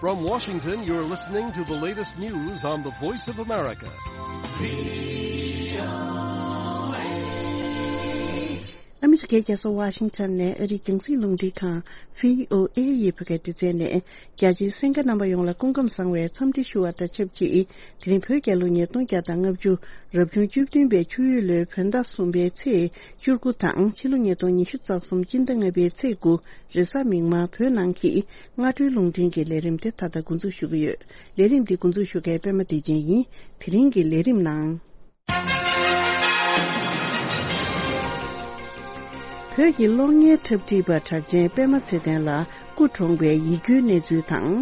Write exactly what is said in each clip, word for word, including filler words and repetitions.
From Washington, you're listening to the latest news on the Voice of America. ཨ་མི་རི་ཀའི་རྒྱལ་ས་ཝ་ཤིང་ཊོན་ནས་ཨ་རིའི་རྒྱང་སྲིང་རླུང་འཕྲིན་ཁང་བྷི་ཨོ་ཨེ་ཡི་བོད་སྐད་སྡེ་ཚན་ནས། རྒྱ་ཆེའི་གསན་མཁན་རྣམ་པ་ཡོངས་ལ་སྐུ་ཁམས་བཟང་བའི་འཚམས་འདྲི་ཞུ་བ་དང་ཆབས་ཅིག་དེ་རིང་བོད་རྒྱལ་ལོ་ཉིས་སྟོང་བརྒྱ་དང་ལྔ་བཅུ་རབ་བྱུང་བཅུ་བདུན་པའི་ཆུ་ཡོས་ལོའི་བོད་ཟླ་གསུམ་པའི་ཚེས་བཅུ་དགུ་དང་ཕྱི་ལོ་ཉིས་སྟོང་ཉི་ཤུ་རྩ་གསུམ་སྤྱི་ཟླ་ལྔ་པའི་ཚེས་དགུ་རེས་གཟའ་མིག་དམར་བོད་ནང་གི་སྔ་དྲོའི་རླུང་འཕྲིན་གྱི་ལས་རིམ་དེ་ད་ལྟ་འགོ་འཛུགས་ཞུ་གི་ཡོད། ལས་རིམ་འདི་འགོ་འཛུགས་ཞུ་མཁན་པད་མ་བདེ་ཆེན་ཡིན། དེ་རིང་གི་ལས་རིམ་ནང་། བོད་ཀྱི་གློག་བརྙན་འཁྲབ་ཁྲིད་པ་གྲགས་ཅན་པད་མ་ཚེ་བརྟན་ལགས་སྐུ་གྲོངས་པའི་ཡིད་སྐྱོའི་གནས་ཚུལ་དང་།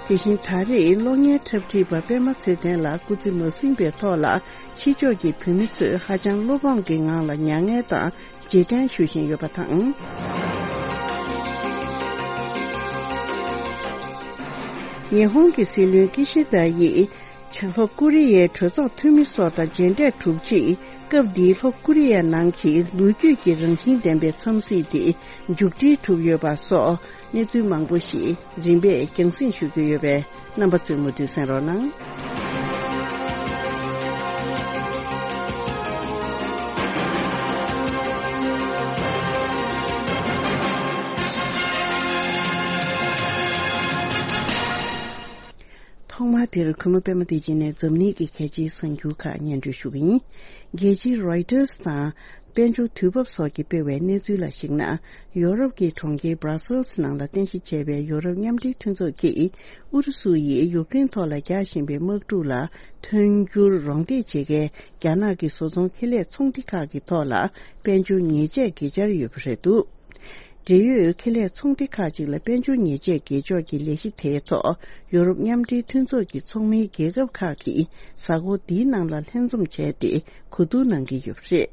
དེ་བཞིན་ད་རེས་གློག་བརྙན་འཁྲབ་ཁྲིད་པ་པད་མ་ཚེ་བརྟན་ལགས་སྐུ་ཚེ་མ་ཟིན་པའི་ཐོག་ལ་ཕྱི་ཕྱོགས་ཀྱི་བོད་མི་ཚོས་ཧ་ཅང་བློ་ཕམ་གྱི་ངང་ལ་མྱ་ངན་དང་རྗེས་དྲན་ཞུ་བཞིན་ཡོད་པ་དང་། ཉི་ཧོང་གི་སྲིད་བློན་ཀི་ཤི་དཱ་ཡིས། ལྷོ་ཀོ་རི་ཡའི་གྲོས་ཚོགས་འཐུས་མི་སོགས་དང་མཇལ་འཕྲད་གྲུབ་རྗེས། སྐབས་འདིའི་ལྷོ་ཀོ་རི་ཡ་ནང་གི་ལོ་རྒྱུས་ཀྱི་རང་བཞིན་ལྡན་པའི་འཚམས་གཟིགས་དེ་མཇུག་སྒྲིལ་གྲུབ་ཡོད་པ་སོགས་གནས་ཚུལ་མང་པོ་ཞིག་རིམ་པས་རྒྱང་སྲིང་ཞུ་རྒྱུ་ཡོད་པས། རྣམ་པ་ཚོས་མུ་མཐུད་གསན་རོགས་གནང་། ཐོག་མར་དེར་གུས་མོ་པད་མ་བདེ་ཆེན་ནས་འཛམ་གླིང་གི་གལ་ཆེའི་གསར་འགྱུར་ཁག་སྙན་སྒྲོན་ཞུ་གི་ཡིན། རྒྱལ་སྤྱི་རོའི་ཊར་དང་དཔལ་འབྱོར་དུས་བབ་སོགས་ཀྱིས་སྤེལ་བའི་གནས་ཚུལ་ལ་གཞིགས་ན། ཡོ་རོབ་ཀྱི་གྲོང་ཁྱེར་Brussels་ནང་ལ་རྟེན་གཞི་བྱས་པའི་ཡོ་རོབ་མཉམ་འབྲེལ་མཐུན་ཚོགས་ཀྱིས་ཨུ་རུ་སུ་ཡིས་ཡུཀ་རེན་ཐོག་ལ་རྒྱག་བཞིན་པའི་དམག་འཁྲུག་ལ་མཐུན་འགྱུར་རོགས་འདེགས་བྱེད་མཁན་རྒྱ་ནག་གི་བཟོ་ཚོང་ཁེ་ལས་ཚོང་སྡེ་ཁག་གི་ཐོག་ལ་དཔལ་འབྱོར་ཉེས་ཆད་གི་སྦྱར་ཡོད་པ་རེད་འདུག་འབྲེལ་ཡོད་ཁེ་ལས་ཚོང་སྡེ་ཁག་ཅིག་ལ་དཔལ་འབྱོར་ཉེས་ཆད་གི་ཕྱོགས་ཀྱི་ལས་གཞི་དེའི་ཐོག་ཡོ་རོབ་མཉམ་འབྲེལ་མཐུན་ཚོགས་ཀྱི་ཚོགས་མིའི་རྒྱལ་ཁབ་ཁག་གིས་གཟའ་འཁོར་འདིའི་ནང་ལ་ལྷན་འཛོམས་བྱས་ཏེ་གོ་བསྡུར་གནང་གི་ཡོད་པ་རེད།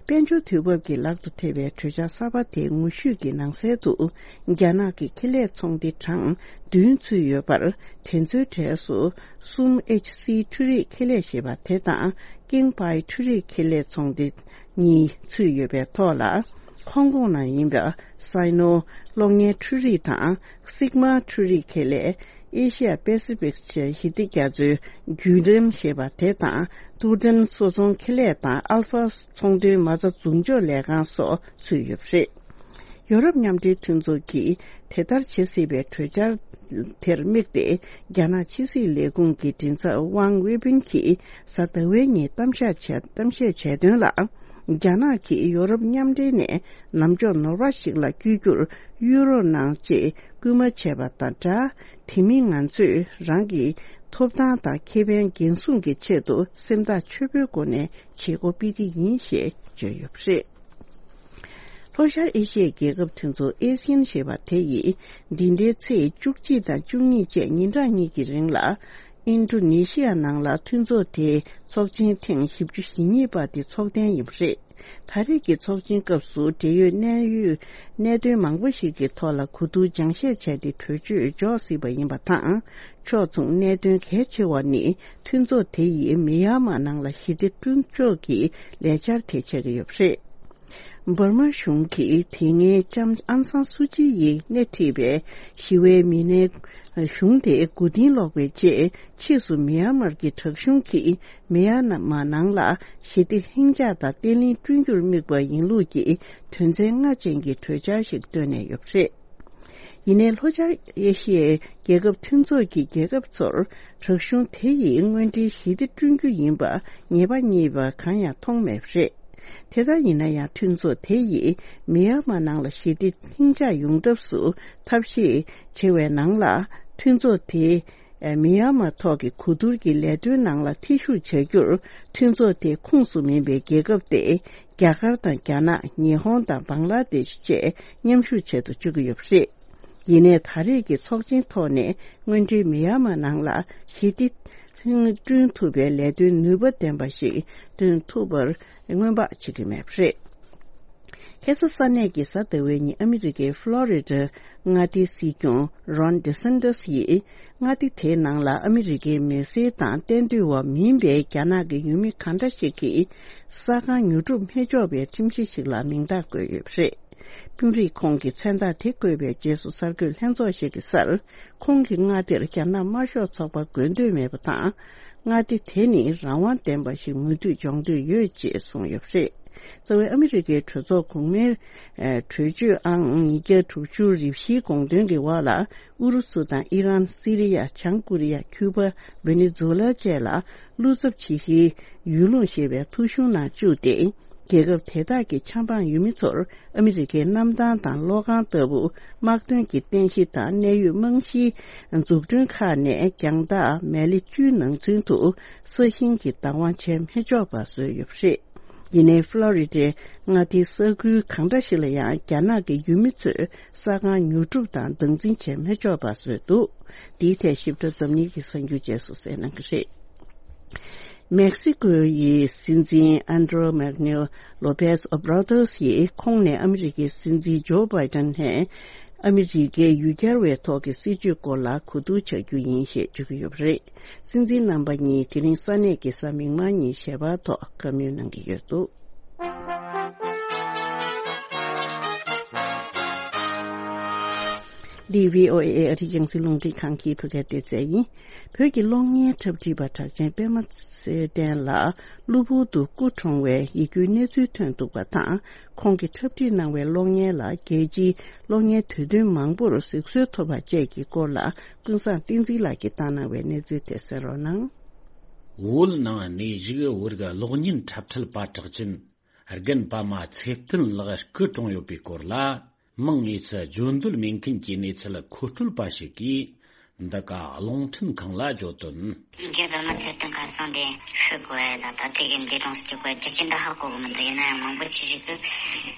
དཔལ་འབྱོར་དུས་བབ་ཀྱི་ལག་ཏུ་ཐེབས་པའི་གྲོས་འཆར་གསར་པ་དེའི་ངོ་བཤུས་ཀྱི་ནང་གསལ་དུ། རྒྱ་ནག་གི་ཁེ་ལས་ཚོང་སྡེ་གྲངས་བདུན་ཚུད་ཡོད་པར། དེ་ཚོའི་གྲས་སུ་གསུམ་ཨེཆ་སི་འཕྲུལ་རིག་ཁེ་ལས་ཞེས་པ་དེ་དང་ཀིང་པའི་འཕྲུལ་རིག་ཁེ་ལས་ཚོང་སྡེ་གཉིས་ཚུད་ཡོད་པའི་ཐོག་ལ། ཧོང་ཀོང་ནང་ཡིན་པ་སའི་ནོ་གློག་བརྙན་འཕྲུལ་རིག་དང་སིག་མ་འཕྲུལ་རིག་ཁེ་ལས། ཨེ་ཤི་ཡ་པེ་སི་ཕིག་ཞི་བདེ་རྒྱ་མཚོའི་བརྒྱུད་རིམ་ཞེས་པ་དེ་དང་ཏུའུ་ཀྲེན་བཟོ་ཚོང་ཁེ་ལས་དང་ཨལ་ཕ་ཚོང་དོན་མ་རྩ་འཛུགས་འཇོག་ལས་ཁང་སོགས་ཚུད་ཡོད་པ་རེད། ཡོ་རོབ་མཉམ་འབྲེལ་མཐུན་ཚོགས་ཀྱིས་དེ་ལྟར་བྱེད་སྲིད་པའི་གྲོས་འཆར་དེར་དམིགས་ཏེ། རྒྱ་ནག་ཕྱི་སྲིད་ལས་ཁུངས་ཀྱི་མགྲིན་ཚབ་ཝང་ཝེ་བིན་གྱིས་གཟའ་ཟླ་བའི་ཉིན་གཏམ་བཤད་བྱས་གཏམ་བཤད་བྱས་དོན་ལ། རྒྱ་ནག་གིས་ཡོ་རོབ་མཉམ་འབྲེལ་ནས་ལམ་ཕྱོགས་ནོར་བ་ཞིག་ལ་བསྐྱོད་རྒྱུར་ཡུ་རོ་ནང་ཅེས་སྐུལ་མ་བྱས་པ་དང་སྦྲགས། དེ་མིན་ང་ཚོས་རང་གི་ཐོབ་ཐང་དང་ཁེ་ཕན་འགན་སྲུང་གི་ཆེད་དུ་སེམས་ཐག་ཆོད་པོའི་སྒོ་ནས་བྱེད་སྒོ་སྤེལ་གྱི་ཡིན་ཞེས་བརྗོད་ཡོད་པ་རེད། ལྷོ་ཤར་ཨེ་ཤི་ཡའི་རྒྱལ་ཁབ་མཐུན་ཚོགས་ཨེ་སི་ཡན་ཞེས་པ་དེ་ཡིས་འདི་ཟླའི་ཚེས་བཅུ་གཅིག་དང་བཅུ་གཉིས་བཅས་ཉིན་གྲངས་གཉིས་ཀྱི་རིང་ལ་ཨིན་ཌོ་ནེ་ཤི་ཡ་ནང་ལ་མཐུན་ཚོགས་དེའི་ཚོགས་ཆེན་ཐེངས་བཞི་བཅུ་ཞེ་གཉིས་པ་དེ་ཚོགས་གཏན་ཡིན་པ་རེད། ད་རེས་ཀྱི་ཚོགས་ཆེན་སྐབས་སུ་འབྲེལ་ཡོད་གནད་ཡོད་གནད་དོན་མང་པོ་ཞིག་གི་ཐོག་ལ་གོ་བསྡུར་སྦྱང་བཤད་བྱས་ཏེ་གྲོས་ཆོད་འཇོག་སྲིད་པ་ཡིན་པ་དང་། ཕྱོགས་མཚུངས་གནད་དོན་གལ་ཆེ་བ་ནི་མཐུན་ཚོགས་དེ་ཡིས་མི་ཡར་མར་ནང་ལ་ཞི་བདེ་བསྐྲུན་ཕྱོགས་ཀྱི་ལས་འཆར་དེ་ཆགས་ཀྱི་ཡོད་པ་རེད། འབར་མ་གཞུང་གིས་དེ་སྔའི་ལྕམ་ཨང་སང་སུ་ཅི་ཡིས་སྣེ་ཁྲིད་པའི་ཞི་བའི་མི་སྣའི་གཞུང་དེ་མགོ་རྟིང་སློག་པའི་རྗེས། ཕྱིས་སུ་མི་ཡར་མར་གྱི་དྲག་གཞུང་གིས་མི་ཡར་མར་ནང་ལ་ཞི་བདེ་ལྷིང་འཇགས་དང་བརྟན་ལྷིང་བསྐྲུན་རྒྱུར་དམིགས་པ་ཡིན་ལུགས་ཀྱི་དོན་ཚན་ལྔ་ཅན་གྱི་གྲོས་འཆར་ཞིག་བཏོན་ནས་ཡོད་པ་རེད། ཡིན་ནའི་ལྷོ་ཤར་ཨེ་ཤི་ཡའི་རྒྱལ་ཁབ་མཐུན་ཚོགས་ཀྱི་རྒྱལ་ཁབ་ཚོར་དྲག་གཞུང་དེ་ཡིས་དངོས་འབྲེལ་ཞི་བདེ་བསྐྲུན་རྒྱུ་ཡིན་པ་ངེས་པ་རྙེད་པ་གང་ཡང་མཐོང་མེད་པ་རེད། དེ་ལྟར་ཡིན་ན་ཡང་མཐུན་ཚོགས་དེ་ཡིས་མི་ཡར་མར་ནང་ལ་ཞི་བདེ་ལྷིང་འཇགས་ཡོང་ཐབས་སུ་ཐབས་ཤེས་བྱེད་པའི་ནང་ལ་མཐུན་ཚོགས་དེ་མི་ཡར་མར་ཐོག་གི་གོ་བསྡུར་གྱི་ལས་དོན་ནང་ལ་ཐེ་ཞུགས་བྱ་རྒྱུར་མཐུན་ཚོགས་དེའི་ཁོངས་སུ་མིན་པའི་རྒྱལ་ཁབ་སྟེ། རྒྱ་གར་དང་རྒྱ་ནག་ཉི་ཧོང་དང་བང་ལ་དེཤ་བཅས་མཉམ་ཞུགས་བྱེད་དུ་བཅུག་གི་ཡོད་པ་རེད། ཡིན་ནའི་ད་རེས་ཀྱི་ཚོགས་ཆེན་ཐོག་ནས་དངོས་འབྲེལ་མི་ཡར་མར་ནང་ལ་ཞི་བདེ་བསྐྲུན་ཐུབ་པའི་ལས་དོན་ནུས་པ་ལྡན་པ་ཞིག་འདོན་ཐུབ་པར་སྔོན་དཔག་བྱེད་ཀྱི་མེད་པ་རེད། ཁ་སང་ས་གནས་ཀྱི་གཟའ་ཟླ་བའི་ཉིན་ཨ་མི་རི་ཀའི་ཕློ་རི་ཌ་མངའ་སྡེའི་སྲིད་སྐྱོང་རོན་ཌི་སན་ཏོས་ཡིས་མངའ་སྡེ་དེའི་ནང་ལ་ཨ་མི་རི་ཀའི་མི་སེར་དང་གཏན་སྡོད་པ་མིན་པའི་རྒྱ་ནག་གི་ཡུལ་མི་གང་འདྲ་ཞིག་གིས་ས་ཁང་ཉོ་སྒྲུབ་མི་ཆོག་པའི་ཁྲིམས་གཞི་ཞིག་ལ་མིང་རྟགས་བཀོད་ཡོད་པ་རེད། དཔོན་རིགས་ཁོང་གི་མཚན་རྟགས་དེ་བཀོད་པའི་རྗེས་སུ་གསར་འགོད་ལྷན་ཚོགས་ཤིག་གི་སར། ཁོང་གི་མངའ་སྡེར་རྒྱ་ནག་དམར་ཤོག་ཚོགས་པ་དགོས་འདོད་མེད་པ་དང་། མངའ་སྡེ་དེ་ནི་རང་དབང་ལྡན་པ་ཞིག་མུ་མཐུད་འཇོག་འདོད་ཡོད་ཅེས་གསུངས་ཡོད་པ་རེད། རྩ་བའི་ཨ་མི་རི་ཀའི་གྲོས་ཚོགས་གོང་མའི་གྲོས་ཆོད་ཨང་ཉིས་བརྒྱ་དྲུག་ཅུ་རེ་བཞིའི་དགོངས་དོན་གྱི་འོག་ལ། ཨུ་རུ་སུ་དང་ཨི་རན། སི་རི་ཡ། བྱང་ཀོ་རི་ཡ། ཁྱུ་པ། ཝེ་ནེ་ཛུ་ལ་བཅས་ལ། བློ་འཚབ་ཆེ་ཤོས་ཡུལ་ལུང་ཞེས་པའི་ཐོ་གཞུང་ནང་བཅུག་སྟེ། རྒྱལ་ཁབ་དེ་དག་གི་ཆབ་འབངས་ཡུལ་མི་ཚོར་ཨ་མི་རི་ཀའི་གནམ་ཐང་དང་གློག་ཁང་ལྟ་བུ་དམག་དོན་གྱི་རྟེན་གཞི་དང་གནད་ཡོད་རྨང་གཞིའི་འཛུགས་སྐྲུན་ཁག་ནས་རྒྱང་ཐག་མེ་ལེ་བཅུའི་ནང་ཚུན་དུ་ས་ཞིང་གི་བདག་དབང་བྱས་མི་ཆོག་པ་བཟོས་ཡོད་པ་རེད། ཡིན་ནའི་ཕློ་རི་ཌའི་མངའ་སྡེའི་ས་ཁུལ་གང་འདྲ་ཞིག་ལ་ཡང་རྒྱ་ནག་གི་ཡུལ་མི་ཚོས་ས་ཁང་ཉོ་སྒྲུབ་དང་སྡང་འཛིན་བྱས་མི་ཆོག་པ་བཟོས་འདུག་འདིའི་ཐད་ཞིབ་ཕྲ་འཛམ་གླིང་གི་གསར་འགྱུར་རྗེས་སུ་གསན་གནང་གི་རེད། མེག་སི་ཀོ་ཡི་སྲིད་འཛིན་ཨན་ཌྲོ་མེག་ནིལ་ལོ་པེས་ཨོ་བྷ་ར་དོས་ཡིས་ཁོང་ནས་ཨ་མི་རི་ཀའི་སྲིད་འཛིན་ཇོ་བྷའི་ཏན་ནས་ཨ་མི་རི་ཀའི་ཡུལ་གྱར་བའི་ཐོག་གི་སྲིད་ཇུས་སྐོར་ལ་གོ་བསྡུར་བྱ་རྒྱུ་ཡིན་ཞེས་བརྗོད་ཀྱི་ཡོད་པ་རེད། སྲིད་འཛིན་རྣམ་པ་གཉིས་དེ་རིང་ས་གནས་ཀྱི་གཟའ་མིག་དམར་ཉིན་ཞལ་པར་ཐོག་བཀའ་མོལ་གནང་གི་ཡོད་འདུག་འདི་བྷི་ཨོ་ཨེ་ཨ་རིའི་རྒྱང་སྲིང་རླུང་འཕྲིན་ཁང་གི་བོད་སྐད་སྡེ་ཚན་ཡིན། བོད་ཀྱི་གློག་བརྙན་འཁྲབ་ཁྲིད་པ་གྲགས་ཅན་པད་མ་ཚེ་བརྟན་ལགས་གློ་བུར་དུ་སྐུ་གྲོངས་བའི་ཡིད་སྐྱོའི་གནས་ཚུལ་ཐོན་འདུག་པ་དང་། ཁོང་གིས་འཁྲབ་ཁྲིད་གནང་བའི་གློག་བརྙན་ལ་རྒྱལ་སྤྱིའི་གློག་བརྙན་དུས་སྟོན་མང་པོར་གཟིགས་གསོལ་ཐོབ་པ་བཅས་ཀྱི་སྐོར་ལ་ཀུན་བཟང་བསྟན་འཛིན་ལགས་ཀྱིས་བཏང་གནང་བའི་གནས་ཚུལ་དེ་གསན་རོགས་གནང་། བོད་ནང་གནས་བཞུགས་བོད་ཀྱི་གློག་བརྙན་འཁྲབ་ཁྲིད་པ་གྲགས་ཅན་རྒན་པདྨ་ཚེ་བརྟན་ལགས་སྐུ་གྲོངས་ཡོད་པའི་སྐོར་ལ། མིང་དངོས་སུ་བརྗོད་འདོད་མེད་མཁན་གྱི་གནས་ཚུལ་མཁོ་སྤྲོད་པ་ཞིག་གིས་འདི་ག་རླུང་འཕྲིན་ཁང་ལ་བརྗོད་དོན། རྒན་པདྨ་ཚེ་བརྟན་ཁ་སང་དེ་ཤི་དགོས་ལ་ད་དེ་གི་འདས་གྲོངས་སུ་གྱུར་པའི་རྒྱུ་རྐྱེན་འདྲ་ཧ་གོ་གི་མི་འདུག་ཡིན་ན་ཡང་མང་པོ་ཆེ་ཞིག་གིས་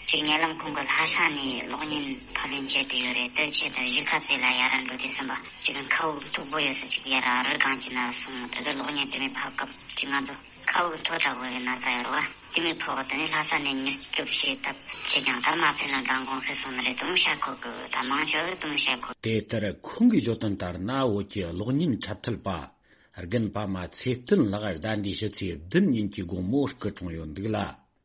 ཅིག་ཉེ་ལམ་ཁོང་གི་ལྷ་ས་ནས་གློག་བརྙན་ཕབ་ལེན་བྱས་ཏེ་ཡོད་རེད། དེ་ཆེད་དུ་གཞིས་ཀ་རྩེ་ལ་ཡར་འགྲོ་དུས་ཙམ་པ་ཅིག་མཁའ་དབུགས་མཐུག་པོ་ཡོད་ས་ཅིག་ཡར་རི་སྒང་གི་ནང་སོང་། དེ་གི་གློག་བརྙན་དེ་མི་ཕབ་སྐབས་ཅིག་ང་ཚོ་མཁའ་དབུགས་མཐོ་དྲགས་པོ་ཡོད་ན་ཚ་ཡོད་རེད་བ། དེ་མི་ཕོག་དེ་ནས་ལྷ་ས་ནས་མྱུར་སྐྱོབ་བྱས་སྟབས་ཆེ་ཀྱང་ད་མ་ཕེབས་ན་མདང་དགོང་ཤི་སོང་ནི་རེད་དུང་བཤད་ཁོ་གི་ད་མང་ཆེ་བས་དུང་བཤད་ཁོ། དེ་ལྟར་ཁོང་གིས་བརྗོད་དོན་ལྟར་ན། བོད་ཀྱི་གློག་བརྙན་འཁྲབ་ཁྲིད་པ་རྒན་པདྨ་ཚེ་བརྟན་ལགས་ཟླ་འདིའི་ཕྱི་ཚེས་བདུན་ཉིན་གྱི་དགོང་མོ་སྐུ་གྲོངས་ཡོད་འདུག་ལ།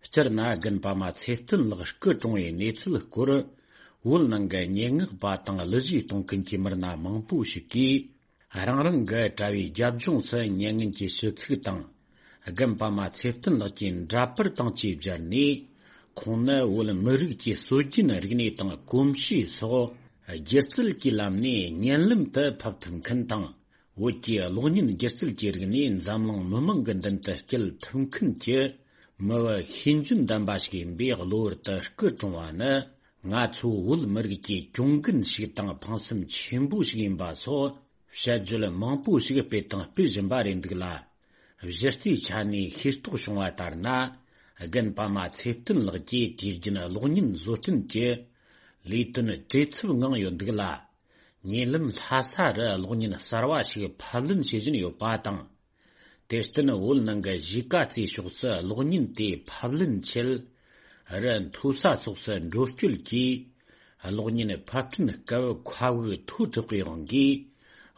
སྤྱིར་ན་རྒན་པདྨ་ཚེ་བརྟན་ལགས་སྐུ་གྲོངས་པའི་གནས་ཚུལ་སྐོར། བོད་ནང་གི་སྙན་ངག་པ་དང་གླུ་གཞས་གཏོང་མཁན་གྱི་མི་སྣ་མང་པོ་ཞིག་གིས། རང་རང་གི་དྲ་བའི་རྒྱབ་ལྗོངས་སུ་མྱ་ངན་གྱི་ཞུ་ཚིག་དང་། རྒན་པདྨ་ཚེ་བརྟན་ལགས་ཀྱི་འདྲ་པར་དང་བཅས་སྦྱར་ནས། ཁོང་ནི་བོད་མི་རིགས་ཀྱི་སྲོལ་རྒྱུན་རིག་གནས་དང་གོམས་གཤིས་སོགས་སྒྱུ་རྩལ་གྱི་ལམ་ནས་བརྙན་ལམ་དུ་ཕབ་ཐུབ་མཁན་དང་། བོད་ཀྱི་གློག་བརྙན་སྒྱུ་རྩལ་གྱི་རིག་གནས་འཛམ་གླིང་མི་མང་གི་མདུན་དུ་སྐྱེལ་ཐུབ་མཁན་གྱི་མི་བུ་ཤེས་འཇོན་ལྡན་པ་ཞིག་ཡིན་པས། གློ་བུར་དུ་སྐུ་གྲོངས་པ་ནི། ང་ཚོ་བོད་མི་རིགས་ཀྱི་གྱོང་གུན་ཞིག་དང་ཕངས་སེམས་ཆེན་པོ་ཞིག་ཡིན་པ་སོགས། བཤད་རྒྱུད་མང་པོ་ཞིག་སྤེལ་དང་སྤེལ་བཞིན་པ་རེད་འདུག་ལ། གཞི་རྩའི་ཆ་ནས་ཤེས་རྟོགས་བྱུང་བ་ལྟར་ན། རྒན་པདྨ་ཚེ་བརྟན་ལགས་ཀྱིས་དུས་རྒྱུན་གློག་བརྙན་བཟོ་སྐྲུན་གྱི་ལས་དོན་བྲེལ་འཚུབ་ངང་ཡོད་འདུག་ལ། ཉེ་ལམ་ལྷ་ས་རུ་གློག་བརྙན་གསར་བ་ཞིག་ཕབ་ལེན་བྱེད་བཞིན་ཡོད་པ་དང་། དེར་བརྟེན་བོད་ནང་གི་གཞིས་ཀ་རྩེ་ཕྱོགས་སུ་གློག་བརྙན་དེ་ཕབ་ལེན་ཆེད། རི་མཐོ་ས་སོགས་སུ་འགྲོ་སྐྱོད་ཀྱིས། གློག་བརྙན་ཕབ་སྐྲུན་སྐབས་མཁའ་དབུགས་མཐོ་དྲགས་པའི་དབང་གིས།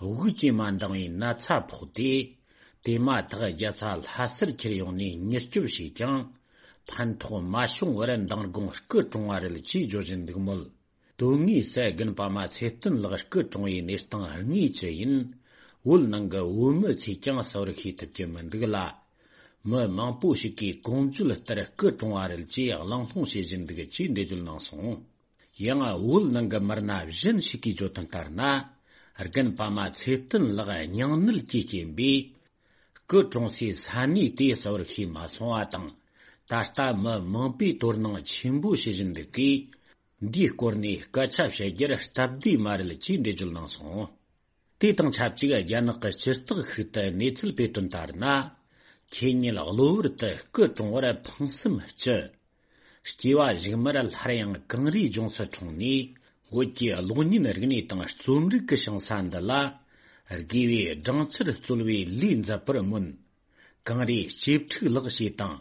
དབུགས་ཀྱིས་མ་འདང་བའི་ན་ཚ་ཕོག་སྟེ། དེ་མ་ཐག་རྒྱལ་ས་ལྷ་སར་འཁྱེར་ཡོང་ནས་མྱུར་སྐྱོབ་བྱས་ཀྱང་། ཕན་ཐོགས་མ་བྱུང་བར་མདང་དགོང་སྐུ་གྲོངས་པ་རེད་ཅེས་བརྗོད་བཞིན་འདུག་མོད། དོན་དངོས་སུ་རྒན་པདྨ་ཚེ་བརྟན་ལགས་སྐུ་གྲོངས་པའི་གནས་སྟངས་དངོས་ཅི་ཡིན། བོད་ནང་གི་བོད་མི་ཚོས་ཀྱང་གསལ་བོར་ཤེས་ཐུབ་ཀྱི་མི་འདུག་ལ། མི་མང་པོ་ཞིག་གིས་གོང་བརྗོད་ལྟར་སྐུ་གྲོངས་པ་རེད་ཅེས་གླེང་སློང་བྱེད་བཞིན་འདུག་ཅེས་འགྲེལ་བརྗོད་གནང་སོང་། ཡང་བོད་ནང་གི་མི་སྣ་གཞན་ཞིག་གིས་བརྗོད་དོན་ལྟར་ན། རྒན་པདྨ་ཚེ་བརྟན་ལགས་སྙིང་ནད་ཀྱི་རྐྱེན་པས། སྐུ་གྲོངས་སའི་ས་གནས་དེ་གསལ་བོར་ཤེས་མ་སོང་བ་དང་། ད་ལྟ་མི་མང་པོས་དོ་སྣང་ཆེན་པོ་བྱེད་བཞིན་འདུག་གིས། འདིའི་སྐོར་ནས་སྐད་ཆ་བཤད་རྒྱུར་སྟབས་བདེ་མ་རེད་ཅེས་འགྲེལ་བརྗོད་གནང་སོང་། དེ་དང་ཆབས་ཅིག་རྒྱ་ནག་གི་སྤྱི་བཏགས་ཤིག་ཏུ་གནས་ཚུལ་སྤེལ་དོན་ལྟར་ན། ཁེ་ཉིན་གློ་བུར་དུ་སྐུ་གྲོངས་པར་ཕངས་སེམས་སྐྱེ། སྐྱེ་བ་གཞུག་མར་སླར་ཡང་གངས་རིའི་ལྗོངས་སུ་འཁྲུངས་ནས། བོད་ཀྱི་གློག་བརྙན་རིག་གནས་དང་རྩོམ་རིག་གི་ཞིང་ས་འདི་ལ། དགེ་བའི་སྦྲང་ཆར་སྩོལ་བའི་ལས་མཛད་པར་སྨོན། གངས་རིའི་གཅེས་ཕྲུག་ལགས་ཞེས་དང་།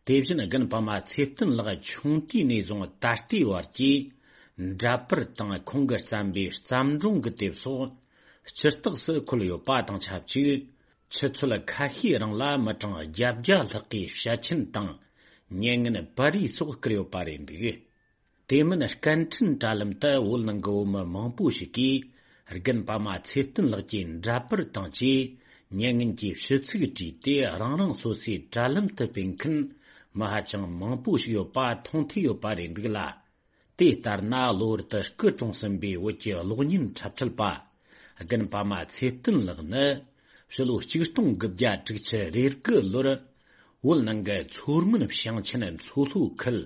དེ་བཞིན་རྒན་པདྨ་ཚེ་བརྟན་ལགས་ཆུང་དུས་ནས་བཟུང་ད་ལྟའི་བར་གྱི་འདྲ་པར་དང་ཁོང་གིས་བརྩམས་པའི་བརྩམས་སྒྲུང་གི་དེབ་སོགས་སྤྱི་རྟགས་སུ་འཁོད་ཡོད་པ་དང་ཆབས་ཅིག་ཆུ་ཚོད་ཁ་ཤས་རིང་ལ་མི་གྲངས་བརྒྱད་བརྒྱ་ལྷག་གིས་བཤད་མཁན་དང་མྱ་ངན་པར་རིས་སོགས་བསྐུར་ཡོད་པ་རེད་འདུག་དེ་མིན་སྐད་འཕྲིན་དྲ་ལམ་དུ་བོད་ནང་གི་བོད་མི་མང་པོ་ཞིག་གིས་རྒན་པདྨ་ཚེ་བརྟན་ལགས་ཀྱི་འདྲ་པར་དང་བཅས་མྱ་ངན་གྱི་ཞུ་ཚིག་བྲིས་ཏེ། རང་རང་སོ་སོའི་དྲ་ལམ་དུ་སྤེལ་མཁན་མི་ཧ་ཅང་མང་པོ་ཞིག་ཡོད་པ་མཐོང་ཐུབ་ཡོད་པ་རེད་འདུག་ལ། དེ་ལྟར་ན། གློ་བུར་དུ་སྐུ་གྲོངས་ཟིན་པའི་བོད་ཀྱི་གློག་བརྙན་འཁྲབ་ཁྲིད་པ་རྒན་པདྨ་ཚེ་བརྟན་ལགས་ནི། ཕྱི་ལོ་ཆིག་སྟོང་དགུ་བརྒྱ་དྲུག་ཅུ་རེ་དགུ་ལོར་བོད་ནང་གི་མཚོ་སྔོན་ཞིང་ཆེན་མཚོ་ལྷོ་ཁུལ་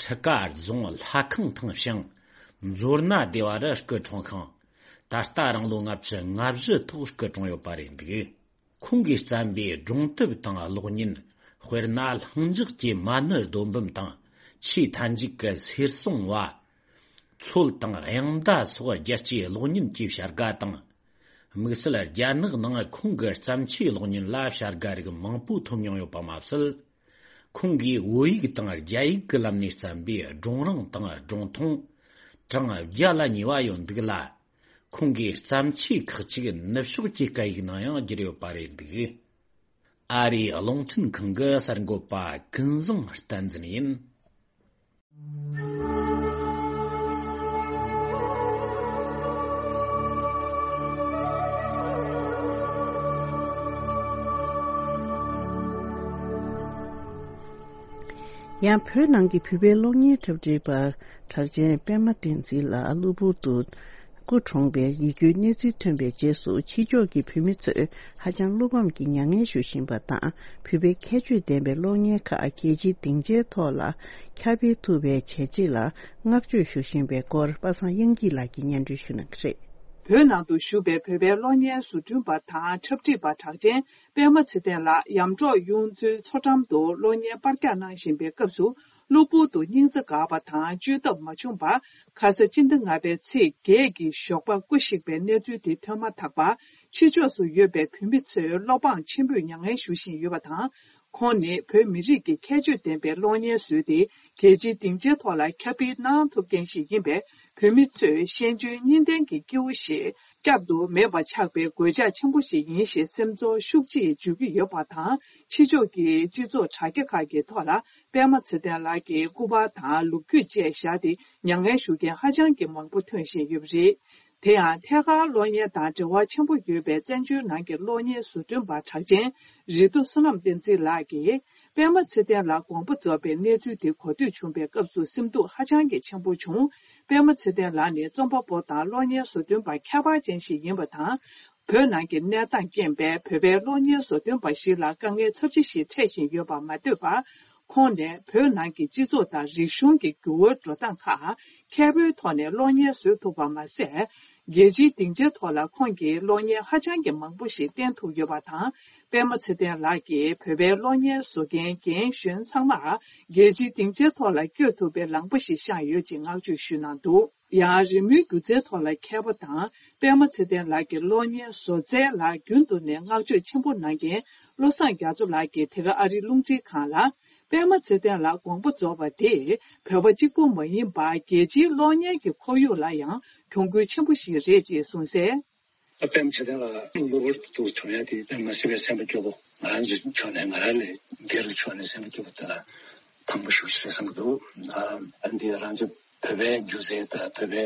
ཁྲི་ཀ་རྫོང་ལྷ་ཁང་ཐང་ཞང་མཛོ་སྣ་སྡེ་བ་རུ་སྐུ་འཁྲུངས་ཤིང་། ད་ལྟ་རང་ལོ་ལྔ་བཅུ་ང་བཞི་ཐོག་སྐུ་གྲོངས་ཡོད་པ་རེད་འདུག། ཁོང་གིས་བརྩམས་པའི་སྒྲུང་དེབ་དང་གློག་བརྙན། དཔེར་ན། ལྷིང་འཇགས་ཀྱི་མ་ཎི་རྡོ་འབུམ་དང་། ཆེས་མཐའ་མཇུག་གི་གསེར་སྲུང་བ། མཚོ་དང་དབྱངས་མདའ་སོགས་རྒྱལ་སྤྱིའི་གློག་བརྙན་གྱི་བྱ་དགའ་དང་། དམིགས་བསལ་རྒྱ་ནག་ནང་ཁོང་གི་བརྩམས་ཆོས་གློག་བརྙན་ལ་བྱ་དགའ་རིགས་མང་པོ་ཐོབ་མྱོང་ཡོད་པ་མ་ཟད། ཁོང་གིས་བོད་ཡིག་དང་རྒྱ་ཡིག་གི་ལམ་ནས་བརྩམས་པའི་སྒྲུང་རིང་དང་སྒྲུང་ཐུང་གྲངས་བརྒྱ་ལ་ཉེ་བ་ཡོད་འདུག་ལ། ཁོང་གི་བརྩམས་ཆོས་ཁག་ཅིག་ནུབ་ཕྱོགས་ཀྱི་སྐད་ཡིག་ནང་ཡང་བསྒྱུར་ཡོད་པ་རེད་འདུག། ཨ་རིའི་རླུང་འཕྲིན་ཁང་གི་གསར་འགོད་པ་ཀུན་བཟང་བསྟན་འཛིན་ཡིན། ཡང་བོད་ནང་གི་བོད་པའི་གློག་བརྙན་འཁྲབ་ཁྲིད་པ་གྲགས་ཅན་པད་མ་བསྟན་འཛིན་ལགས་གློ་བུར་དུ་སྐུ་གྲོངས་པའི་ཡིད་སྐྱོའི་གནས་ཚུལ་ཐོན་པའི་རྗེས་སུ། ཕྱི་ཕྱོགས་ཀྱི་བོད་མི་ཚོས་ཧ་ཅང་བློ་ཕམ་གྱི་མྱ་ངན་ཞུ་བཞིན་པ་དང་། བོད་པའི་ཁྱད་ཆོས་ལྡན་པའི་གློག་བརྙན་ཁག་རྒྱལ་སྤྱིའི་སྡིངས་ཆའི་ཐོག་ལ་ཁྱབ་སྤེལ་ཐུབ་པའི་བྱས་རྗེས་ལ་བསྔགས་བརྗོད་ཞུ་བཞིན་པའི་སྐོར། པ་སངས་དབྱངས་སྐྱིད་ལགས་ཀྱིས་སྙན་སྒྲོན་ཞུ་གནང་གི་རེད། བོད་ནང་དུ་བཞུགས་པའི་བོད་པའི་གློག་བརྙན་བཟོ་སྐྲུན་པ་དང་འཁྲབ་ཁྲིད་པ་གྲགས་ཅན་པད་མ་ཚེ་བརྟན་ལགས་ཡམ་འབྲོག་གཡུ་མཚོའི་མཚོ་འགྲམ་དུ་གློག་བརྙན་པར་རྒྱག་གནང་བཞིན་པའི་སྐབས་སུ། གློ་བུར་དུ་སྙིང་རྩ་འགག་པ་དང་བཅོས་ཐབས་མ་བྱུང་བར། ཁ་ས་སྤྱི་ཟླ་ལྔ་པའི་ཚེས་བརྒྱད་ཀྱི་ཞོགས་པ་སྐུ་གཤེགས་པའི་གནས་ཚུལ་དེ་ཐོན་མ་ཐག་པར། ཕྱི་ཕྱོགས་སུ་ཡོད་པའི་བོད་མི་ཚོས་བློ་ཕངས་ཆེན་པོས་མྱ་ངན་ཞུ་བཞིན་ཡོད་པ་དང་། ཁོང་ནི་བོད་མི་རིགས་ཀྱི་ཁྱད་ཆོས་ལྡན་པའི་གློག་བརྙན་བཟོས་ཏེ། རྒྱལ་སྤྱིའི་སྡིངས་ཆའི་ཐོག་ལ་ཁྱབ་སྤེལ་གནང་ཐུབ་མཁན་ཞིག་ཡིན་པས། བོད་མི་ཚོས་ཤེས་འཇོན་གཉིས་ལྡན་གྱི་སྐྱེ་བོ་ཞིག་བསྐྱར་དུ་མེད་པ་ཆགས་པའི་གོད་ཆག་ཆེན་པོ་ཞིག་ཡིན་ཞེས་སེམས་ཚོར་ཤུགས་ཆེ་བརྗོད་ཀྱི་ཡོད་པ་དང་། ཕྱི་ཕྱོགས་ཀྱི་སྤྱི་ཚོགས་དྲ་རྒྱ་ཁག་གི་ཐོག་ལ་པད་མ་ཚེ་བརྟན་ལགས་ཀྱི་སྐུ་པར་དང་ལོ་རྒྱུས་བཅས་བཞག་སྟེ། མྱ་ངན་ཞུ་མཁན་ཧ་ཅང་གི་མང་པོ་ཐོན་བཞིན་ཡོད་པ་རེད། དེ་ཡང་ཐད་ཀར་གློག་བརྙན་དང་འབྲེལ་བ་ཆེན་པོ་ཡོད་པའི་བཙན་བྱོལ་ནང་གི་གློག་བརྙན་བཟོ་སྐྲུན་པ་གྲགས་ཅན་རི་རྡོ་བསོད་ནམས་བསྟན་འཛིན་ལགས་ཀྱིས། པད་མ་ཚེ་བརྟན་ལགས་དགོངས་པ་རྫོགས་པའི་གནས་ཚུལ་དེ་གོ་ཐོས་བྱུང་བའི་སྐབས་སུ་སེམས་སྡུག་ཧ་ཅང་གི་ཆེན་པོ་བྱུང་། པད་མ་ཚེ་བརྟན་ལགས་ནི་རྩོམ་པ་པོ་དང་གློག་བརྙན་བཟོ་སྐྲུན་པ་ཁྱད་པར་ཅན་ཞིག་ཡིན་པ་དང་། བོད་ནང་གི་གནས་སྟངས་རྐྱེན་པས་བོད་པའི་གློག་བརྙན་བཟོ་སྐྲུན་པ་ཞིག་ལ་དཀའ་ངལ་ཚབས་ཆེ་ཞིག་འཕྲད་བཞིན་ཡོད་པ་མ་ཟད་པར། ཁོང་ནས་བོད་ནང་གི་སྤྱི་ཚོགས་དང་རིག་གཞུང་གི་འགྱུར་བའི་འགྲོ་སྟངས་ཁག་མཁས་པོའི་ཐོག་ནས་གློག་བརྙན་བཟོས་ཐུབ་པ་མ་ཟད། རྒྱལ་སྤྱིའི་སྡིངས་ཆའི་ཐོག་ལ་ཁོང་གིས་གློག་བརྙན་ཧ་ཅང་གི་མང་པོ་ཞིག་བསྟན་ཐུབ་ཡོད་པ་དང་། པད་མ་ཚེ་བརྟན་ལགས་ཀྱིས་བོད་པའི་གློག་བརྙན་བཟོ་མཁན་རྒན་གཞོན་ཚང་མར་རྒྱལ་སྤྱིའི་སྡིངས་ཆའི་ཐོག་ལ་བསྐྱོད་ཐུབ་པའི་ལངས་པ་ཞིག་བཞག་ཡོད་ཅེས་བསྔགས་བརྗོད་ཞུས་གནང་འདུག། ཡང་རི་མོའི་སྒྱུ་རྩལ་ཐོག་ལ་མཁས་པ་དང་། པད་མ་ཚེ་བརྟན་ལགས་ཀྱི་གློག་བརྙན་བཟོ་རྩལ་ལ་རྒྱུན་དུ་ནས་བསྔགས་བརྗོད་ཆེན་པོ་གནང་མཁན་བློ་བཟང་རྒྱ་མཚོ་ལགས་ཀྱིས་དེ་ག་ཨ་རིའི་རླུང་འཕྲིན་ཁང་ལ། པད་མ་ཚེ་བརྟན་ལགས་དགོངས་པ་རྫོགས་པ་དེ་བོད་པ་གཅིག་པུ་མ་ཡིན་པར་རྒྱལ་སྤྱིའི་གློག་བརྙན་གྱི་ཁོར་ཡུག་ལ་ཡང་གྱོང་གུན་ཆེན་པོ་ཞིག་རེད་ཅེས་གསུངས་གསལ། པད་མ་ཚེ་བརྟན་ལགས་གློ་བུར་དུ་གྲོངས་ཡ་དེ་དཔེ་མ་སྲིད་པའི་སེམས་པ་སྐྱོ་པོ། ང་རང་ཚོའི་ཕྱོགས་ནས་ང་རང་ལས་སྒེར་གྱི་ཕྱོགས་ནས་སེམས་པ་སྐྱོ་པོ་དང་ཕངས་པ་ཤུགས་ཆེ་རེད་བསམ་གྱི་འདུག། ཨ་འདི་རང་ཚོ་བོད་པའི་སྒྱུ་རྩལ་དང་བོད་པའི་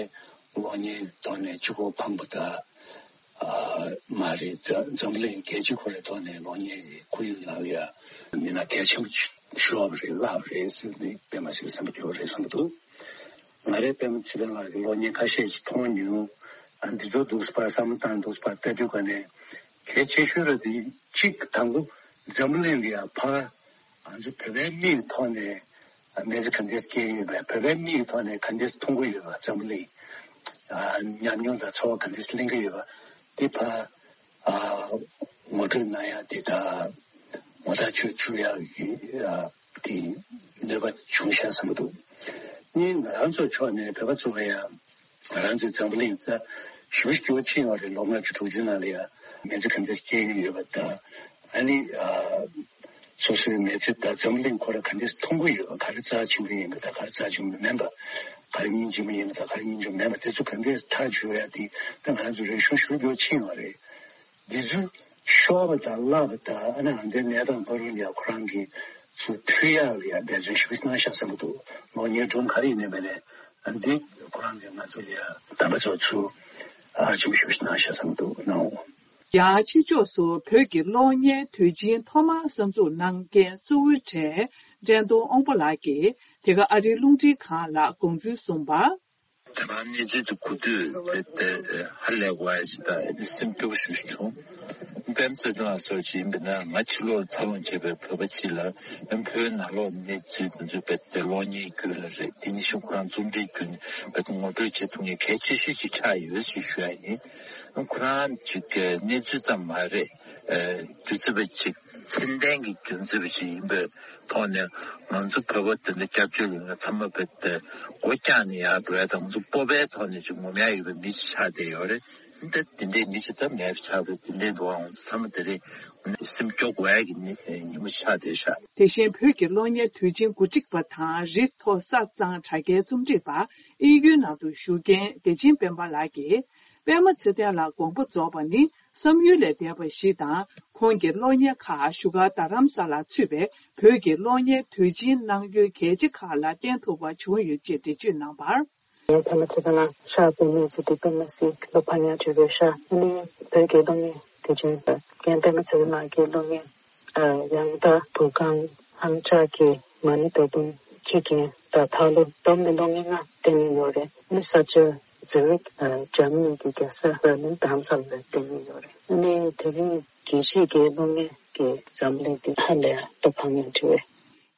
གློག་བརྙན་ཐོག་ནས་གཅིག་པོ་ཕངས་པ་དང་། ཨ་མ་རེད། འཛམ་འཛམ་གླིང་རྒྱལ་སྤྱི་ཁོ་རའི་ཐོག་ནས་གློག་བརྙན་གྱི་ཁོར་ཡུག་ནང་ལ་ཡ་མི་སྣ་གལ་ཆེན་པོ་ཤོར་བ་རེད། བརླག་པ་རེད་ཟེར་ནས་དཔེ་མ་སྲིད་པའི་སེམས་པ་སྐྱོ་པོ་རེད་བསམ་གྱི་འདུག། ང་རའི་པད་མ་ཚེ་བརྟན་ལགས་ཀྱི་གློག་བརྙན་ཁ་ཤས་ཤིག་མཐོང་མྱོང་། ཨ་འདི་ཚོ་འདུག་པ་བསམ་བློ་བཏང་འདུག་པ་ལྟ་དུས་ག་ནས་གལ་ཆེ་ཤོས་ར་དེ་གཅིག་དང་པོ་འཛམ་གླིང་ལ་ཡ་ཕར་ང་ཚོ་བོད་པའི་མིག་གི་ཐོག་ནས་མི་ཚེ་ག་འདྲས་སྐྱེལ་གྱི་ཡོད་པ། བོད་པའི་མིག་གི་ཐོག་ནས་ག་འདྲས་མཐོང་གི་ཡོད་པ། འཛམ་གླིང་ཨ་ཉམས་མྱོང་དང་ཚོར་བ་ག་འདྲས་ལེན་གྱི་ཡོད་པ་དེ་ཕར་ཨ་ངོ་སྤྲོད་གནང་ཡ་དེ་དང་ངོ་ཐག་ཆོད་བཅུག་ཡ་གི་ཨ་དེ་ནུས་པ་བྱུང་ཤག་བསམ་གྱི་འདུག། གཉིས་ང་རང་ཚོའི་ཕྱོགས་ནས་བོད་པ་ཚོ་ལ་ཡང་ང་རང་ཚོའི་འཛམ་བུ་གླིང་ད་ཞེ་པོ་སྐྱོ་པོ་ཕྱིན་ཡོད་རེད། ལོ་ལྔ་བཅུ་དྲུག་ཅུ་ནང་ལ་ཡང་མི་ཚེ་ག་འདྲ་སྐྱེལ་གྱི་ཡོད་པ་དང་། ཨ་ནི་ཨ་སོ་སོའི་མི་ཚེ་དང་འཛམ་བུ་གླིང་ཁོ་ར་ག་འདྲ་མཐོང་གི་ཡོད་པ། ག་རེ་རྩ་ཆེན་པོ་ཡིན་པ་དང་ག་རེ་རྩ་ཆེན་པོ་མིན་པ། ག་རེ་སྙིང་རྗེ་མོ་ཡིན་པ་དང་ག་རེ་སྙིང་རྗེ་མོ་མིན་པ། དེ་ཚོ་ག་འདྲ་ཐག་གཅོད་ཡ་དེ་ད་ང་ཚོ་རིག་གཞུང་ཞེ་པོ་སྐྱོ་པོ་ཕྱིན་ཡོད་རེད། འདི་ཚོ་ཤོར་བ་དང་བརླག་པ་དང་། ཨ་ནི་ཨ་འདའི་གནས་སྟངས་བར་ལ་ཡ་ཁོ་རང་གིས་ཚུར་མཐུད་ཡག་ལ་ཡ་འབད་བརྩོན་ཞེ་པོ་གནང་ཤག་བསམ་གྱི་འདུག། གློག་བརྙན་སྒྲུང་ག་རེ་ཡིན་ནའི་མིན་ནའི་ འདི་ཁོ་རང་གིས་ང་ཚོ་ལ་དམ་པ་ཚོ་ཚུར་ཨ་ཆེན་པོ་ཞེ་པོ་ཞིག་གནང་ཤག་བསམ་འདུག་གནང་འོང་། ཡང་ཕྱི་ཕྱོགས་སུ་བོད་ཀྱི་གློག་བརྙན་དུས་ཆེན་ཐོག་མར་གསར་འཛུགས་གནང་མཁན་གཙོ་བོའི་གྲས་བཀྲས་མཐོང་དབང་པོ་ལགས་ཀྱིས་དེ་ག་ཨ་རིའི་རླུང་འཕྲིན་ཁང་ལ་དགོངས་ཚུལ་གསུངས་པར། ད་ག་གནས་ཚུལ་དེ་གོ་དུས་རྦད་དེ་ཧ་ལས་པ་ཞིག་དང་སེམས་སྐྱོ་པོ་ཞེ་པོ་ཞིག་བྱུང་། པད་མ་ཚེ་བརྟན་ལགས་སོགས་ཅིག་ཡིན་པ་ན་ང་ཕྱི་ལོགས་ལ་འཚར་ལོངས་བྱས་པའི་བོད་པ་ཅིག་ལ་བོད་ནང་ལོགས་གནས་ཚུལ་དེ་ཚོ་རྦད་དེ་གློག་བརྙན་བརྒྱུད་ལ་རེད། དེ་ནས་གཞུག་ཁོ་རང་རྩོམ་འབྲི་བརྒྱུད་ནས་རྦད་དེ་ངོ་སྤྲོད་བྱེད་ཐུབ་མཁན་གལ་ཆེ་ཤོས་ཅིག་ཆགས་ཡོད་ཞེས་ཞུ་ཡ་ཡིན། ཁོ་རང་ཅིག་གནས་ཚུལ་ཙམ་མ་རེད། རྒྱུ་མཚན་པ་ཅིག་ཚད་ལྡན་གྱི་རྒྱུ་མཚན་པ་ཅིག་ཡིན་པའི་ཐོག་ནས་ང་ཚོ་བོད་པ་དེ་འདྲ་སྐྱབས་བཅོལ་ཡོད་མཁན་ཚང་མ་རྦད་དེ་སྒོ་བཀྱག་ནས་ཡར་འགྲོ་ཡ་དང་ང་ཚོ་སྤོབས་པའི་ཐོག་ནས་ཅིག་ངོམ་ཡ་ཡོད་པའི་མི་ཞིག་ཆགས་བསྡད་ཡོད་རེད། འདི་འདི་འདྲའི་མི་ཞིག་ད་མེད་པ་ཆགས་པས། དེ་འདྲའི་འགྲོ་བའང་ཚང་མ་དེ་རིང་སེམས་སྐྱོ་དགོས་ཡ་གི་ཉི་ཉིན་མོ་ཆགས་བསྡད་ཤག་དེ་བཞིན་བོད་ཀྱི་གློག་བརྙན་དུས་ཆེན་གོ་སྒྲིག་པ་དང་རི་མཐོ་ས་གཙང་དྲ་རྒྱའི་རྩོམ་སྒྲིག་པ་དབྱིན་ཡུལ་ནང་དུ་བཞུགས་མཁན་བདེ་ཆེན་སྤེན་པ་ལགས་ཀྱིས། པད་མ་ཚེ་བརྟན་ལགས་དགོངས་པ་རྫོགས་པ་ནི་བསམ་ཡུལ་ལས་འདས་པ་ཞིག་དང་། ཁོང་གི་གློག་བརྙན་ཁག་བཞུགས་སྒར་རྡ་རམ་ས་ལར་ཚུད་པའི་བོད་ཀྱི་གློག་བརྙན་དུས་ཆེན་གནང་ཡུལ་གལ་ཆེ་ཁག་ལ་བརྟེན་ཐུབ་པ་བྱུང་ཡོད་ཅེས་འགྲེལ་བརྗོད་གནང་བར། ངའི་པད་མ་ཚེ་བརྟན་ལགས་ཤག་པད་མའི་ཚེ་འདི་པད་མ་སི་ལོ་ཕ་ཉག་བྲིས་པའི་ཤག་ཨ་ནི་བོད་ཀྱི་གློག་བརྙན་དུས་ཆེན་དང་། རྒན་པད་མ་ཚེ་བརྟན་ལགས་ཀྱི་གློག་བརྙན། ཡང་དག་བོད་ཁང་། ཧང་ཅག་གི་མ་ཎི་བདག་དུང་ཁྱི་རྒན་དང་ཐག་ལོ་བསྡོམས་ནས་གློག་བརྙན་ལྔ་བསྟན་ནས་ཡོད་རེད། ནི་ས་ཆ་ཛུ་རིག་འཇར་མ་ནི་གི་རྒྱལ་ས་བྷར་ལིན་དྷ་རམ་ས་ལ་བསྟན་ནས་ཡོད་རེད། ནི་དེ་རིང་དགེ་བཤེས་ཀྱི་གློག་བརྙན་གྱི་འཛམ་གླིང་འདི་ཧ་ལས་ལོ་ཕ་ཉག་བྲིས་པས།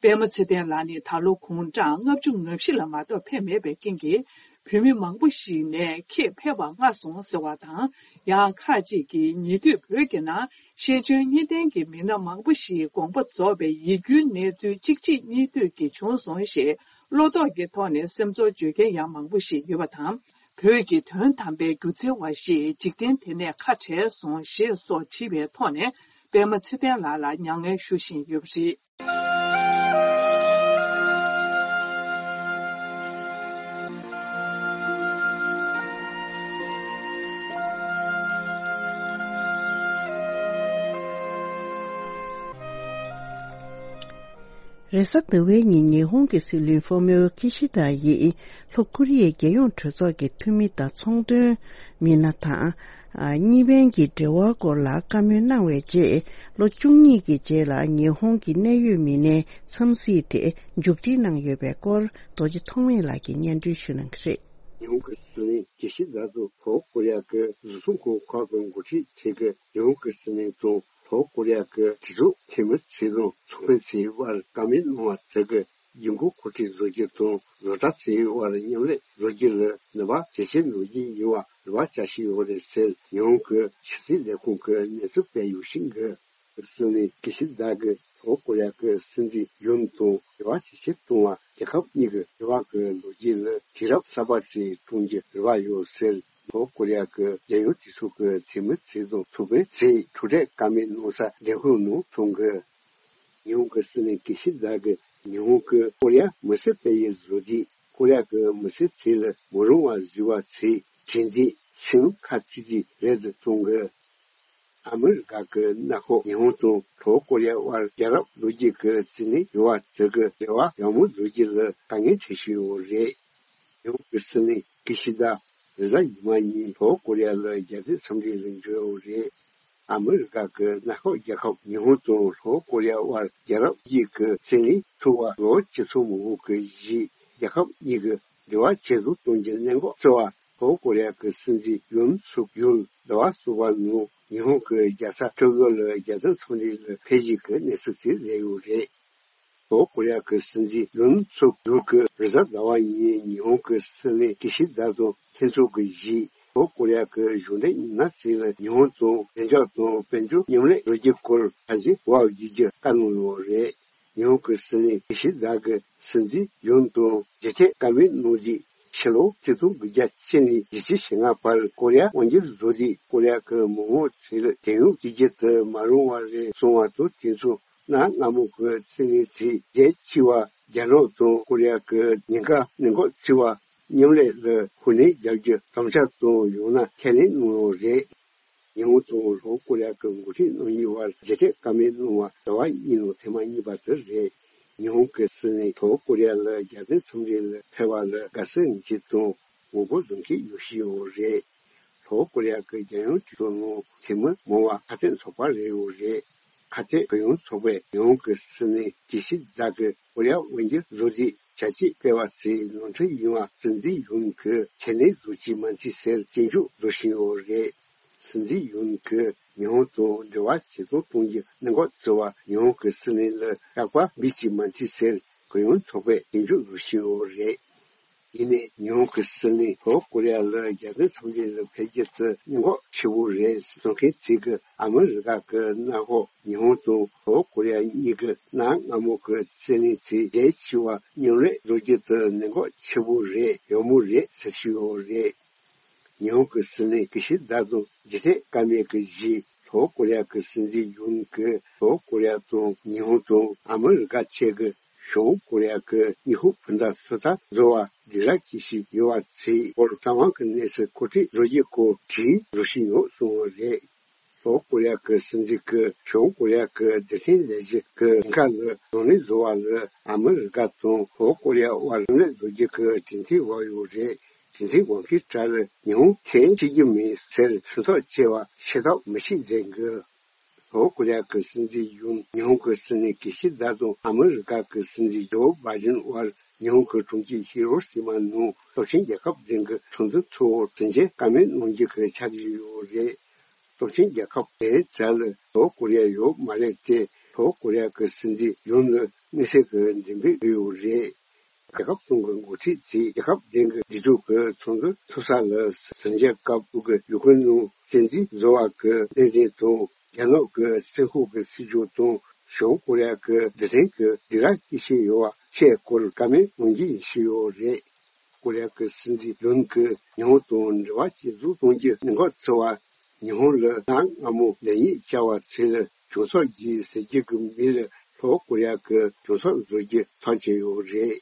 པད་མ་ཚེ་བརྟན་ལགས་ནི་ད་ལོ་དགུང་གྲངས་ལྔ་བཅུ་ང་བཞི་ལ་མ་གཏོགས་ཕེབས་མེད་པའི་རྐྱེན་གྱིས། བོད་མི་མང་པོ་ཞིག་ནས་ཁྱེད་ཕེབས་པ་སྔ་སོང་ཟེར་བ་དང་། ཡང་ཁག་ཅིག་གིས་ཉེ་དུས་བོད་ཀྱི་ནང་ཤེས་འཇོན་གཉིས་ལྡན་གྱི་མི་སྣ་མང་པོ་ཞིག་དགོངས་པ་རྫོགས་པའི་ཡིད་སྐྱོའི་གནས་ཚུལ་གཅིག་རྗེས་གཉིས་མཐུད་ཀྱིས་བྱུང་སོང་ཞེས་བློ་དོགས་ཀྱི་ཐོག་ནས་སེམས་ཚོར་བརྗོད་མཁན་ཡང་མང་པོ་ཞིག་ཡོད་པ་དང་། བོད་ཀྱི་དོན་དམ་པའི་སྒྱུ་རྩལ་བ་ཞིག་འཇིག་རྟེན་དེ་ནས་ཁ་བྲལ་སོང་ཞེས་སོགས་བྲིས་པའི་ཐོག་ནས་པད་མ་ཚེ་བརྟན་ལགས་ལ་མྱ་ངན་ཞུ་བཞིན་ཡོད་པ་རེད། རེས་གཟའ་ཟླ་བའི་ཉིན་ཉི་ཧོང་གི་སྲིད་བློན་ཧྥོ་མིའོ་ཁི་ཤི་ད་ཡིས་ལྷོ་ཀོ་རི་ཡའི་རྒྱལ་ཡོངས་གྲོས་ཚོགས་ཀྱི་འཐུས་མི་དང་ཚོང་དོན་མི་སྣ་དང་། གཉིས་ཕན་གྱི་འབྲེལ་བ་སྐོར་ལ་བཀའ་མོལ་གནང་བའི་རྗེས། ལོ་བཅུ་གཉིས་ཀྱི་རྗེས་ལ་ཉི་ཧོང་གི་གནད་ཡོད་མི་སྣའི་འཚམས་གཟིགས་དེ་མཇུག་སྒྲིལ་གནང་ཡོད་པའི་སྐོར། རྡོ་རྗེ་ཐོགས་མེད་ལགས་ཀྱིས་སྙན་སྒྲོན་ཞུ་གནང་གི་རེད། ཉི་ཧོང་གི་སྲིད་བློན་ཀི་ཤི་ད་ཚོ་ལྷོ་ཀོ་རི་ཡ་གི་རུ་སུངས་ཁོངས་ཁག་གི་འགོ་ཁྲིད་ཚོས་ཀྱིས་ཉི་ཧོང་གི་སྲིད་བློན་དང་ལྷོ་ཀོ་རི་ཡ་གི་གྲོས་ཚོགས་འཐུས་མི་ཚོ་དང་ཚོང་དཔོན་ཚོའི་དབར་བཀའ་མོལ་གནང་བ་དེ་གིས་རྒྱལ་ཁབ་འགོ་ཁྲིད་བཟོ་རྒྱུ་དང་བཟོ་གྲྭ་ཚོའི་དབར་མཉམ་ལས་བཟོ་རྒྱུ་ལ་ནུས་པ་ཇེ་ཆེ་འགྲོ་རྒྱུ་ཡིན་པ་རེ་བ་བྱ་བཞིན་ཡོད་རེད་ཟེར། ཉི་ཧོང་གི་ཕྱི་སྲིད་ལས་ཁུངས་ཀྱི་གནས་ཚུལ་སྤེལ་ཡོད་ཞིག་གིས། སྲིད་བློན་ཀི་ཤི་ད་གིས་ལྷོ་ཀོ་རི་ཡ་གི་སྲིད་འཛིན་ཡུན་དང་འབྲེལ་བ་ཇེ་ཆེར་གཏོང་བ། རྒྱལ་ཁབ་གཉིས་ཀྱི་འབྲེལ་བ་གི་ལོ་རྒྱུས་ལ་དུས་རབས་གསར་པ་ཞིག་བསྐྲུན་རྒྱུའི་རེ་བ་ཡོད་ཟེར། ལྷོ་ཀོ་རི་ཡ་གི་རྒྱལ་ཡོངས་གྲོས་ཚོགས་ཀྱི་འཐུས་མི་ཚོ་དང་ཚོང་དཔོན་ཚོས་ཐུག་འཕྲད་བཀའ་མོལ་གནང་ས་ལས་ཁུངས་ནང་གསུངས་གི། ཉི་ཧོང་གི་སྲིད་བློན་ཀི་ཤི་ད་གིས་ཉི་ཧོང་གིས་ཀོ་རི་ཡ་མི་སེར་སྤེལ་ཡུལ་བཟོ་རྒྱུ། ཀོ་རི་ཡ་གི་མི་སེར་ཚོ་ལ་མི་རུང་བ་བཟོས་པ་ཚོའི་གྲོས་འདེབས་སེམས་ཁ་ཚིག་ཅིག་རེད་ཟེར་གསུངས་གི། ཨ་མི་རི་ཀ་གིས་གནའ་ཤོག་ཉི་ཧོང་དང་ལྷོ་ཀོ་རི་ཡ་དབར་རྒྱལ་རབས་ལོ་རྒྱུས་ཀྱི་རྩིས་ལེན་ཡོད་པ་དེ་གིས་འབྲེལ་བ་ཡག་མོ་བཟོ་རྒྱུ་ལ་དཀའ་ངལ་འཕྲད་བཞིན་ཡོད་རེད། ཉི་ཧོང་གི་སྲིད་བློན་ཀི་ཤི་ད་རེས་གཟའ་ཉི་མ་ཉིན་ལྷོ་ཀོ་རི་ཡ་ལ་རྒྱལ་དོན་འཚམས་འདྲི་ལ་འབྱོར་ཡོད་རེད། ཨ་མི་རི་ཀ་གི་གནའ་ཤོག་རྒྱལ་ཁབ་ཉི་ཧོང་དང་ལྷོ་ཀོ་རི་ཡ་དབར་རྒྱལ་རབས་ཀྱི་རྩིས་ལེན་ཚུགས་པ་ལོ་བཅུ་ཚོད་མང་པོ་གི་རྗེས། རྒྱལ་ཁབ་གཉིས་ཀྱི་འབྲེལ་བ་ཇེ་བཟང་གཏོང་རྒྱུའི་གནད་འགག་གཙོ་བོ། ལྷོ་ཀོ་རི་ཡ་གི་སྲིད་འཛིན་ཡུན་སུག་ཡོལ་ཟླ་བ་གསུམ་པ་ནང་ཉི་ཧོང་གི་རྒྱལ་ས་ཀྲོ་ཀྱོ་ལ་རྒྱལ་དོན་འཚམས་འདྲི་ལ་ཕེབས་རྒྱུ་གི་གནས་ཚུལ་དེ་སླེབས་ཡོད་རེད། ལྷོ་ཀོ་རི་ཡ་གི་སྲིད་འཛིན་ཡུན་སུག་ཡོལ་གྱིས་རེས་གཟའ་ཟླ་བ་ཉིན་ཉི་ཧོང་གི་སྲིད་བློན་ཀི་ཤི་ད་དང་ལྷན་ཚོགས་ཀྱི་རྗེས། ལྷོ་ཀོ་རི་ཡ་གི་གཞུང་འབྲེལ་མི་སྣ་ཚོ་ལ་ཉི་ཧོང་དང་བདེ་འཇགས་དང་དཔལ་འབྱོར་མཉམ་ལས་བཟོ་རྒྱུའི་སྐོར་ཕན་ཚུན་དབྱེ་བ་བྱེད་རྒྱུ་བཀའ་གནང་ཡོད་རེད། ཉི་ཧོང་གི་སྲིད་བློན་ཀི་ཤི་ད་གིས་སྲིད་འཛིན་ཡུན་དང་མཇལ་འཕྲད་བཀའ་མོལ་གནང་རྗེས། ཕྱི་ལོ་ཆིག་སྟོང་དགུ་བརྒྱ་བཅུ་ནས་བརྒྱད་ཅུ་ཞེ་ལྔ་བར་ཀོ་རི་ཡ་དབང་སྒྱུར་བཟོ་དུས་ཀོ་རི་ཡ་གི་མི་མང་ཚོ་ལ་བདེན་དཔང་བྱེད་རྒྱུ་དེ་མ་རུང་བ་རེད་གསུངས་པ་དང་། དེ་ཚོ་གནའ་སྔ་མོ་གི་རྩིས་ལེན་ཚོའི་རྒྱལ་སྤྱི་བ་རྒྱ་ནག་དང་ཀོ་རི་ཡ་གི་ཉེན་ཁ་གནད་འགག་ཚོའི་བར་མཉམ་ལས་ལ་ཤུགས་སྣོན་རྒྱག་རྒྱུ་དམ་བཅའ་དང་ཡང་ན་ཁས་ལེན་གནང་ཡོད་རེད། ཉི་ཧོང་དང་ལྷོ་ཀོ་རི་ཡ་གི་འགོ་ཁྲིད་རྣམ་གཉིས་བར་མཇལ་འཕྲད་བཀའ་མོལ་གནང་བ་ཟླ་བ་གཉིས་ནང་ཐེངས་མ་གཉིས་པ་དེ་རེད། ཉི་ཧོང་གི་སྲིད་བློན་ལྷོ་ཀོ་རི་ཡ་ལ་རྒྱལ་དོན་འཚམས་འདྲི་ལ་ཕེབས་པ་ལ་དགའ་བསུ་ཡོང་གི་དང་ངོ་རྒོལ་བཟོ་མཁན་ཡོད་བཞིན་ཡོད་རེད། ལྷོ་ཀོ་རི་ཡ་གི་རྒྱལ་ཡོངས་སྤྱི་ཚོགས་ནང་འཐུས་མི་མང་བ་ཁ་གཏད་ཚོགས་པ་རེད་ཡོད་རེད། ཁ་གཏད་གུ་ཡངས་ཚོགས་པས་ཉི་ཧོང་གི་སྲིད་བློན་ཀི་ཤི་དཱ་གི་ཀོ་རི་ཡ་དབར་གྱི་བཟོ་ལས་བྱ་སྤྱོད་སྤེལ་བ་ཚོའི་ནོར་འཁྲུལ་ཡིན་པ་སྲིད་འཛིན་ཡུན་གྱིས་ཁས་ལེན་བཟོ་གི་མ་འདུག་ཟེར་སྐྱོན་བརྗོད་བཟོ་བཞིན་ཡོད་རེད། སྲིད་འཛིན་ཡུན་གྱིས་ཉི་ཧོང་དང་འབྲེལ་བ་ཇེ་བཟང་གཏོང་རྒྱུའི་གནད་འགག་བརྩི་བར་ཉི་ཧོང་གི་སྲིད་བློན་ལ་སྐྲག་པ་འབུད་ཀྱི་མ་འདུག་ཟེར་གུ་ཡངས་ཚོགས་པས་སྐྱོན་བརྗོད་བཟོ་བཞིན་ཡོད་རེད། ཡིན་ནའི་ཉི་ཧོང་གི་སྲིད་བློན་ལྷོ་ཀོ་རི་ཡ་ལ་རྒྱལ་དོན་འཚམས་འདྲི་ལ་ཕེབས་རྒྱུ་དེ་གནད་འགག་ཆེ་བོ་རེད་གསུང་མཁན་ཚོས་ཀྱིས་ཨ་མི་རི་ཀ་གི་གནམ་འོག་ཉི་ཧོང་དང་ལྷོ་ཀོ་རི་ཡ་གཉིས་ཀྱི་གནའ་སྔ་མོ་གི་རྩིས་ལེན་ཚོའི་ལས་བྱེད་པ་མཉམ་ལས་བཟོ་རྒྱུ་དེ་གནད་འགག་ཆེ་བོ་རེད་ཡོད་མོ་རེད་ཟེར་བཞིན་ཡོད་རེད། ཉི་ཧོང་གི་སྲིད་བློན་ཀི་ཤི་དཱ་དང་རྗེས་དྲན་བཀའ་མོལ་གྱི་རྗེས་ལྷོ་ཀོ་རི་ཡ་གི་སྲིད་འཛིན་ཡུན་གྱིས་ལྷོ་ཀོ་རི་ཡ་དང་ཉི་ཧོང་དང་ཨ་མི་རི་ཀ་བཅས་ཀྱིས་བྱང་ཀོ་རི་ཡ་གི་ཉི་ཧོང་སྤུན་ཟླ་ཚོད་ལྟ་བཟོ་བར་སྡིགས་ར་སྐྱེ་བཞིན་ཡོད་པ་ཚོའི་སྐོར་རྩ་བ་གི་གནས་ཚུལ་མཁོ་སྤྲོད་བཟོ་རྒྱུའི་སྐོར་བྲིས་བཟོ་བཞིན་ཡོད་གསུངས་པ་རེད། ལྷོ་ཀོ་རི་ཡ་གི་སྲིད་འཛིན་གྱིས་བྱང་ཀོ་རི་ཡ་གི་རྡུལ་ཕྲན་ལས་གཞི་གི་ཉེན་ཁ་ལ་གདོང་ལེན་བཟོ་བ་ལ་ཨ་མི་རི་ཀ་དང་ལྷོ་ཀོ་རི་ཡ་དབར་མཉམ་ལས་བཟོ་རྒྱུ་གི་གྲོས་མཐུན་བར་ཡོད་རེད། གྲོས་མཐུན་འོག་གི་གྲས་ལ་ཉི་ཧོང་ཐེ་ཆི་རྒྱུ་མིན་ཟེར་སེམས་ཐག་བཅད་པ་ཤེས་ཐབས་མི་ཤེས་ཟེར་གི། ལྷོ་ཀོ་རི་ཡ་གི་སྲིད་འཛིན་ཡུན་ཉི་ཧོང་གི་སྲིད་བློན་ཀི་ཤི་དཱ་དང་ཨ་མི་རི་ཀ་གི་སྲིད་འཛིན་ཇོ་བྷའི་ཌེན་དབར་ཉི་ཧོང་གི་གྲོང་ཁྱེར་ཧི་རོ་ཤི་མ་ནང་སྟོབས་ཆེན་རྒྱལ་ཁབ་བདུན་གྱི་གྲོས་མཐུན་ཐོག་དོན་རྐྱེན་བཀའ་མོལ་གནང་རྒྱུ་གི་འཆར་གཞི་ཡོད་རེད། སྟོབས་ཆེན་རྒྱལ་ཁབ་དེའི་གྲས་ལ་ལྷོ་ཀོ་རི་ཡ་ཡོད་མ་རེད་དེ། ལྷོ་ཀོ་རི་ཡ་གི་སྲིད་འཛིན་ཡུན་ལ་དམིགས་བསལ་གྱི་མགྲིན་དཔེ་ཕུལ་ཡོད་རེད། རྒྱལ་ཁབ་གསུམ་གྱི་འགོ་ཁྲིད་ཚོས་རྒྱལ་ཁབ་གཞན་གྱི་སྒྲིག་འཛུགས་ཀྱི་ཚོགས་འདུ་ཚོགས་ས་ལ་གཟིམ་འཇག་སྐབས་དབུས་ཀྱི་ཡུལ་ཁོངས་ནང་བཙན་འཛུལ་བཟོ་བ་གི་ལས་འཛིན་དང་རྒྱ་ནག་གི་སྲིན་ཧུ་གི་སྲིད་ཇུས་དང་བྱང་ཀོ་རི་ཡ་གི་རྡུལ་ཕྲན་གྱི་སྡིགས་ར་སྐྱེ་བཞིན་ཡོད་པ་བཅས་སྐོར་བཀའ་མོལ་གནང་རྒྱུ་ཡིན་ཞུས་ཡོད་རེད། ཀོ་རི་ཡ་གི་སྲིད་འཛིན་ཡུན་གྱིས་ཉི་ཧོང་དང་འབྲེལ་བ་ཇེ་བཟང་གཏོང་རྒྱུའི་གནད་འགག་བརྩི་བར་ཉི་ཧོང་ལ་གནའ་སྔ་མོ་ལེགས་ཉེས་བྱ་བ་ཚོ་ལ་གྱོང་གསབ་རྒྱུའི་ཟེར་རྒྱུ་གི་མིང་ལ་ལྷོ་ཀོ་རི་ཡ་གི་གྱོང་གསབ་བཟོ་རྒྱུ་ཐག་བཅད་ཡོད་རེད།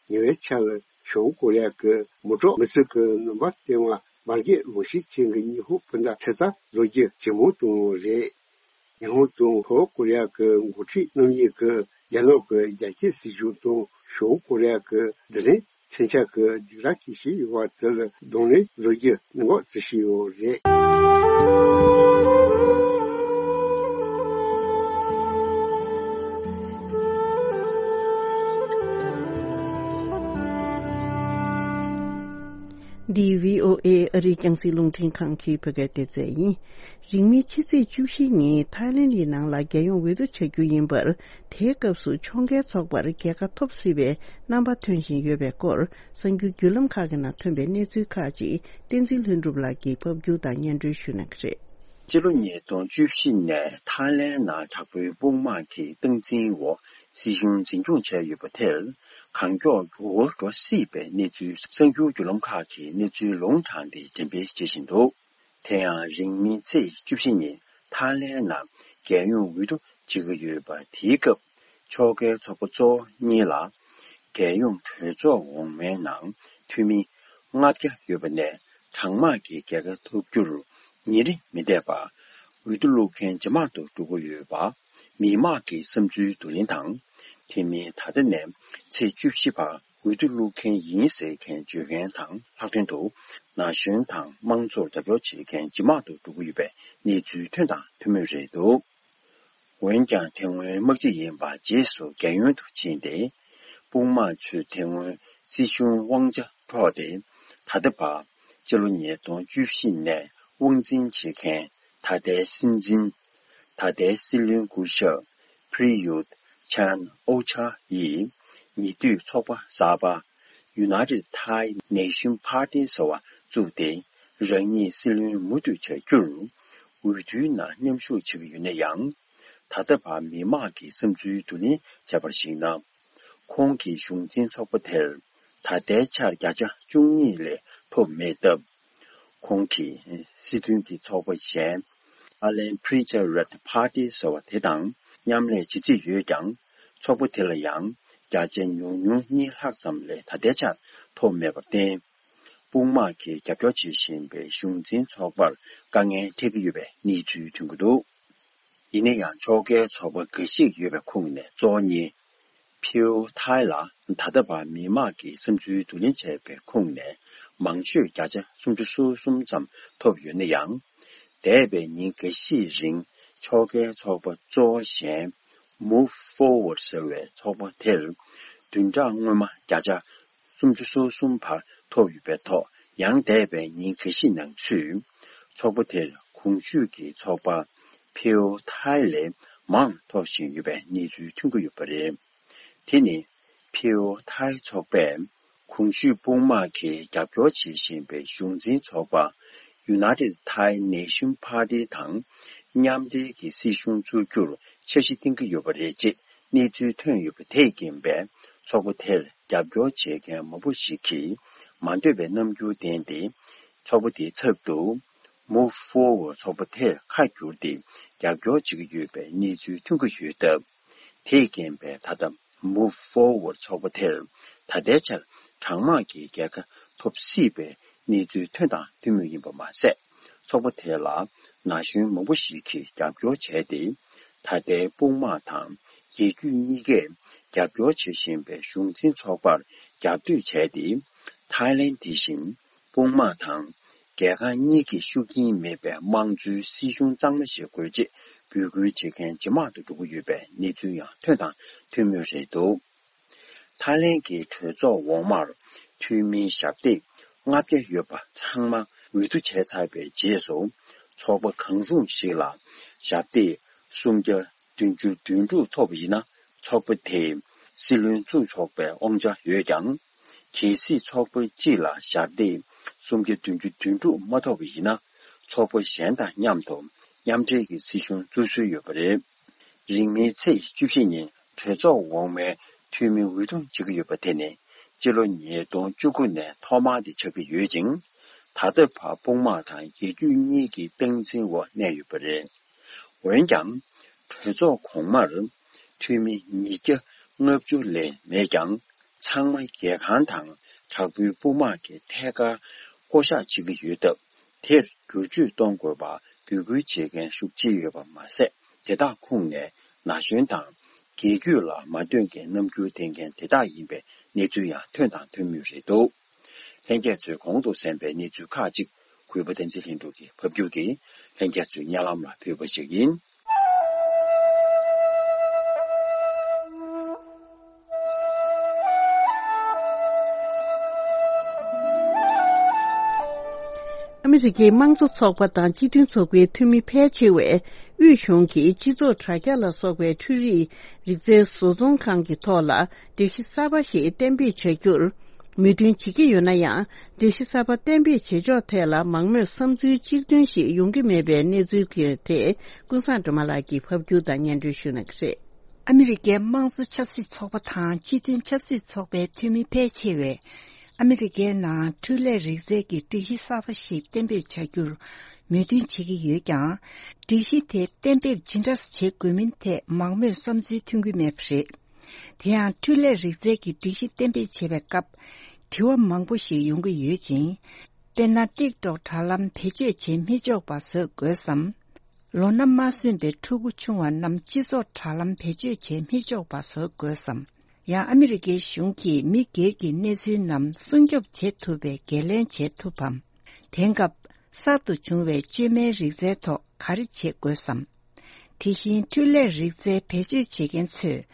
ཉེ་བའི་ཆར་ལ་བྱང་ཀོ་རི་ཡ་གི་མུ་ཏྲ་མི་ཚེ་གི་ནུས་པ་བསྟན་པ་འབར་གས་ལོངས་སྤྱོད་ཅན་གྱི་ཉི་ཧོང་སྤུན་ཟླ་ཚོད་ལྟ་བཟོ་རྒྱུ་ཇེ་མང་གཏོང་ཡོད་རེད། ཉི་ཧོང་དང་ལྷོ་ཀོ་རི་ཡ་གི་འགོ་ཁྲིད་རྣམ་གཉིས་ཀྱིས་རྒྱ་ནག་གི་རྒྱ་སྐྱེད་སྲིད་ཇུས་དང་བྱང་ཀོ་རི་ཡ་གི་རྡུལ་ཕྲན་མཚོན་ཆ་གི་སྡིགས་ར་སྐྱེ་བཞིན་ཡོད་པ་དེ་ལ་གདོང་ལེན་བཟོ་རྒྱུ་གནད་འགག་བརྩི་བཞིན་ཡོད་རེད། འདི་བྷི་ཨོ་ཨེ་ཨ་རིའི་རྒྱང་སྲིང་རླུང་འཕྲིན་ཁང་གི་བོད་སྐད་སྡེ་ཚན་ཡིན། རིང་མིན་ཕྱི་ཚེས་བཅུ་བཞི་ཉིན་ཐའི་ལེན་ཌི་ནང་ལ་རྒྱལ་ཡོངས་འོས་བསྡུ་བྱ་རྒྱུ་ཡིན་པར། དེའི་སྐབས་སུ་ཕྱོགས་འགལ་ཚོགས་པར་རྒྱལ་ཁ་ཐོབ་སྲིད་པའི་རྣམ་པ་ཐོན་བཞིན་ཡོད་པའི་སྐོར། གསར་འགྱུར་བརྒྱུད་ལམ་ཁག་གི་ནང་ཐོན་པའི་གནས་ཚུལ་ཁག་ཅིག་བསྟན་འཛིན་ལྷུན་གྲུབ་ལགས་ཀྱིས་ཕབ་སྒྱུར་དང་སྙན་སྒྲོན་ཞུ་གནང་གི་རེད། སྤྱི་ལོ་ཉིས་སྟོང་བཅུ་བཞི་ནས་ཐའི་ལེན་ནང་དྲག་པོའི་དཔུང་དམག་གི་སྟངས་འཛིན་འོག་སྲིད་གཞུང་འཛིན་སྐྱོང་བྱས་ཡོད་པ་དེར་གང་མགྱོགས་འགྱུར་བ་འགྲོ་སྲིད་པའི་གནས་ཚུལ་གསར་འགྱུར་བརྒྱུད་ལམ་ཁག་གིས་གནས་ཚུལ་ལུང་དྲངས་ཏེ་འགྲེམས་སྤེལ་བྱེད་བཞིན་འདུག་དེ་ཡང་རིང་མིན་ཚེས་བཅུ་བཞི་ཉིན་ཐའི་ལེན་ནང་རྒྱལ་ཡོངས་འོས་བསྡུ་བྱེད་ཀྱི་ཡོད་པ་དེའི་སྐབས། ཕྱོགས་འགལ་ཚོགས་པ་གཙོ་བོ་གཉིས་ལ་རྒྱལ་ཡོངས་གྲོས་ཚོགས་འོག་མའི་ནང་འཐུས་མི་ལྔ་བརྒྱ་ཡོད་པ་ནས་གྲངས་མང་གི་རྒྱལ་ཁ་ཐོབ་རྒྱུར་ཉིན་རེ་མི་འདས་པར་འོས་བསྡུ་བླུག་མཁན་ཇེ་མང་དུ་འགྲོ་གི་ཡོད་པ། མི་དམངས་ཀྱི་བསམ་ཚུལ་བསྡུ་ལེན་དང་། དེ་མིན་ད་ལྟ་ནས་ཚེས་བཅུ་བཞི་བར་འོས་བསྡུ་བླུག་མཁན་ཡིན་ཟེར་མཁན་བརྗོད་མཁན་དང་ལྷག་དོན་དུ་ན་གཞོན་དང་དམངས་གཙོར་རྒྱབ་སྐྱོར་བྱེད་མཁན་ཇེ་མང་དུ་འགྲོ་གི་ཡོད་པའི་གནས་ཚུལ་ཐོན་དང་ཐོན་མུས་རེད་འདུག་འོན་ཀྱང་དེ་སྔོན་དམག་སྤྱི་ཡིན་པ་རྗེས་སུ་རྒྱལ་ཡོངས་སུ་ཕྱིན་ཏེ། དཔུང་དམག་ཚོས་དེ་སྔོན་སྲིད་གཞུང་དབང་ཆ་འཕྲོག་སྟེ། ད་ལྟ་བར་སྤྱི་ལོ་ཉིས་སྟོང་བཅུ་བཞི་ནས་དབང་འཛིན་བྱེད་མཁན་ད་ལྟའི་སྲིད་འཛིན། ད་ལྟའི་སྲིད་བློན་སྐུ་ཞབས་Prayut Chan-o-cha ཡིས་ཉེ་དུས་ཚོགས་པ་གསར་པ་United Thai Nation Party ཟེར་བ་བཙུགས་ཏེ། རང་ཉིད་སྲིད་བློན་མུ་མཐུད་བྱ་རྒྱུར་འོས་བསྡུའི་ནང་མཉམ་ཞུགས་བྱེད་ཀྱི་ཡོད་ན་ཡང་། ད་ལྟ་བར་མི་མང་གི་བསམ་ཚུལ་བསྡུ་ལེན་བྱས་པར་གཞིགས་ན། ཁོང་གི་གཞུང་འཛིན་ཚོགས་པ་དེར་ད་ལྟའི་ཆར་བརྒྱ་ཆ་བཅུ་གཉིས་ལས་ཐོབ་མེད་སྟབས། ཁོང་གིས་སྲིད་དོན་གྱི་ཚོགས་པ་གཞན་Thailand Patriotic Party ཟེར་བ་དེ་དང་མཉམ་ལས་བྱེད་རྩིས་ཡོད་ཀྱང་། ཚོགས་པ་དེ་ལ་ཡང་བརྒྱ་ཆ་ཉུང་ཉུང་གཉིས་ལྷག་ཙམ་ལས་ད་ལྟའི་ཆར་ཐོབ་མེད་པར་བརྟེན། དཔུང་དམག་གིས་རྒྱབ་སྐྱོར་བྱེད་བཞིན་པའི་གཞུང་འཛིན་ཚོགས་པར་དཀའ་ངལ་འཕྲད་ཀྱི་ཡོད་པའི་གནས་ཚུལ་ཐོན་གྱི་འདུག་ཡིན་ན་ཡང་ཕྱོགས་འགལ་ཚོགས་པ་འགའ་ཞིག་ཡོད་པའི་ཁོངས་ནས་གཙོ་བོ་གཉིས། ཕིའུ་ཐའི་ལ་ད་ལྟ་བར་མི་མང་གི་བསམ་ཚུལ་བསྡུ་ལེན་བྱས་པའི་ཁུངས་ནས་མང་ཤོས་བརྒྱ་ཆ་སུམ་ཅུ་སོ་གསུམ་ཙམ་ཐོབ་ཡོད་ན་ཡང་། འདས་པའི་ཉིན་འགའ་ཤས་རིང་ཕྱོགས་འགལ་ཚོགས་པ་གཙོ་བོ་གཞན་Move Forward ཟེར་བའི་ཚོགས་པ་དེར་བདུན་ཕྲག་སྔོན་མ་བརྒྱ་ཆ་སུམ་ཅུ་སོ་གསུམ་བར་ཐོབ་ཡོད་པའི་ཐོག་ཡང་འདས་པའི་ཉིན་འགའ་ཤས་ནང་ཚུད་ཚོགས་པ་དེར་གོང་ཞུས་ཀྱི་ཚོགས་པ་ཕིའུ་ཐའི་ལས་མང་ཐོབ་བཞིན་ཡོད་པའི་གནས་ཚུལ་ཐོན་གྱི་ཡོད་པ་རེད། དེ་ནི་ཕིའུ་ཐའི་ཚོགས་པས་གོང་ཞུས་དཔུང་དམག་གིས་རྒྱབ་སྐྱོར་བྱེད་བཞིན་པའི་གཞུང་འཛིན་ཚོགས་པ་United Thai Nation Party དང་མཉམ་འབྲེལ་གྱི་སྲིད་གཞུང་བཙུགས་རྒྱུར་འཆར་གཞི་བཏིང་གི་ཡོད་པ་རེད་ཅེས་གནས་ཚུལ་ཐོན་ཡོད་པ་དེས་རྐྱེན་པས། ཚོགས་པ་དེར་རྒྱབ་སྐྱོར་བྱེད་མཁན་མང་པོ་ཞིག་གིས་མ་འདོད་པའི་རྣམ་འགྱུར་བསྟན་ཏེ། ཚོགས་པ་དེའི་ཚབ་ཏུ་Move Forward ཚོགས་པ་དེར་ཁ་བསྒྱུར་ཏེ་རྒྱབ་སྐྱོར་བྱེད་ཀྱི་ཡོད་པའི་གནས་ཚུལ་ཐོན་གྱི་ཡོད་སྟབས། དེས་རྐྱེན་པས་ད་ལྟ་Move Forward ཚོགས་པ་དེར་ད་ལྟའི་ཆར་གྲངས་མང་གི་རྒྱལ་ཁ་ཐོབ་སྲིད་པའི་གནས་ཚུལ་ཐོན་དང་ཐོན་མུས་ཡིན་པ་མ་ཟད། ཚོགས་པ་དེ་ལ་ན་གཞོན་མང་པོ་ཞིག་གིས་རྒྱབ་སྐྱོར་བྱས་ཏེ། ད་ལྟའི་དཔུང་དམག་དང་རྒྱལ་རྒྱུད་གཉིས་ཀས་རྒྱབ་སྐྱོར་བྱེད་བཞིན་པའི་གཞུང་འཛིན་ཚོགས་པར་རྒྱབ་གཏོད་བྱས་ཏེ། ཐའི་ལེན་དེ་བཞིན་དཔུང་དམག་དང་རྒྱལ་ཁང་གཉིས་ཀྱི་ཤུགས་རྐྱེན་མེད་པའི་དམངས་གཙོའི་སྲིད་གཞུང་གཙང་མ་ཞིག་དགོས་ཅེས་འབོད་སྐུལ་བྱེད་མཁན་ཇེ་མང་དུ་འགྲོ་གི་ཡོད་པའི་གནས་ཚུལ་ཡང་ཐོན་དང་ཐོན་མུས་རེད་འདུག་ཐའི་ལེན་གྱི་གྲོས་ཚོགས་འོག་མར་འཐུས་མིའི་ཞབས་སྟེགས་ལྔ་བརྒྱ་ཡོད་པ་ཚང་མ་འོས་བསྡུ་བྱས་ཚར་བའི་རྗེས་སུ། ཚོགས་པ་གང་རུང་ཞིག་ལ་ཞབས་སྟེགས་སུམ་བརྒྱ་བདུན་ཅུ་དོན་དྲུག་ཐོབ་པ་ཡིན་ན། ཚོགས་པ་དེས་སྲིད་བློན་བཙུགས་ཆོག་པའི་དབང་ཆ་ཡོད་ཀྱང་། གལ་སྲིད་ཚོགས་པ་གཅིག་ལ་ཞབས་སྟེགས་སུམ་བརྒྱ་བདུན་ཅུ་དོན་དྲུག་མ་ཐོབ་པ་ཡིན་ན། ཚོགས་པ་གཞན་དང་མཉམ་དུ་མཉམ་འབྲེལ་གྱི་སྲིད་གཞུང་བཙུགས་སྲོལ་ཡོད་པ་རེད། རིང་མིན་ཚེས་བཅུ་བཞི་ཉིན་གྲོས་ཚོགས་འོག་མའི་འཐུས་མི་འོས་བསྡུ་བྱེད་ཀྱི་ཡོད་པ་དེ་ནི་སྤྱི་ལོ་ཉིས་སྟོང་བཅུ་དགུ་ནས་ཐོག་མ་དེ་ཆགས་ཀྱི་ཡོད་ཅིང་། ད་ལྟ་བར་དཔུང་དམག་དང་རྒྱལ་རྒྱུད་གཉིས་ཀྱི་སྟངས་འཛིན་འོག་གནས་ཡོད་པ་རེད། འོན་ཀྱང་། གྲོས་ཚོགས་གོང་མར་འཐུས་མི་ཉིས་བརྒྱ་ལྔ་བཅུ་ལས་མེད་ཀྱང་། ཚང་མ་རྒྱལ་ཁང་དང་དྲག་པོའི་དཔུང་དམག་གི་ཐད་ཀར་བསྐོ་གཞག་བྱེད་ཀྱི་ཡོད་སྟབས། དེར་བསྒྱུར་བཅོས་གཏོང་དགོས་པ་འབོད་སྐུལ་བྱེད་མཁན་ཤུགས་ཆེ་ཡོད་པ་མ་ཟད། དེ་དག་ཁོངས་ནས་ན་གཞོན་དང་རྒྱལ་རྒྱུད་ལ་མ་འདོད་མཁན་རྣམ་འགྱུར་བསྟན་མཁན་དེ་དག་ཡིན་པའི་གནས་ཚུལ་ཡང་ཐོན་དང་ཐོན་མུས་རེད་འདུག་ལྷན་རྒྱས་ཚོས་གོང་དུ་གསན་པའི་གནས་ཚུལ་ཁག་ཅིག་གུས་པ་བསྟན་འཛིན་ལྷུན་གྲུབ་ཀྱིས་ཕབ་སྒྱུར་གྱིས་ལྷན་རྒྱས་ཚོའི་སྙན་ལམ་ལ་ཕུལ་བ་ཞིག་ཡིན། ཨ་མི་རི་ཀའི་དམངས་གཙོ་ཚོགས་པ་དང་སྤྱི་མཐུན་ཚོགས་པའི་འཐུས་མི་ཕལ་ཆེ་བས་དབུས་གཞུང་གིས་སྤྱི་ཚོགས་དྲ་རྒྱ་ལ་སོགས་པའི་འཕྲུལ་རིག་རིག་རྩལ་བཟོ་ཚོང་ཁང་གི་ཐོག་ལ་སྒྲིག་གཞི་གསར་པ་ཞིག་གཏན་འབེབས་བྱ་རྒྱུར་མོས་མཐུན་བྱེད་ཀྱི་ཡོད་ན་ཡང་། སྒྲིག་གཞི་གསར་པ་གཏན་འབེབས་བྱེད་ཕྱོགས་ཐད་ལ་མང་མོས་བསམ་ཚུལ་གཅིག་མཐུན་ཞིག་ཡོང་གི་མེད་པའི་གནས་ཚུལ་དེར་ཐད་ཀུན་བཟང་སྒྲོལ་མ་ལགས་ཀྱིས་ཕབ་སྒྱུར་དང་སྙན་སྒྲོན་ཞུ་གནང་གི་རེད། ཨ་མི་རི་ཀའི་དམངས་གཙོ་ཆབ་སྲིད་ཚོགས་པ་དང་སྤྱི་མཐུན་ཆབ་སྲིད་ཚོགས་པའི་འཐུས་མི་ཕལ་ཆེ་བས། ཨ་མི་རི་ཀའི་ནང་འཕྲུལ་ལས་རིག་རྩལ་གྱི་སྒྲིག་གཞི་གསར་པ་ཞིག་གཏན་འབེབས་བྱ་རྒྱུར་མོས་མཐུན་བྱེད་ཀྱི་ཡོད་ཀྱང་། སྒྲིག་གཞི་དེ་གཏན་འབེབས་ཇི་འདྲ་བྱེད་དགོས་མིན་ཐད་མང་མོས་བསམ་ཚུལ་ཐོན་གྱི་མེད་པ་རེད། དེ་ཡང་འཕྲུལ་ལས་རིག་རྩལ་གྱི་སྒྲིག་གཞི་གཏན་འབེབས་བྱེད་པའི་སྐབས་དྲི་བ་མང་པོ་ཞིག་ཡོང་གི་ཡོད་ཅིང་། དཔེར་ན། ཊིག་ཊོག་དྲ་ལམ་བེད་སྤྱོད་བྱེད་མི་ཆོག་པ་བཟོ་དགོས་སམ། ལོ་ན་མ་སོན་པའི་ཕྲུ་གུ་ཆུང་བ་རྣམས་སྤྱི་ཚོགས་དྲ་ལམ་བེད་སྤྱོད་བྱེད་མི་ཆོག་པ་བཟོ་དགོས་སམ། ཡང་ཨ་མི་རི་ཀའི་གཞུང་གིས་མི་སྒེར་གྱི་གནས་ཚུལ་རྣམས་སྲུང་སྐྱོབ་བྱེད་ཐུབ་པའི་འགན་ལེན་བྱེད་ཐུབ་བམ། དེང་སྐབས་གསར་དུ་བྱུང་བའི་བཅོས་མའི་རིག་རྩལ་ཐོག་ག་རེ་བྱེད་དགོས་སམ། དེ་བཞིན་འཕྲུལ་ལས་རིག་རྩལ་བེད་སྤྱོད་བྱེད་མཁན་ཚོས་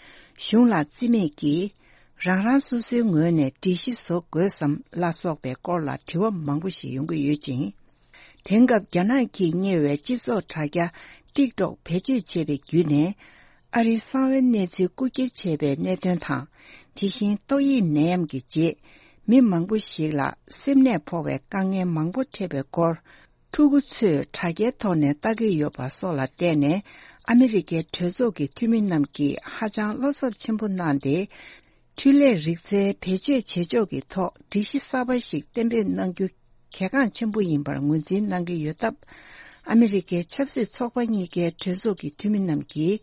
གཞུང་ལ་རྩིས་མེད་ཀྱིས་རང་རང་སོ་སོའི་ངོས་ནས་སྒྲིག་གཞི་བཟོ་དགོས་སམ་ལ་སོགས་པའི་སྐོར་ལ་དྲི་བ་མང་པོ་ཞིག་ཡོང་གི་ཡོད་ཅིང་། དེང་སྐབས་རྒྱ་ནག་གིས་གཉེར་བའི་སྤྱི་ཚོགས་དྲ་རྒྱ་ཊིག་ཊོག་བེད་སྤྱོད་བྱས་པའི་བརྒྱུད་ནས། ཨ་རིའི་གསང་བའི་གནས་ཚུལ་རྐུ་འཁྱེར་བྱས་པའི་གནད་དོན་དང་། དེ་བཞིན་ཏོག་དབྱིབས་ནད་ཡམས་ཀྱི་རྗེས། མི་མང་པོ་ཞིག་ལ་སེམས་ནད་ཕོག་པའི་དཀའ་ངལ་མང་པོ་འཕྲད་པའི་སྐོར། ཕྲུ་གུ་ཚོས་དྲ་རྒྱའི་ཐོག་ནས་ལྟ་གི་ཡོད་པ་སོགས་ལ་བརྟེན་ནས། ཨ་མི་རི་ཀའི་གྲོས་ཚོགས་ཀྱི་འཐུས་མི་རྣམས་ཀྱིས་ཧ་ཅང་བློ་འཚབ་ཆེན་པོ་གནང་སྟེ། འཕྲུལ་ལས་རིག་རྩལ་བེད་སྤྱོད་བྱེད་ཕྱོགས་ཀྱི་ཐོག་སྒྲིག་གཞི་གསར་པ་ཞིག་གཏན་འབེབས་གནང་རྒྱུ་གལ་འགངས་ཆེན་པོ་ཡིན་པར་ངོས་འཛིན་གནང་གི་ཡོད་སྟབས། ཨ་མི་རི་ཀའི་ཆབ་སྲིད་ཚོགས་པ་གཉིས་ཀའི་གྲོས་ཚོགས་ཀྱི་འཐུས་མི་རྣམས་ཀྱིས་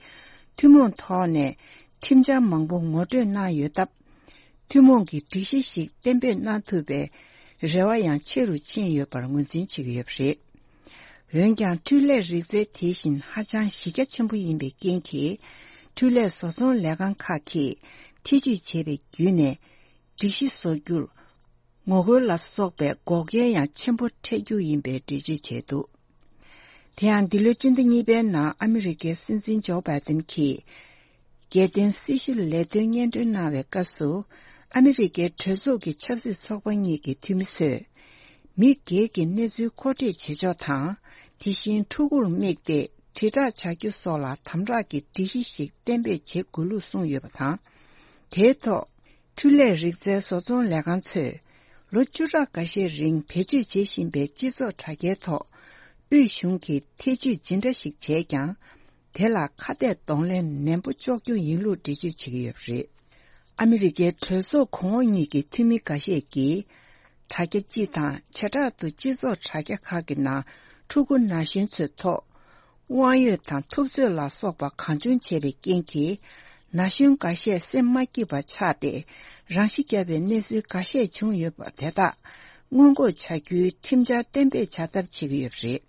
ཐུན་མོང་ཐོག་ནས་ཁྲིམས་འཆར་མང་པོ་ངོ་སྤྲོད་གནང་ཡོད་སྟབས། ཐུན་མོང་གི་སྒྲིག་གཞི་ཞིག་གཏན་འབེབས་གནང་ཐུབ་པའི་རེ་བ་ཡང་ཆེ་རུ་ཕྱིན་ཡོད་པར་ངོས་འཛིན་བྱེད་ཀྱི་ཡོད་པ་རེད། འོན་ཀྱང་། འཕྲུལ་ལས་རིག་རྩལ་དེ་བཞིན་ཧ་ཅང་གཞི་རྒྱ་ཆེན་པོ་ཡིན་པའི་རྐྱེན་གྱིས། འཕྲུལ་ལས་བཟོ་ཚོང་ལས་ཁང་ཁག་གིས་ ཐེ་ཇུས་བྱས་པའི་བརྒྱུད་ནས་སྒྲིག་གཞི་བཟོ་རྒྱུར་ངོ་རྒོལ་ལ་སོགས་པའི་འགོག་རྐྱེན་ཡང་ཆེན་པོ་འཕྲད་རྒྱུ་ཡིན་པའི་འགྲེལ་བརྗོད་བྱས་འདུག་དེ་ཡང་འདི་ལོའི་སྤྱི་ཟླ་གཉིས་པའི་ནང་ཨ་མི་རི་ཀའི་སྲིད་འཛིན་ཇོ་བྷའི་ཏིན་གྱིས། རྒྱལ་བསྟན་སྲི་ཞུ་ལས་དོན་སྙན་སྒྲོན་གནང་བའི་སྐབས་སུ། ཨ་མི་རི་ཀའི་གྲོས་ཚོགས་ཀྱི་ཆབ་སྲིད་ཚོགས་པ་གཉིས་ཀྱི་འཐུས་མི་ཚོས། མི་སྒེར་གྱི་གནས་ཚུལ་མཁོ་སྤྲོད་བྱེད་ཕྱོགས་དང་། དེ་བཞིན་ཕྲུ་གུར་དམིགས་ཏེ་དྲིལ་བསྒྲགས་བྱ་རྒྱུ་སོགས་ལ་དམ་དྲག་གི་སྒྲིག་གཞི་ཞིག་གཏན་འབེབས་བྱེད་དགོས་ལུགས་གསུངས་ཡོད་པ་དང་། དེའི་ཐོག་འཕྲུལ་ལས་རིག་རྩལ་བཟོ་ཚོང་ལས་ཁང་ཚོས། ལོ་བཅུ་ཕྲག་འགའ་ཤས་རིང་བེད་སྤྱོད་བྱེད་བཞིན་པའི་སྤྱི་ཚོགས་དྲ་རྒྱའི་ཐོག་དབུས་གཞུང་གིས་ཐེ་ཇུས་ཇི་འདྲ་ཞིག་བྱས་ཀྱང་། དེ་ལ་ཁ་གཏད་གདོང་ལེན་ནན་པོ་གཅོག་རྒྱུ་ཡིན་ལུགས་འགྲེལ་བརྗོད་བྱེད་ཀྱི་ཡོད་པ་རེད། ཨ་མི་རི་ཀའི་གྲོས་ཚོགས་གོང་འོག་གཉིས་ཀྱི་འཐུས་མི་འགའ་ཤས་ཀྱིས། དྲ་རྒྱ་སྤྱི་དང་བྱེ་བྲག་ཏུ་སྤྱི་ཚོགས་དྲ་རྒྱ་ཁག་གི་ནང་ཕྲུ་གུ་ན་གཞོན་ཚོའི་ཐོག་དབང་ཡོད་དང་ཐུབ་ཚོད་ལ་སོགས་པ་གང་བྱུང་བྱས་པའི་རྐྱེན་གྱིས། ན་གཞོན་འགའ་ཤས་སེམས་མ་སྐྱིད་པ་ཆགས་ཏེ། རང་ཤི་བརྒྱབ་པའི་གནས་ཚུལ་འགའ་ཤས་བྱུང་ཡོད་པ་དེ་དག་སྔོན་འགོག་བྱ་རྒྱུའི་ཁྲིམས་འཆར་གཏན་འབེབས་བྱ་ཐབས་བྱེད་ཀྱི་ཡོད་པ་རེད།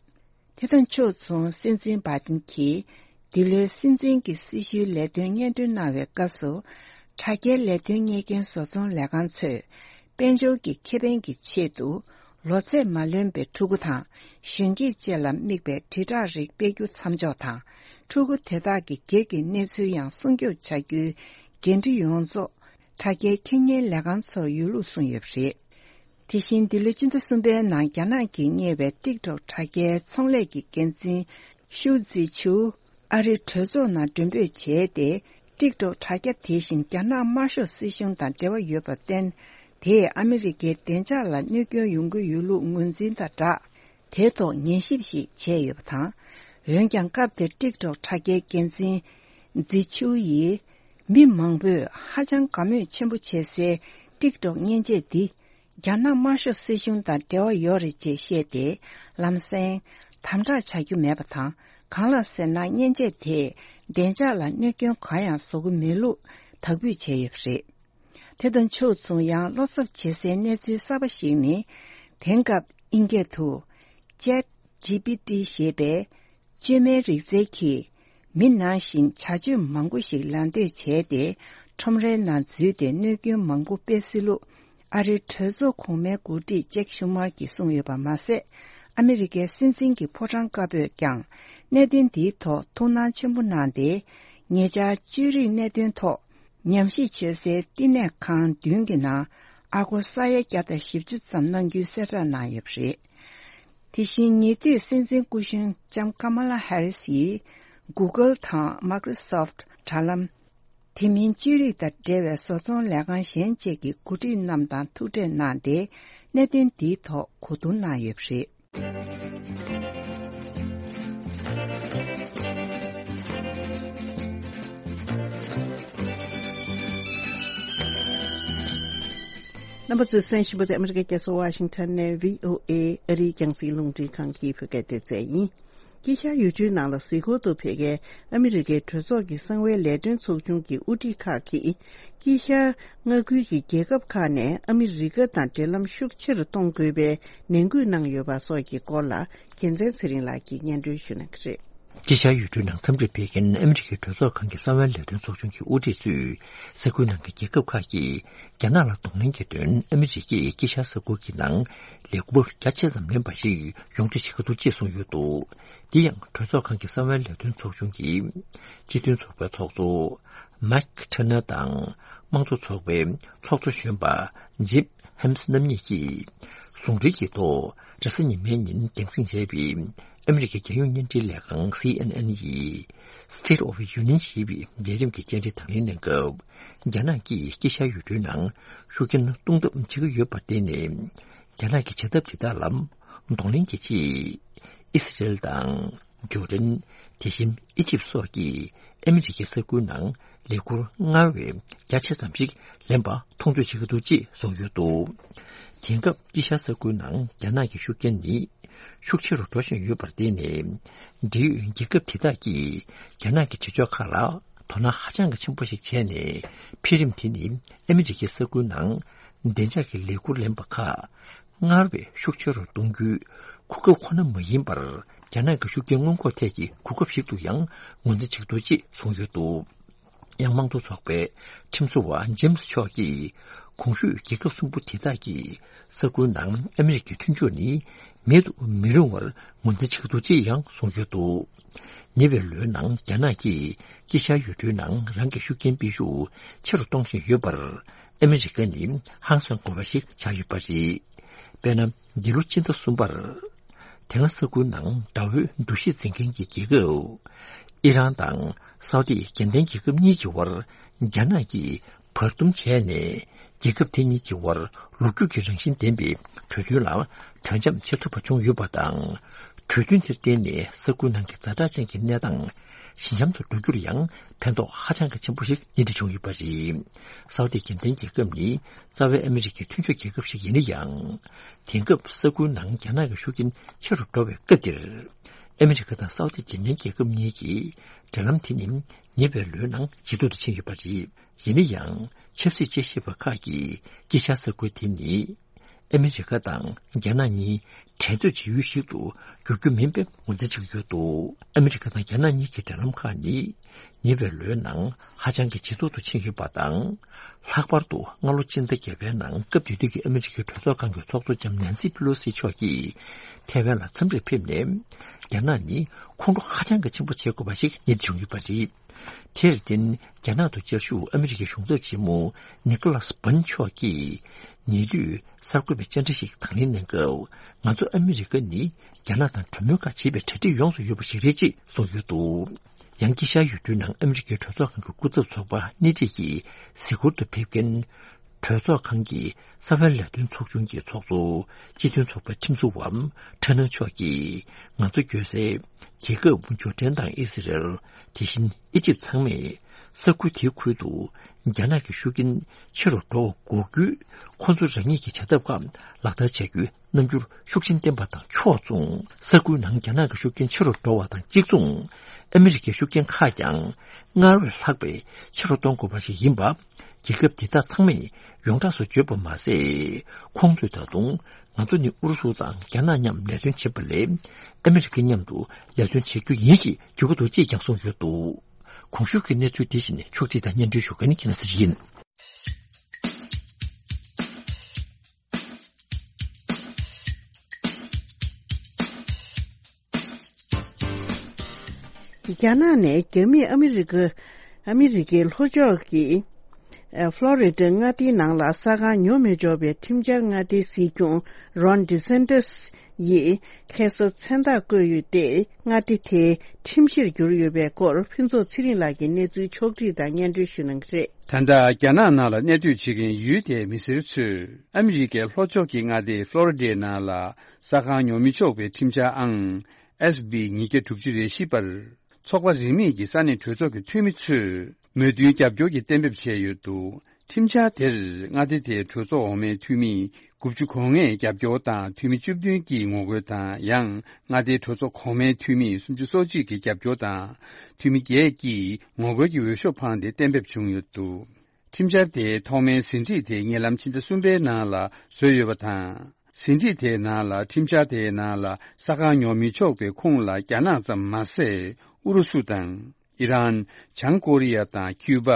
དེ་དང་ཕྱོགས་མཚུངས་སྲིད་འཛིན་བྷའི་ཏིན་གྱིས། འདི་ལོའི་སྲིད་འཛིན་གྱི་སྲི་ཞུའི་ལས་དོན་སྙན་སྒྲོན་གནང་བའི་སྐབས་སུ། དྲ་རྒྱའི་ལས་དོན་གཉེར་མཁན་བཟོ་ཚོང་ལས་ཁང་ཚོས། དཔལ་འབྱོར་གྱི་ཁེ་ཕན་གྱི་ཆེད་དུ། ལོ་ཚད་མ་ལོན་པའི་ཕྲུ་གུ་དང་། གཞོན་སྐྱེས་བཅས་ལ་དམིགས་པའི་དྲིལ་བསྒྲགས་རིགས་སྤེལ་རྒྱུ་མཚམས་འཇོག་དང་། ཕྲུ་གུ་དེ་དག་གི་སྒེར་གྱི་གནས་ཚུལ་ཡང་སྲུང་སྐྱོབ་བྱ་རྒྱུའི་འགན་འཁྲི་ཡོངས་རྫོགས། དྲ་རྒྱའི་ཁེ་གཉེར་ལས་ཁང་ཚོར་ཡོད་ལུགས་གསུངས་ཡོད་པ་རེད། དེ་བཞིན་འདི་ལོའི་སྤྱི་ཟླ་གསུམ་པའི་ནང་རྒྱ་ནག་གིས་གཉེར་བའི་ཊིག་ཊོག་དྲ་རྒྱའི་ཚོང་ལས་ཀྱི་འགན་འཛིན་ཤུའུ་ཙི་ཆུ། ཨ་རིའི་གྲོས་ཚོགས་ནང་མགྲོན་འབོད་བྱས་ཏེ། ཊིག་ཊོག་དྲ་རྒྱ་དེ་བཞིན་རྒྱ་ནག་དམར་ཤོག་སྲིད་གཞུང་དང་འབྲེལ་བ་ཡོད་པར་བརྟེན། དེས་ཨ་མི་རི་ཀའི་བདེ་འཇགས་ལ་གནོད་སྐྱོན་ཡོང་གི་ཡོད་ལུགས་ངོས་འཛིན་དང་སྦྲགས། དེའི་ཐོག་ཉན་ཞིབ་ཞིག་བྱས་ཡོད་པ་དང་། འོན་ཀྱང་སྐབས་དེར་ཊིག་ཊོག་དྲ་རྒྱའི་འགན་འཛིན་ཛི་ཆུའུ་ཡིས། མི་མང་པོས་ཧ་ཅང་དགའ་མོས་ཆེན་པོ་བྱེད་སའི་ཊིག་ཊོག་མཉེན་ཆས་འདི། རྒྱ་ནག་དམར་ཤོག་སྲིད་གཞུང་དང་འབྲེལ་བ་ཡོད་རེད་ཅེས་བཤད་དེ། ལམ་སེང་། དམ་དྲག་བྱ་རྒྱུ་མེད་པ་དང་། གང་ལགས་ཟེར་ན། མཉེན་ཆས་དེས་བདེ་འཇགས་ལ་གནོད་སྐྱོན་གང་ཡང་བཟོ་གི་མེད་ལུགས་དག་འབུལ་བྱས་ཡོད་པ་རེད། དེ་དང་ཕྱོགས་མཚུངས། ཡང་བློ་འཚབ་བྱེད་སའི་གནས་ཚུལ་གསར་པ་ཞིག་ནི། དེང་སྐབས་ཨིན་སྐད་དུ། Chat G P T ཞེས་པའི་བཅོས་མའི་རིག་རྩལ་གྱིས། མི་ནང་བཞིན་བྱ་སྤྱོད་མང་པོ་ཞིག་ལད་ཟློས་བྱས་ཏེ། ཁྲོམ་རའི་ནང་འཛུལ་ཏེ་གནོད་སྐྱོན་མང་པོ་སྤེལ་སྲིད་ལུགས། ཨ་རིའི་གྲོས་ཚོགས་གོང་མའི་འགོ་ཁྲིད་ཅེག་ཤུ་མར་གྱིས་གསུངས་ཡོད་པ་མ་ཟད། ཨ་མི་རི་ཀའི་སྲིད་འཛིན་གྱི་ཕོ་བྲང་དཀར་པོས་ཀྱང་། གནད་དོན་འདིའི་ཐོག་ཐུགས་སྣང་ཆེན་པོ་གནང་སྟེ། ཉེ་ཆར་བཅོས་རིག་གནད་དོན་ཐོག་ཉམས་ཞིབ་བྱེད་སའི་བསྟི་གནས་ཁང་བདུན་གྱི་ནང་ཨ་སྒོར་ས་ཡ་བརྒྱ་དང་བཞི་བཅུ་ཙམ་གནང་རྒྱུའི་གསལ་བསྒྲགས་གནང་ཡོད་པ་རེད། དེ་བཞིན་ཉེ་དུས་སྲིད་འཛིན་སྐུ་གཞོན་ལྕམ་ཀ་མ་ལ་ཧེ་རིས་ཡིས་Google དང་Microsoft དྲ་ལམ། དེ་མིན་བཅོས་རིག་དང་འབྲེལ་བའི་བཟོ་ཚོང་ལས་ཁང་གཞན་བཅས་ཀྱི་འགོ་ཁྲིད་རྣམས་དང་ཐུག་འཕྲད་གནང་སྟེ། གནད་དོན་འདིའི་ཐོག་གོ་བསྡུར་གནང་ཡོད་པ་རེད། རྣམ་པ་ཚོས་གསན་བཞིན་པ་དེ་ཨ་མི་རི་ཀའི་རྒྱལ་ས་ཝ་ཤིང་ཊོན་ནས་བྷི་ཨོ་ཨེ་ཨ་རིའི་རྒྱང་སྲིང་རླུང་འཕྲིན་ཁང་གི་བོད་སྐད་སྡེ་ཚན་ཡིན། དཀྱིལ་ཤར་ཡུལ་གྲུའི་ནང་ལ་གཟིགས་སྐོར་དུ་ཕེབས་མཁན་ཨ་མི་རི་ཀའི་གྲོས་ཚོགས་ཀྱི་གསང་བའི་ལས་དོན་ཚོགས་ཆུང་གི་དབུ་ཁྲིད་ཁག་གིས། དཀྱིལ་ཤར་མངའ་ཁུལ་གྱི་རྒྱལ་ཁབ་ཁག་ནས་ཨ་མི་རི་ཀ་དང་འབྲེལ་ལམ་ཤུགས་ཆེ་རུ་གཏོང་དགོས་པའི་ནན་སྐུལ་གནང་ཡོད་པ་སོགས་ཀྱི་སྐོར་ལ། རྒྱལ་མཚན་ཚེ་རིང་ལགས་ཀྱིས་སྙན་སྒྲོན་ཞུ་གནང་གི་རེད། དཀྱིལ་ཤར་ཡུལ་གྲུའི་ནང་འཚམས་འདྲིར་ཕེབས་མཁན་ཨ་མི་རི་ཀའི་གྲོས་ཚོགས་ཁང་གི་གསང་བའི་ལས་དོན་ཚོགས་ཆུང་གི་དབུ་ཁྲིད་ཚོས། ས་ཁུལ་ནང་གི་རྒྱལ་ཁབ་ཁག་གིས་རྒྱ་ནག་ལ་གདོང་ལེན་གྱི་དོན་ཨ་མི་རི་ཀས་དཀྱིལ་ཤར་ས་ཁུལ་གྱི་ནང་ལས་འགུལ་རྒྱ་ཆེ་ཙམ་ལེན་པ་ཞིག་ཡོང་རྒྱུ་བྱེད་ཀྱི་འདུག་ཅེས་གསུངས་ཡོད་འདུག་དེ་ཡང་གྲོས་ཚོགས་ཁང་གི་གསང་བའི་ལས་དོན་ཚོགས་ཆུང་གི་སྤྱི་མཐུན་ཚོགས་པའི་ཚོགས་གཙོ་མེག་ཁྲེ་ནེར་དང་དམངས་གཙོ་ཚོགས་པའི་ཚོགས་གཙོ་གཞོན་པ་ཇིབ་ཧེམས་རྣམ་གཉིས་ཀྱིས་ཟུང་འབྲེལ་གྱི་ཐོག་རེས་གཟའ་ཉི་མའི་ཉིན་རྒྱང་སྲིང་བྱས་པའི་ཨ་མི་རི་ཀའི་རྒྱལ་ཡོངས་བརྙན་འཕྲིན་ལས་ཁང་སི་ཨེན་ཨེན་ཡི་State of Union ཞེས་པའི་ལས་རིམ་གྱི་བཅར་འདྲི་དང་ལེན་གནང་སྐབས། རྒྱ་ནག་གིས་དཀྱིལ་ཤར་ཡུལ་གྲུའི་ནང་ཤུགས་རྐྱེན་གཏོང་ཐབས་བྱེད་ཀྱི་ཡོད་པར་བརྟེན་ནས། རྒྱ་ནག་གི་བྱ་ཐབས་དེ་དག་ལ་གདོང་ལེན་གྱི་ཆེད། ཨི་སི་རེལ་དང་། ཇོར་ཌན། དེ་བཞིན་ཨི་ཇིབ་སོགས་ཀྱིས་ཨ་མི་རི་ཀའི་ས་ཁུལ་ནང་ལས་འཁུར་སྔར་བས་རྒྱ་ཆེ་ཙམ་ཞིག་ལེན་པ་མཐོང་ཆོས་བྱེད་ཀྱི་འདུག་ཅེས་གསུངས་ཡོད་འདུག་དེང་སྐབས་དཀྱིལ་ཤར་ས་ཁུལ་ནང་རྒྱ་ནག་གི་ཤུགས་རྐྱེན་ནི་ཤུགས་ཆེ་རུ་འགྲོ་བཞིན་ཡོད་པར་བརྟེན་ནས། འབྲེལ་ཡོད་རྒྱལ་ཁབ་དེ་དག་གིས་རྒྱ་ནག་གི་བྱེད་ཕྱོགས་ཁག་ལ་དོ་སྣང་ཧ་ཅང་གི་ཆེན་པོ་ཞིག་བྱས་ནས། འཕེལ་རིམ་དེ་ནི་ཨ་མི་རི་ཀའི་ས་ཁུལ་ནང་བདེ་འཇགས་ཀྱི་ལས་འཁུར་ལེན་པ་ཁག་སྔར་བས་ཤུགས་ཆེ་རུ་གཏོང་རྒྱུའི་གོ་སྐབས་ཁོ་ན་མ་ཡིན་པར། རྒྱ་ནག་གི་ཤུགས་རྐྱེན་སྔོན་འགོག་ཐད་ཀྱི་གོ་སྐབས་ཤིག་ཏུ་ཡང་ངོས་འཛིན་བྱེད་ཀྱི་འདུག་ཅེས་གསུངས་ཡོད་འདུག་དབྱང་དམངས་གཙོ་ཚོགས་པའི་ཁྲིམས་བཟོ་བ་ཇེམ་སི་མཆོག་གིས། གོང་ཞུས་རྒྱལ་ཁབ་གསུམ་པོ་དེ་དག་གིས་ས་ཁུལ་ནང་ཨ་མི་རི་ཀའི་མཐུན་ཕྱོགས་ནི་མེད་དུ་མི་རུང་བར་ངོས་འཛིན་བྱེད་ཀྱི་འདུག་ཅེས་ཡང་གསུངས་ཡོད་འདུག་ཉེ་བའི་ལོའི་ནང་རྒྱ་ནག་གིས་དཀྱིལ་ཤར་ཡུལ་གྲུའི་ནང་རང་གི་ཤུགས་རྐྱེན་སྤེལ་ཤུགས་ཆེ་རུ་གཏོང་བཞིན་ཡོད་པར། ཨ་མི་རི་ཀ་ནི་ཧང་སང་དགོས་པ་ཞིག་ཆགས་ཡོད་པ་རེད། དཔེར་ན། འདི་ལོ་སྤྱི་ཟླ་གསུམ་པར། དེ་སྔ་ས་ཁུལ་ནང་དགྲ་བོའི་འདུ་ཤེས་འཛིན་མཁན་གྱི་རྒྱལ་ཁབ། ཨི་རན་དང་སའུ་ཏི་རྒྱལ་ལྡན་རྒྱལ་ཁབ་གཉིས་ཀྱི་དབར་རྒྱ་ནག་གིས་བར་འདུམ་བྱས་ནས། རྒྱལ་ཁབ་དེ་གཉིས་ཀྱི་དབར་ལོ་རྒྱུས་ཀྱི་རང་བཞིན་ལྡན་པའི་གྲོས་མཐུན་ལ་གྲོས་འཆམ་བྱེད་ཐུབ་པ་བྱུང་ཡོད་པ་དང་། གྲོས་མཐུན་དེར་བརྟེན་ནས་ས་ཁུལ་ནང་གི་ཛ་དྲག་ཅན་གྱི་གནས་སྟངས་ཞི་འཇམ་དུ་འགྲོ་རྒྱུར་ཡང་ཕན་ཐོགས་ཧ་ཅང་གི་ཆེན་པོ་ཞིག་སྣེ་ཁྲིད་བྱུང་ཡོད་པ་རེད། སའུ་ཏི་རྒྱལ་ལྡན་རྒྱལ་ཁབ་ནི་རྩ་བའི་ཨ་མི་རི་ཀའི་མཐུན་ཕྱོགས་རྒྱལ་ཁབ་ཞིག་ཡིན་ན་ཡང་། དེང་སྐབས་ས་ཁུལ་ནང་རྒྱ་ནག་གི་ཤུགས་རྐྱེན་ཆེ་རུ་འགྲོ་བའི་སྐབས་འདིར། ཨ་མི་རི་ཀ་དང་སའུ་ཏི་རྒྱལ་ལྡན་རྒྱལ་ཁབ་གཉིས་ཀྱིས་འབྲེལ་ལམ་དེ་ནི་ཉེ་བའི་ལོའི་ནང་ཇེ་སྡུག་ཏུ་ཕྱིན་ཡོད་པ་རེད། ཡིན་ན་ཡང་ཆབ་སྲིད་དཔྱད་ཞིབ་པ་ཁག་གིས་དཀྱིལ་ཤར་ས་ཁུལ་དེ་ནི་ཨ་མི་རི་ཀ་དང་རྒྱ་ནག་གཉིས་འགྲན་རྩོད་བྱེད་ཡུལ་ཞིག་ཏུ་འགྱུར་རྒྱུ་མིན་པའི་ངོས་འཛིན་བྱེད་ཀྱི་ཡོད་འདུག་ཨ་མི་རི་ཀ་དང་རྒྱ་ནག་གཉིས་ཀྱི་འབྲེལ་ལམ་ཁག་ནི་ཉེ་བའི་ལོའི་ནང་ཧ་ཅང་གི་ཇེ་སྡུག་ཏུ་ཕྱིན་ཡོད་པ་དང་། ལྷག་པར་དུ་སྔ་ལོ་སྤྱི་ཟླ་བརྒྱད་པའི་ནང་སྐབས་དེ་དུས་ཀྱི་ཨ་མི་རི་ཀའི་གྲོས་ཚོགས་ཁང་གི་ཚོགས་གཙོ་ལྕམ་ནན་སི་པི་ལོ་སི་མཆོག་གིས་ཐའེ་ཝན་ལ་འཚམས་འདྲིར་ཕེབས་ནས། རྒྱ་ནག་ནི་ཁོང་ཁྲོ་ཧ་ཅང་གི་ཆེན་པོ་བྱེད་དགོས་པ་ཞིག་རྙེད་བྱུང་ཡོད་པ་རེད། དེར་བརྟེན་རྒྱ་ནག་ཏུ་བཅའ་བཞུགས་ཨ་མི་རི་ཀའི་གཞུང་ཚབ་ཆེན་མོ་ནི་ཀོ་ལཱས་བྷན་མཆོག་གིས་ཉེ་དུས་གསར་འགོད་པའི་བཅར་འདྲི་ཞིག་དང་ལེན་གནང་སྐབས། ང་ཚོ་ཨ་མི་རི་ཀ་ནི་རྒྱ་ནག་དང་གྲོས་མོལ་ཁག་བྱེད་པའི་གྲ་སྒྲིག་ཡོངས་སུ་ཡོད་པ་ཞིག་རེད་ཅེས་གསུངས་ཡོད་འདུག་ཡང་དཀྱིལ་ཤར་ཡུལ་གྲུའི་ནང་ཨ་མི་རི་ཀའི་གྲོས་ཚོགས་ཁང་གི་སྐུ་ཚབ་ཚོགས་པ་སྣེ་ཁྲིད་ཀྱིས་གཟིགས་སྐོར་དུ་ཕེབས་མཁན། གྲོས་ཚོགས་ཁང་གི་གསར་པའི་ལས་དོན་ཚོགས་ཆུང་གི་ཚོགས་གཙོ་སྤྱི་མཐུན་ཚོགས་པའི་ཁྲིམས་བཟོ་བ་ཁྲ་ནང་མཆོག་གིས། ང་ཚོ་སྐྱོད་སའི་རྒྱལ་ཁབ་ཇོར་ཌན་དང་ཨི་སི་རལ། དེ་བཞིན་ཨི་ཇིབ་ཚང་མས་ས་ཁུལ་དེའི་ཁུལ་དུ་རྒྱ་ནག་གི་ཤུགས་རྐྱེན་ཆེ་རུ་འགྲོ་བ་འགོག་རྒྱུའི་ཁོ་ཚོ་རང་ཉིད་ཀྱི་བྱ་ཐབས་ཁག་ལག་བསྟར་བྱ་རྒྱུའི་རྣམ་འགྱུར་ཤུགས་ཆེན་བསྟན་པ་དང་ཕྱོགས་མཚུངས། ས་ཁུལ་ནང་རྒྱ་ནག་གི་ཤུགས་རྐྱེན་ཆེ་རུ་འགྲོ་བ་དང་གཅིག་མཚུངས། ཨ་མི་རི་ཀའི་ཤུགས་རྐྱེན་ཁག་ཀྱང་སྔར་བས་ལྷག་པའི་ཆེ་རུ་གཏོང་དགོས་པ་ཞིག་ཡིན་པ། རྒྱལ་ཁབ་དེ་དག་ཚང་མས་ཡོངས་གྲགས་སུ་བརྗོད་པ་མ་ཟད། ཁོང་ཚོས་ད་དུང་ང་ཚོ་ནི་ཨུ་རུ་སུ་དང་རྒྱ་ནག་མཉམ་ལས་དོན་བྱེད་པ་ལས་ཨ་མི་རི་ཀ་མཉམ་དུ་ལས་དོན་བྱེད་རྒྱུ་ཡིན་ཞེས་བརྗོད་ཀྱི་འདུག་ཅེས་ཀྱང་གསུངས་ཡོད་འདུག་གོང་ཞུས་ཀྱི་གནས་ཚུལ་འདི་བཞིན་ཕྱོགས་སྒྲིག་དང་སྙན་སྒྲོན་ཞུ་མཁན་ཁྱེད་རང་ཚོ་ཡིན། རྒྱ་ནག་ནས་རྒྱ་མིས་ཨ་མི་རི་ཀ་ཨ་མི་རི་ཀའི་ལྷོ་ཕྱོགས་ཀྱི་ཨ་ཕློ་རི་ཌ་མངའ་སྡེའི་ནང་ལ་ས་ཁང་ཉོ་མི་ཆོག་པའི་ཁྲིམས་འཆར་མངའ་སྡེའི་སྲིད་སྐྱོང་རོན་ཌི་སན་ཏི་སི་ཡིས་ཁ་སང་མཚན་རྟགས་བཀོད་ཡོད་དེ། མངའ་སྡེ་དེའི་ཁྲིམས་གཞིར་གྱུར་ཡོད་པའི་སྐོར་ཕུན་ཚོགས་ཚེ་རིང་ལགས་ཀྱིས་གནས་ཚུལ་ཕྱོགས་སྒྲིག་དང་སྙན་སྒྲོན་ཞུ་གནང་གི་རེད། ད་ལྟ་རྒྱ་ནག་ནང་ལ་གནས་སྡོད་བྱེད་མཁན་ཡུལ་དེའི་མི་སེར་ཚོས་ཨ་མི་རི་ཀའི་ལྷོ་ཕྱོགས་ཀྱི་མངའ་སྡེ་ཕློ་རི་ཌའི་ནང་ལ་ས་ཁང་ཉོ་མི་ཆོག་པའི་ཁྲིམས་འཆར་ཨང་ཨེས་བི་ཉིས་བརྒྱ་དྲུག་ཅུ་རེ་བཞི་པར། ཚོགས་པ་རིས་མེད་ཀྱི་ས་གནས་གྲོས་ཚོགས་ཀྱི་འཐུས་མི་ཚོས་མོས་མཐུན་རྒྱབ་སྐྱོར་གྱི་གཏན་འབེབས་བྱས་ཡོད་འདུག་ཁྲིམས་འཆར་དེར་མངའ་སྡེ་དེའི་གྲོས་ཚོགས་འོག་མའི་འཐུས་མི་དགུ་བཅུ་གོ་ལྔས་རྒྱབ་སྐྱོར་དང་། འཐུས་མི་བཅུ་བདུན་གྱིས་ངོ་རྒོལ་དང་། ཡང་མངའ་སྡེའི་གྲོས་ཚོགས་གོང་མའི་འཐུས་མི་སུམ་ཅུ་སོ་གཅིག་གིས་རྒྱབ་སྐྱོར་དང་། འཐུས་མི་བརྒྱད་ཀྱིས་ངོ་རྒོལ་གྱི་འོས་ཤོག་འཕངས་ཏེ་གཏན་འབེབས་བྱུང་ཡོད་འདུག་ཁྲིམས་འཆར་དེའི་ཐོག་མའི་ཟིན་བྲིས་དེ་ཉེ་ལམ་ཕྱི་ཟླ་གསུམ་པའི་ནང་ལ་བཟོས་ཡོད་པ་དང་། ཟིན་བྲིས་དེའི་ནང་ལ་ཁྲིམས་འཆར་དེའི་ནང་ལ་ས་ཁང་ཉོ་མི་ཆོག་པའི་ཁོངས་ལ་རྒྱ་ནག་ཙམ་མ་ཟད། ཨུ་རུ་སུ་དང་། ཨི་རན། བྱང་ཀོ་རི་ཡ་དང་ཁྱུ་པ།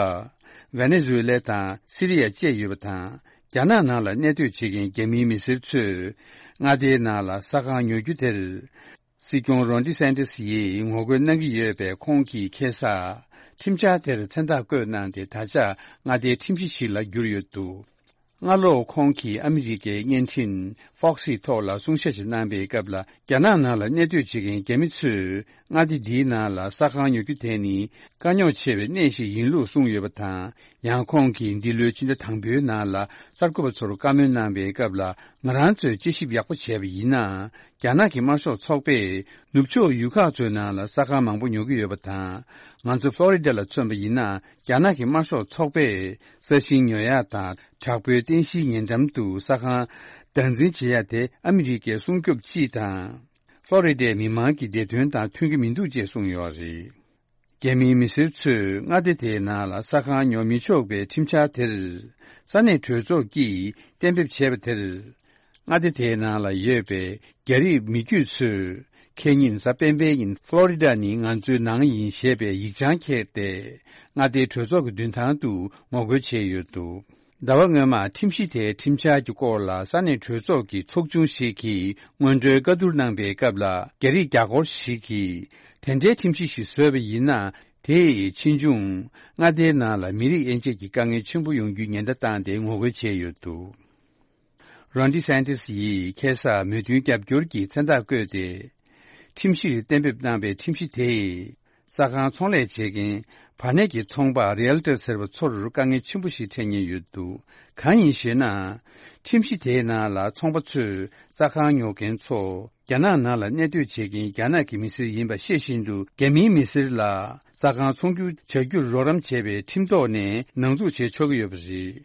ཝེ་ནེ་ཛུ་ཝེ་ལ་དང་སི་རི་ཡ་བཅས་ཡོད་པ་དང་། རྒྱ་ནག་ནང་ལ་གནས་སྡོད་བྱེད་མཁན་རྒྱ་མིའི་མི་སེར་ཚོས་མངའ་སྡེའི་ནང་ལ་ས་ཁང་ཉོ་རྒྱུ་དེར། སྲིད་སྐྱོང་རོན་ཌི་སན་ཏི་སི་ཡིས་ངོ་རྒོལ་གནང་གི་ཡོད་པས། ཁོང་གིས་ཁ་སང་ཁྲིམས་འཆར་དེར་མཚན་རྟགས་བཀོད་གནང་སྟེ། ད་ཆ་མངའ་སྡེའི་ཁྲིམས་གཞི་ཞིག་ལ་གྱུར་ཡོད་འདུག་སྔ་ལོ་ཁོང་གིས་ཨ་མི་རི་ཀའི་བརྙན་འཕྲིན་Fox་ཡི་ཐོག་ལ་གསུང་བཤད་ཅིག་གནང་པའི་སྐབས་ལ། རྒྱ་ནག་ནང་ལ་གནས་སྡོད་བྱེད་མཁན་རྒྱ་མི་ཚོས་མངའ་སྡེ་འདིའི་ནང་ལ་ས་ཁང་ཉོ་རྒྱུ་དེ་ནི་དཀའ་རྙོག་ཆེ་བའི་གནས་ཤིག་ཡིན་ལུགས་གསུངས་ཡོད་པ་དང་། ཡང་ཁོང་གིས་འདི་ལོའི་ཕྱི་ཟླ་དང་པོའི་ནང་ལ་གསར་འགོད་པ་ཚོར་བཀའ་མོལ་གནང་པའི་སྐབས་ལ། ང་རང་ཚོས་དཔྱད་ཞིབ་ཡག་པོ་བྱས་པ་ཡིན་ན། རྒྱ་ནག་གི་དམར་ཤོག་ཚོགས་པས་ནུབ་ཕྱོགས་ཡུལ་ཁག་ཚོའི་ནང་ལ་ས་ཁང་མང་པོ་ཉོ་གི་ཡོད་པ་དང་། ང་ཚོ་ཕློ་རི་ཌ་ལ་མཚོན་པ་ཡིན་ན། རྒྱ་ནག་གི་དམར་ཤོག་ཚོགས་པས་ས་ཞིང་ཉོ་ཡག་དང་། དྲག་པོའི་རྟེན་གཞིའི་ཉེ་འགྲམ་དུ་ས་ཁང་བདག་འཛིན་བྱེད་ཡ་དེ་ཨ་མི་རི་ཀའི་སྲུང་སྐྱོབ་སྤྱི་དང་། ཕློ་རི་ཌའི་མི་མང་གི་བདེ་དོན་དང་མཐུན་གྱི་མི་འདུག་ཅེས་གསུངས་ཡོད་རེད། རྒྱ་མིའི་མི་སེར་ཚོས་མངའ་སྡེ་དེའི་ནང་ལ་ས་ཁང་ཉོ་མི་ཆོག་པའི་ཁྲིམས་འཆར་དེར། ས་གནས་གྲོས་ཚོགས་ཀྱིས་གཏན་འབེབས་བྱས་པ་དེར། མངའ་སྡེ་དེའི་ནང་ལ་ཡོད་པའི་རྒྱ་རིགས་མི་རྒྱུད་ཚོས་ ཁེ་ཉིན་གཟའ་སྤེན་པའི་ཉིན་ཕློ་རི་ཌ་ནི་ང་ཚོའི་ནང་ཡིན་ཞེས་པའི་ཡིག་བྱང་འཁྱེར་ཏེ། མངའ་སྡེའི་གྲོས་ཚོགས་ཀྱི་མདུན་ཐང་དུ་ངོ་རྒོལ་བྱས་ཡོད་འདུག་ཟླ་བ་སྔོན་མ་ཁྲིམས་གཞི་དེའི་ཁྲིམས་འཆར་གྱི་སྐོར་ལ་ས་གནས་གྲོས་ཚོགས་ཀྱི་ཚོགས་ཆུང་ཞིག་གིས་སྔོན་འགྲོའི་བཀའ་བསྡུར་གནང་པའི་སྐབས་ལ། རྒྱ་རིགས་རྒྱ་སྒོར་ཞིག་གིས་དེ་འདྲའི་ཁྲིམས་གཞི་ཞིག་བཟོས་པ་ཡིན་ན། དེ་ཡིས་ཕྱིས་འབྱུང་མངའ་སྡེའི་ནང་ལ་མི་རིགས་དབྱེ་འབྱེད་ཀྱི་དཀའ་ངལ་ཆེན་པོ་ཡོང་རྒྱུའི་ཉེན་བརྡ་བཏང་སྟེ་ངོ་རྒོལ་བྱས་ཡོད་འདུག་རོན་ཌི་སན་ཏིས་ཡིས་ཁ་སང་མོས་མཐུན་རྒྱབ་སྐྱོར་གྱི་མཚན་རྟགས་བཀོད་དེ། ཁྲིམས་གཞི་གཏན་འབེབས་གནང་བའི་ཁྲིམས་གཞི་དེས། ས་ཁང་ཚོང་ལས་བྱེད་མཁན་བར་གནས་ཀྱི་ཚོང་པ་རི་ཨལ་ཏར་ཟེར་བ་ཚོར་དཀའ་ངལ་ཆེན་པོ་ཞིག་འཕྲད་ཉེན་ཡོད་འདུག་གང་ཡིན་ཞེ་ན། ཁྲིམས་གཞི་དེའི་ནང་ལ་ཚོང་པ་ཚོས་ས་ཁང་ཉོ་མཁན་ཚོ་རྒྱ་ནག་ནང་ལ་གནས་སྡོད་བྱེད་མཁན་རྒྱ་ནག་གི་མི་སེར་ཡིན་པ་ཤེས་བཞིན་དུ། རྒྱ་མིའི་མི་སེར་ལ་ས་ཁང་ཚོང་སྒྱུར་བྱ་རྒྱུར་རོགས་རམ་བྱས་པའི་ཁྲིམས་ཐོག་ནས་ནང་འཛུགས་བྱེད་ཆོག་གི་ཡོད་པ་རེད།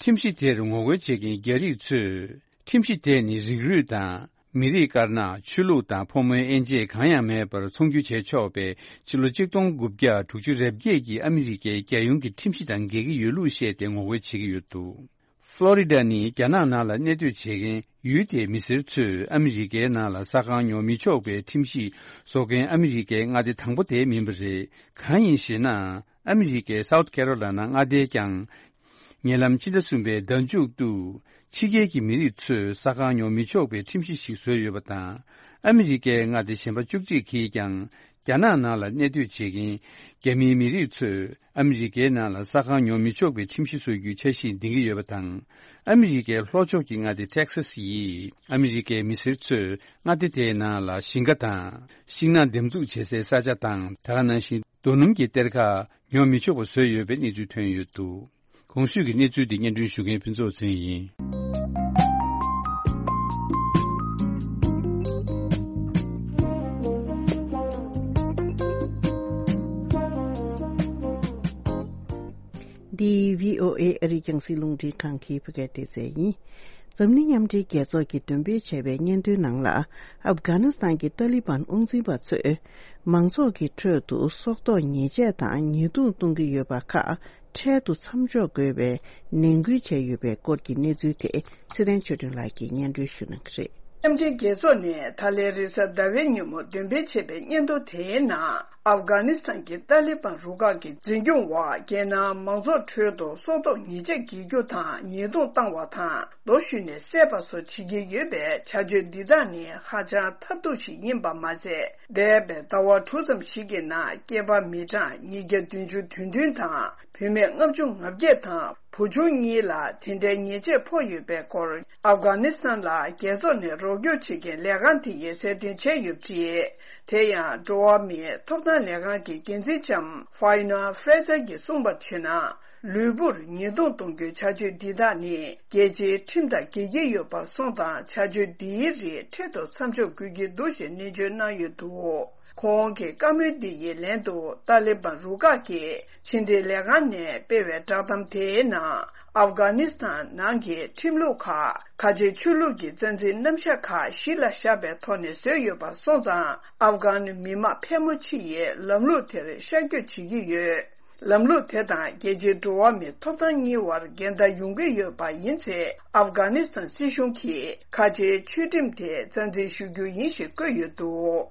ཁྲིམས་གཞི་དེར་ངོ་རྒོལ་བྱེད་མཁན་རྒྱ་རིགས་ཚོས། ཁྲིམས་གཞི་དེ་ནི་རིགས་རུས་དང་། མི་རིགས་དཀར་ནག་ཆོས་ལུགས་དང་ཕོ་མོའི་དབྱེ་འབྱེད་གང་ཡང་མེད་པར་ཚོང་སྒྱུར་བྱས་ཆོག་པའི་ཕྱི་ལོ་ཆིག་སྟོང་དགུ་བརྒྱ་དྲུག་ཅུ་རེ་བརྒྱད་ཀྱི་ཨ་མི་རི་ཀའི་རྒྱལ་ཡོངས་ཀྱི་ཁྲིམས་གཞི་དང་འགལ་གྱི་ཡོད་ལུགས་བཤད་དེ་ངོ་རྒོལ་བྱེད་ཀྱི་ཡོད་འདུག་ཕློ་རི་ཌ་ནི་རྒྱ་ནག་ནང་ལ་གནས་སྡོད་བྱེད་མཁན་ཡུལ་དེའི་མི་སེར་ཚོས་ཨ་མི་རི་ཀའི་ནང་ལ་ས་ཁང་ཉོ་མི་ཆོག་པའི་ཁྲིམས་གཞི་བཟོ་མཁན་ཨ་མི་རི་ཀའི་མངའ་སྡེ་དང་པོ་དེ་མིན་པ་རེད། གང་ཡིན་ཞེ་ན། ཨ་མི་རི་ཀའི་སའུ་ཐི་ཁེ་རོ་ལ་ན་མངའ་སྡེས་ཀྱང་། ཉེ་ལམ་ཕྱི་ཟླ་གསུམ་པའི་ཟླ་མཇུག་ཏུ། ཕྱི་རྒྱལ་གྱི་མི་རིགས་ཚོས་ས་ཁང་ཉོ་མི་ཆོག་པའི་ཁྲིམས་གཞི་ཞིག་བཟོས་ཡོད་པ་དང་། ཨ་མི་རི་ཀའི་མངའ་སྡེ་གཞན་པ་བཅུ་གཅིག་གིས་ཀྱང་། རྒྱ་ནག་ནང་ལ་གནས་སྡོད་བྱེད་མཁན་རྒྱ་མིའི་མི་རིགས་ཚོས་ཨ་མི་རི་ཀའི་ནང་ལ་ས་ཁང་ཉོ་མི་ཆོག་པའི་ཁྲིམས་གཞི་བཟོ་རྒྱུའི་འཆར་གཞི་འདིང་གི་ཡོད་པ་དང་། ཨ་མི་རི་ཀའི་ལྷོ་ཕྱོགས་ཀྱི་མངའ་སྡེ་ཊེག་སཱ་སི་ཡིས་ཨ་མི་རི་ཀའི་མི་སེར་ཚོས་མངའ་སྡེ་དེའི་ནང་ལ་ཞིང་ཁ་དང་། ཤིང་ནགས་འདེབས་འཛུགས་བྱེད་སའི་ས་ཆ་དང་། ད་ག་ནང་བཞིན་རྡོ་སྣུམ་གྱི་གཏེར་ཁ་ཉོ་མི་ཆོག་པ་བཟོས་ཡོད་པའི་གནས་ཚུལ་ཐོན་ཡོད་འདུག་གོང་ཞུས་ཀྱི་གནས་ཚུལ་འདི་སྙན་སྒྲོན་ཞུ་མཁན་ཕུན་ཚོགས་ཚེ་རིང་ཡིན། འདི་བྷི་ཨོ་ཨེ་ཨ་རིའི་རྒྱང་སྲིང་རླུང་འཕྲིན་ཁང་གི་བོད་སྐད་སྡེ་ཚན་ཡིན། འཛམ་གླིང་མཉམ་འབྲེལ་རྒྱལ་ཚོགས་ཀྱིས་འདོན་སྤེལ་བྱས་པའི་སྙན་ཐོའི་ནང་ལ། ཨབ་གྷ་ནི་སི་ཐན་གྱི་ཏཱ་ལི་བན་དབང་འཛིན་པ་ཚོས། མང་ཚོགས་ཀྱི་ཁྲོད་དུ་སྲོག་ཐོག་ཉེས་ཆད་དང་ཉེས་རྡུང་གཏོང་གི་ཡོད་པ་ཁག་འཕྲལ་དུ་མཚམས་འཇོག་དགོས་པའི་ནན་སྐུལ་བྱས་ཡོད་པའི་སྐོར་གྱི་གནས་ཚུལ་དེ་ཚེ་བརྟན་ཆོས་སྒྲོན་ལགས་ཀྱིས་སྙན་སྒྲོན་ཞུ་གནང་གི་རེད། མཉམ་འབྲེལ་རྒྱལ་ཚོགས་ནས་ད་ལན་རེས་གཟའ་ཟླ་བའི་ཉིན་མོ་འདོན་སྤེལ་བྱས་པའི་སྙན་ཐོ་དེའི་ནང་། ཨབ་གྷ་ནི་སི་ཐན་གྱི་ཏཱ་ལི་བན་རུ་ཁག་གི་འཛིན་སྐྱོང་འོག་རྒྱལ་ནང་མང་ཚོགས་ཁྲོད་དུ་སྲོག་ཐོག་ཉེས་ཆད་འགེལ་རྒྱུ་དང་ཉེས་རྡུང་བཏང་བ་དང་། རྡོ་གཞུས་ནས་བསད་པ་སོགས་བྱེད་ཀྱི་ཡོད་པའི་བྱ་སྤྱོད་འདི་དག་ནི་ཧ་ཅང་ཐབས་སྡུག་ཞིག་ཡིན་པ་མ་ཟད། འདས་པའི་ཟླ་བ་དྲུག་ཙམ་ཞིག་གི་ནང་སྐྱེས་པ་མི་གྲངས་ཉིས་བརྒྱ་བདུན་ཅུ་དོན་བདུན་དང་། བུད་མེད་ལྔ་བཅུ་ང་བརྒྱད་དང་བུ་ཆུང་གཉིས་ལ་དེ་འདྲའི་ཉེས་ཆད་ཕོག་ཡོད་པའི་སྐོར། ཨབ་གྷ་ནི་སི་ཐན་ལ་རྒྱལ་ཚོགས་ནས་རོགས་སྐྱོར་བྱེད་མཁན་ལས་ཁང་དེ་ཡིས་གསལ་སྟོན་བྱས་ཡོད་པ་རེད། དེ་ཡང་འགྲོ་བ་མིའི་ཐོབ་ཐང་ལས་ཁང་གི་འགན་འཛིན་ལྕམ་ཧྥའི་ན་ཧྥེ་ཛར་གྱིས་གསུངས་པར་བྱས་ན། ལུས་པོར་ཉེས་རྡུང་གཏོང་རྒྱུའི་བྱ་སྤྱོད་འདི་དག་ནི་རྒྱལ་སྤྱིའི་ཁྲིམས་དང་འགལ་གྱི་ཡོད་པ་སོང་ཙང་བྱ་སྤྱོད་འདིའི་རིགས་འཕྲལ་དུ་མཚམས་འཇོག་དགོས་ཀྱི་འདུག་ཞེས་ནན་བརྗོད་གནང་ཡོད་འདུག་ཁོང་གི་བཀའ་མོལ་འདི་ཡི་ལན་དུ་ཏཱ་ལི་བན་རུ་ཁག་གིས་ཕྱི་འབྲེལ་ལས་ཁང་ནས་སྤེལ་བའི་བསྒྲགས་གཏམ་དེའི་ནང་། ཨབ་གྷ་ནི་སི་ཐན་ནང་གི་ཁྲིམས་ལུགས་ཁག་ཁ་ཆེའི་ཆོས་ལུགས་ཀྱི་རྩ་འཛིན་རྣམ་གཞག་ཁག་གཞི་ལ་བཞག་པའི་ཐོག་ནས་བཟོས་ཡོད་པ་སོང་ཙང་། ཨབ་གྷན་མི་དམངས་ཕལ་མོ་ཆེ་ཡིས་ལམ་ལུགས་དེར་ཤར་བསྐྱོད་བྱེད་ཀྱི་ཡོད། ལམ་ལུགས་དེ་དང་རྒྱལ་སྤྱིའི་འགྲོ་བ་མིའི་ཐོབ་ཐང་གཉིས་བར་འགལ་ཟླ་ཡོང་གི་ཡོད་པ་ཡིན་ཚེ། ཨབ་གྷ་ནི་སི་ཐན་སྲིད་གཞུང་གིས་ཁ་ཆེའི་ཆོས་ཁྲིམས་དེ་རྩ་འཛིན་ཞུ་རྒྱུ་ཡིན་ཞེས་བཀོད་ཡོད་འདུག་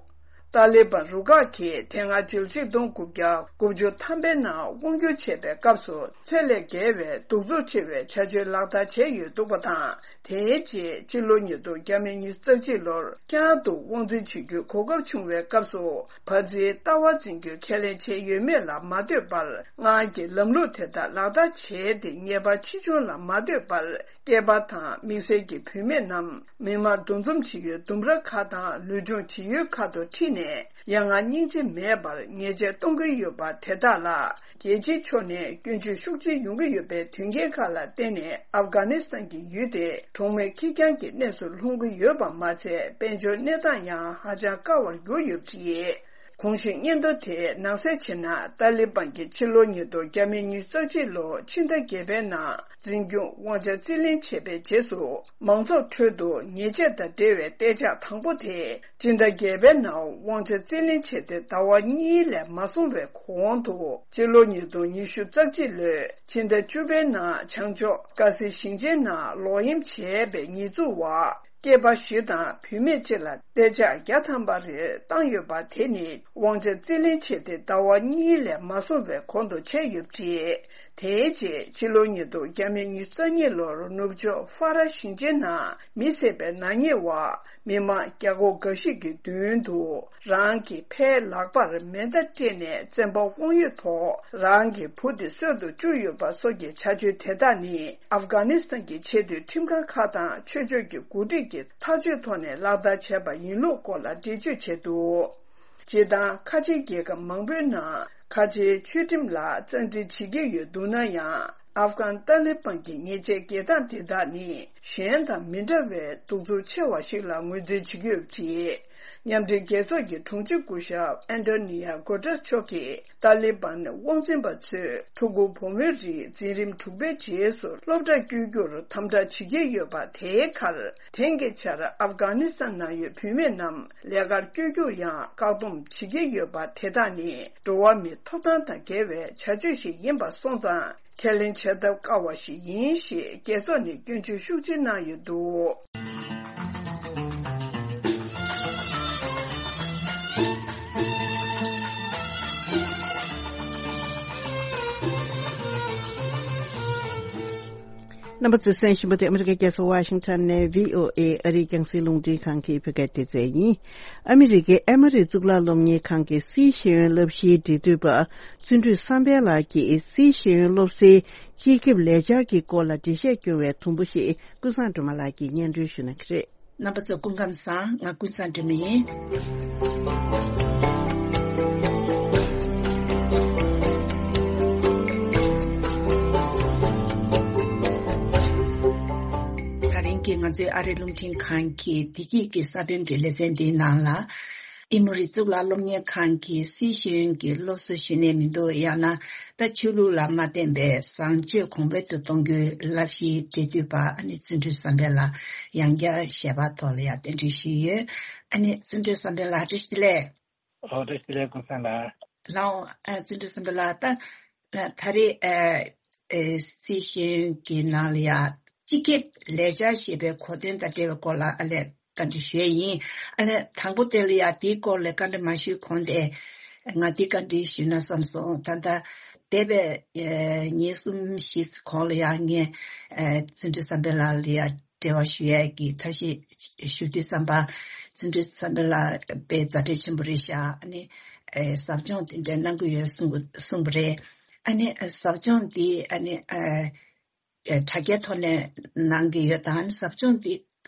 ཏཱ་ལི་བན་རུ་ཁག་གིས་དེ་སྔ་ཕྱི་ལོ་ཆིག་སྟོང་དགུ་བརྒྱ་དགུ་བཅུ་ཐམ་པའི་ནང་དབང་སྒྱུར་བྱས་པའི་སྐབས་སུ་ཚད་ལས་བརྒལ་བའི་གདུག་རྩུབ་ཆེ་བའི་བྱ་སྤྱོད་ལག་བསྟར་བྱས་ཡོད་འདུག་པ་དང་། དེའི་རྗེས་ཕྱི་ལོ་ཉིས་སྟོང་བརྒྱ་མེད་ཉི་ཤུ་རྩ་གཅིག་ལོར་བསྐྱར་དུ་དབང་འཛིན་བྱེད་རྒྱུའི་གོ་སྐབས་བྱུང་བའི་སྐབས་སུ། བ་ཛིའི་ལྟ་བ་འཛིན་རྒྱུའི་ཁས་ལེན་བྱས་ཡོད་མེད་ལ་མ་ལྟོས་པར། སྔར་གྱི་ལམ་ལུགས་དེ་དག་ལག་བསྟར་བྱས་ཏེ། ཉེས་པ་ཆེ་ཆུང་ལ་མ་ལྟོས་པར། སྐྱེས་པ་དང་དམིགས་བསལ་གྱི་བུད་མེད་རྣམས་མི་དམངས་འདུ་འཛོམས་བྱེད་ཡུལ་ལྡུམ་ར་ཁ་དང་ལུས་སྦྱོང་བྱེད་ཡུལ་ཁག་ཏུ་ཁྲིད་ནས། ཡ་ང་སྙིང་རྗེ་མེད་པར་ཉེས་ཆད་གཏོང་གི་ཡོད་པ་དེ་དག་ལ། རྒྱལ་སྤྱིའི་ཕྱོགས་ནས་སྐྱོན་བརྗོད་ཤུགས་ཆེ་ཡོང་གི་ཡོད་པའི་དོན་རྐྱེན་ཁག་ལ་བརྟེན་ནས། ཨབ་གྷ་ནི་སི་ཐན་གྱི་ཡུལ་དེ་གྲོང་མི་ཁེར་རྐྱང་གི་གནས་སུ་ལྷུང་གི་ཡོད་པ་མ་ཚད། དཔལ་འབྱོར་གནས་སྟངས་ཡང་ཧ་ཅང་དཀའ་བར་གྱུར་ཡོད་པ་རེད། གོང་ཞུས་སྙན་ཐོ་དེ་ནང་གསལ་བྱས་ན། ཏཱ་ལི་བན་གྱིས་ཕྱི་ལོ་ཉིས་སྟོང་བརྒྱ་མེད་ཉི་ཤུ་རྩ་གཅིག་ལོ་ཕྱི་ཟླ་བརྒྱད་པའི་ནང་འཛིན་སྐྱོང་དབང་ཆ་རྩིས་ལེན་བྱས་པའི་རྗེས་སུ། མང་ཚོགས་ཁྲོད་དུ་ཉེས་ཆད་དང་འབྲེལ་བའི་གཏན་འཇགས་དང་པོ་དེ། སྤྱི་ཟླ་བརྒྱད་པའི་ནང་དབང་ཆ་རྩིས་ལེན་བྱས་ཏེ། ཟླ་བ་གཉིས་ལས་མ་སོང་བའི་གོང་དུ། ཕྱི་ལོ་ཉིས་སྟོང་ཉི་ཤུ་རྩ་གཅིག་ལོའི་ཕྱི་ཟླ་བཅུ་པའི་ནང་བྱང་ཕྱོགས་ཀ་སི་ཞིང་ཆེན་ནང་ལོག་གཡེམ་བྱས་པའི་ཉེས་འཛུགས་འོག་སྐྱེས་པ་བཞི་དང་བུད་མེད་གཅིག་ལ་གཏན་འཇགས་བརྒྱ་ཐམ་པ་རེ་བཏང་ཡོད་པ་དེ་ནི་དབང་ཆ་རྩིས་ལེན་བྱས་ཏེ་ཟླ་བ་གཉིས་ལས་མ་སོང་བའི་གོང་དུ་ཆགས་ཡོད་པ་རེད། དེའི་རྗེས་ཕྱི་ལོ་ཉིས་སྟོང་ཉི་ཤུ་རྩ་གཉིས་ལོར་ནུབ་ཕྱོགས་ཧྥ་རན་ཞིང་ཆེན་ནང་མི་བསད་པའི་ནག་ཉེས་འོག་མི་མང་བརྒྱ་སྐོར་འགའ་ཞིག་གི་མདུན་དུ་རང་གི་ཕའི་ལག་པར་མེ་མདའ་སྤྲད་ནས་བཙན་པ་དབང་ཡོད་ཐོག་རང་གི་བུ་དེ་གསོད་དུ་བཅུག་ཡོད་པ་སོགས་ཀྱི་བྱ་སྤྱོད་དེ་དག་ནི་ཨབ་གྷ་ནི་སི་ཐན་གྱི་ཆེས་མཐོའི་ཁྲིམས་ཁང་ཁག་དང་ཆོས་ཕྱོགས་ཀྱི་འགོ་ཁྲིད་ཀྱིས་ཐག་གཅོད་ཐོག་ནས་ལག་བསྟར་བྱས་པ་ཡིན་ལུགས་སྐོར་ལ་འགྲེལ་བརྗོད་བྱས་འདུག་སྤྱིར་བཏང་ཁ་ཆེའི་རྒྱལ་ཁབ་མང་པོའི་ནང་ཁ་ཆེའི་ཆོས་ཁྲིམས་ལ་རྩ་འཛིན་བྱེད་ཀྱི་ཡོད་འདུག་ན་ཡང་། ཨབ་གྷན་ཏཱ་ལི་བན་གྱི་ཉེས་ཆད་འགེལ་སྟངས་དེ་དག་ནི་གཞན་དང་མི་འདྲ་བའི་གདུག་རྩུབ་ཆེ་བ་ཞིག་ལ་ངོས་འཛིན་བྱེད་ཀྱི་ཡོད་པ་རེད། མཉམ་འབྲེལ་རྒྱལ་ཚོགས་ཀྱི་དྲུང་ཆེ་སྐུ་ཞབས་ཨན་ཏོ་ནི་ཡ་གོ་ཏྲེས་མཆོག་གིས་ཏཱ་ལི་བན་དབང་འཛིན་པ་ཚོས་ཕྲུ་གུ་བུ་མོའི་རིགས་འཛིན་རིམ་དྲུག་པའི་རྗེས་སུ་སློབ་གྲྭར་བསྐྱོད་རྒྱུར་དམ་དྲག་བྱེད་ཀྱི་ཡོད་པ་དེའི་ཁར། དེང་གི་ཆར་ཨབ་གྷ་ནི་སི་ཐན་ནང་ཡོད་བུད་མེད་རྣམས་ལས་ཀར་བསྐྱོད་རྒྱུར་ཡང་བཀག་སྡོམ་བྱེད་ཀྱི་ཡོད་པ་དེ་དག་ནི་འགྲོ་བ་མིའི་ཐོབ་ཐང་དང་འགལ་བའི་བྱ་སྤྱོད་ཞིག་ཡིན་པ་སོང་ཙང་ཁས་ལེན་བྱ་ཐབས་དཀའ་བ་ཞིག་ཡིན་ཞེས་རྒྱལ་ཚོགས་ནས་སྐྱོན་བརྗོད་ཤུགས་ཆེ་གནང་ཡོད་འདུག་རྣམ་པ་ཚོས་གསན་བཞིན་པ་དེ་ཨ་མི་རི་ཀའི་རྒྱལ་ས་ཝ་ཤིང་ཊོན་ནས་བྷི་ཨོ་ཨེ་ཨ་རིའི་རྒྱང་སྲིང་རླུང་འཕྲིན་ཁང་གི་བོད་སྐད་སྡེ་ཚན་ཡིན། ཨ་མི་རི་ཀའི་ཨེ་མོ་རི་གཙུག་ལག་སློབ་གཉེར་ཁང་གི་སྲིད་ཤེས་ཡོན་བསླབ་གཞིའི་འབྲེལ་མཐུད་པ་བརྩོན་འགྲུས་བསམ་འཕེལ་ལགས་ཀྱིས་སྲིད་ཤེས་ཡོན་སློབ་གསོའི་སྤྱི་ཁྱབ་ལས་འཆར་གྱི་སྐོར་ལ་འགྲེལ་བཤད་སྐྱོན་པའི་དུམ་བུ་ཞིག་ཀུན་བཟང་སྒྲོལ་མ་ལགས་ཀྱིས་སྙན་སྒྲོན་ཞུ་གནང་གི་རེད། རྣམ་པ་ཚོ་སྐུ་ཁམས་བཟང་། ང་ཀུན་བཟང་སྒྲོལ་མ་ཡིན། ད་རིང་གི་ང་ཚོའི་ཨ་རི་རླུང་འཕྲིན་ཁང་གི་བདེ་སྐྱིད་ཀྱི་ས་བོན་གྱི་ལེ་ཚན་འདིའི་ནང་ལ། ཨེ་མོ་རི་གཙུག་ལག་སློབ་གཉེར་ཁང་གི་སྲིད་ཤེས་ཡོན་གྱི་སློབ་གསོ་ཞུས་ནས་མི་འདུག་ཡང་ན་ད་ཆོས་ལུགས་ལ་མ་བརྟེན་པའི་བཟང་སྤྱོད་གོང་འཕེལ་དུ་གཏོང་རྒྱུའི་བསླབ་གཞིའི་འབྲེལ་མཐུད་པ་ཨ་ནི་བརྩོན་འགྲུས་བསམ་འཕེལ་ལགས་ཡང་བསྐྱར་ཞལ་པར་ཐོག་ལ་ཡང་གདན་འདྲེན་ཞུས་ཡོད། ཨ་ནི་བརྩོན་འགྲུས་བསམ་འཕེལ་ལགས་བཀྲ་ཤིས་བདེ་ལེགས། ཨོ་བཀྲ་ཤིས་བདེ་ལེགས་ཀུན་བཟང་ལགས། ལགས་འོང་། ཨ་བརྩོན་འགྲུས་བསམ་འཕེལ་ལགས། ད་ད་རེས་ཨ་ཨ་སྲིད་ཤེས་ཡོན་གྱི་ནང་ལ་ཡང་སྤྱི་ཁྱབ་ལས་འཆར་ཞེས་པའི་གོ་དོན་དང་འབྲེལ་བའི་སྐོར་ལ་ཨ་ལས་བཀའ་འདྲི་ཞུ་ཡས་ཡིན། ཨ་ལས་དང་པོ་དེ་ལ་ཡང་དེའི་སྐོར་ལ་བཀའ་འདྲི་མ་ཞུས་གོང་དེ་ང་འདི་བཀའ་འདྲི་ཞུས་ན་བསམ་སོང་། ད་ལྟ་འདས་པའི་ཨ་ཉིན་གསུམ་བཞི་གོང་ལ་ཡང་ངས་ཨ་བརྩོན་འགྲུས་བསམ་འཕེལ་ལགས་ལ་ཡང་འབྲེལ་བ་ཞུ་ཡས་ཀྱི་ཐབས་ཤེས་ཞུ་དུས་ཙམ་པ། བརྩོན་འགྲུས་བསམ་འཕེལ་ལགས་དཔེ་མཛའ་འབྲེལ་ཆེན་པོ་རེད་ཤག་ཨ་ནི་ཨེ་ཟབ་སྦྱོང་དེ་འདྲ་གནང་གི་ཡོད་གསུང་གི་གསུངས་པ་རེད། ཨ་ནི་ཨེ་ཟབ་སྦྱོང་འདི་ཨ་ནི་ཨེ་ཨེ་དྲ་རྒྱའི་ཐོག་ནས་གནང་གི་ཡོད་དམ། ཨ་ནི་ཟབ་སྦྱོང་འདི་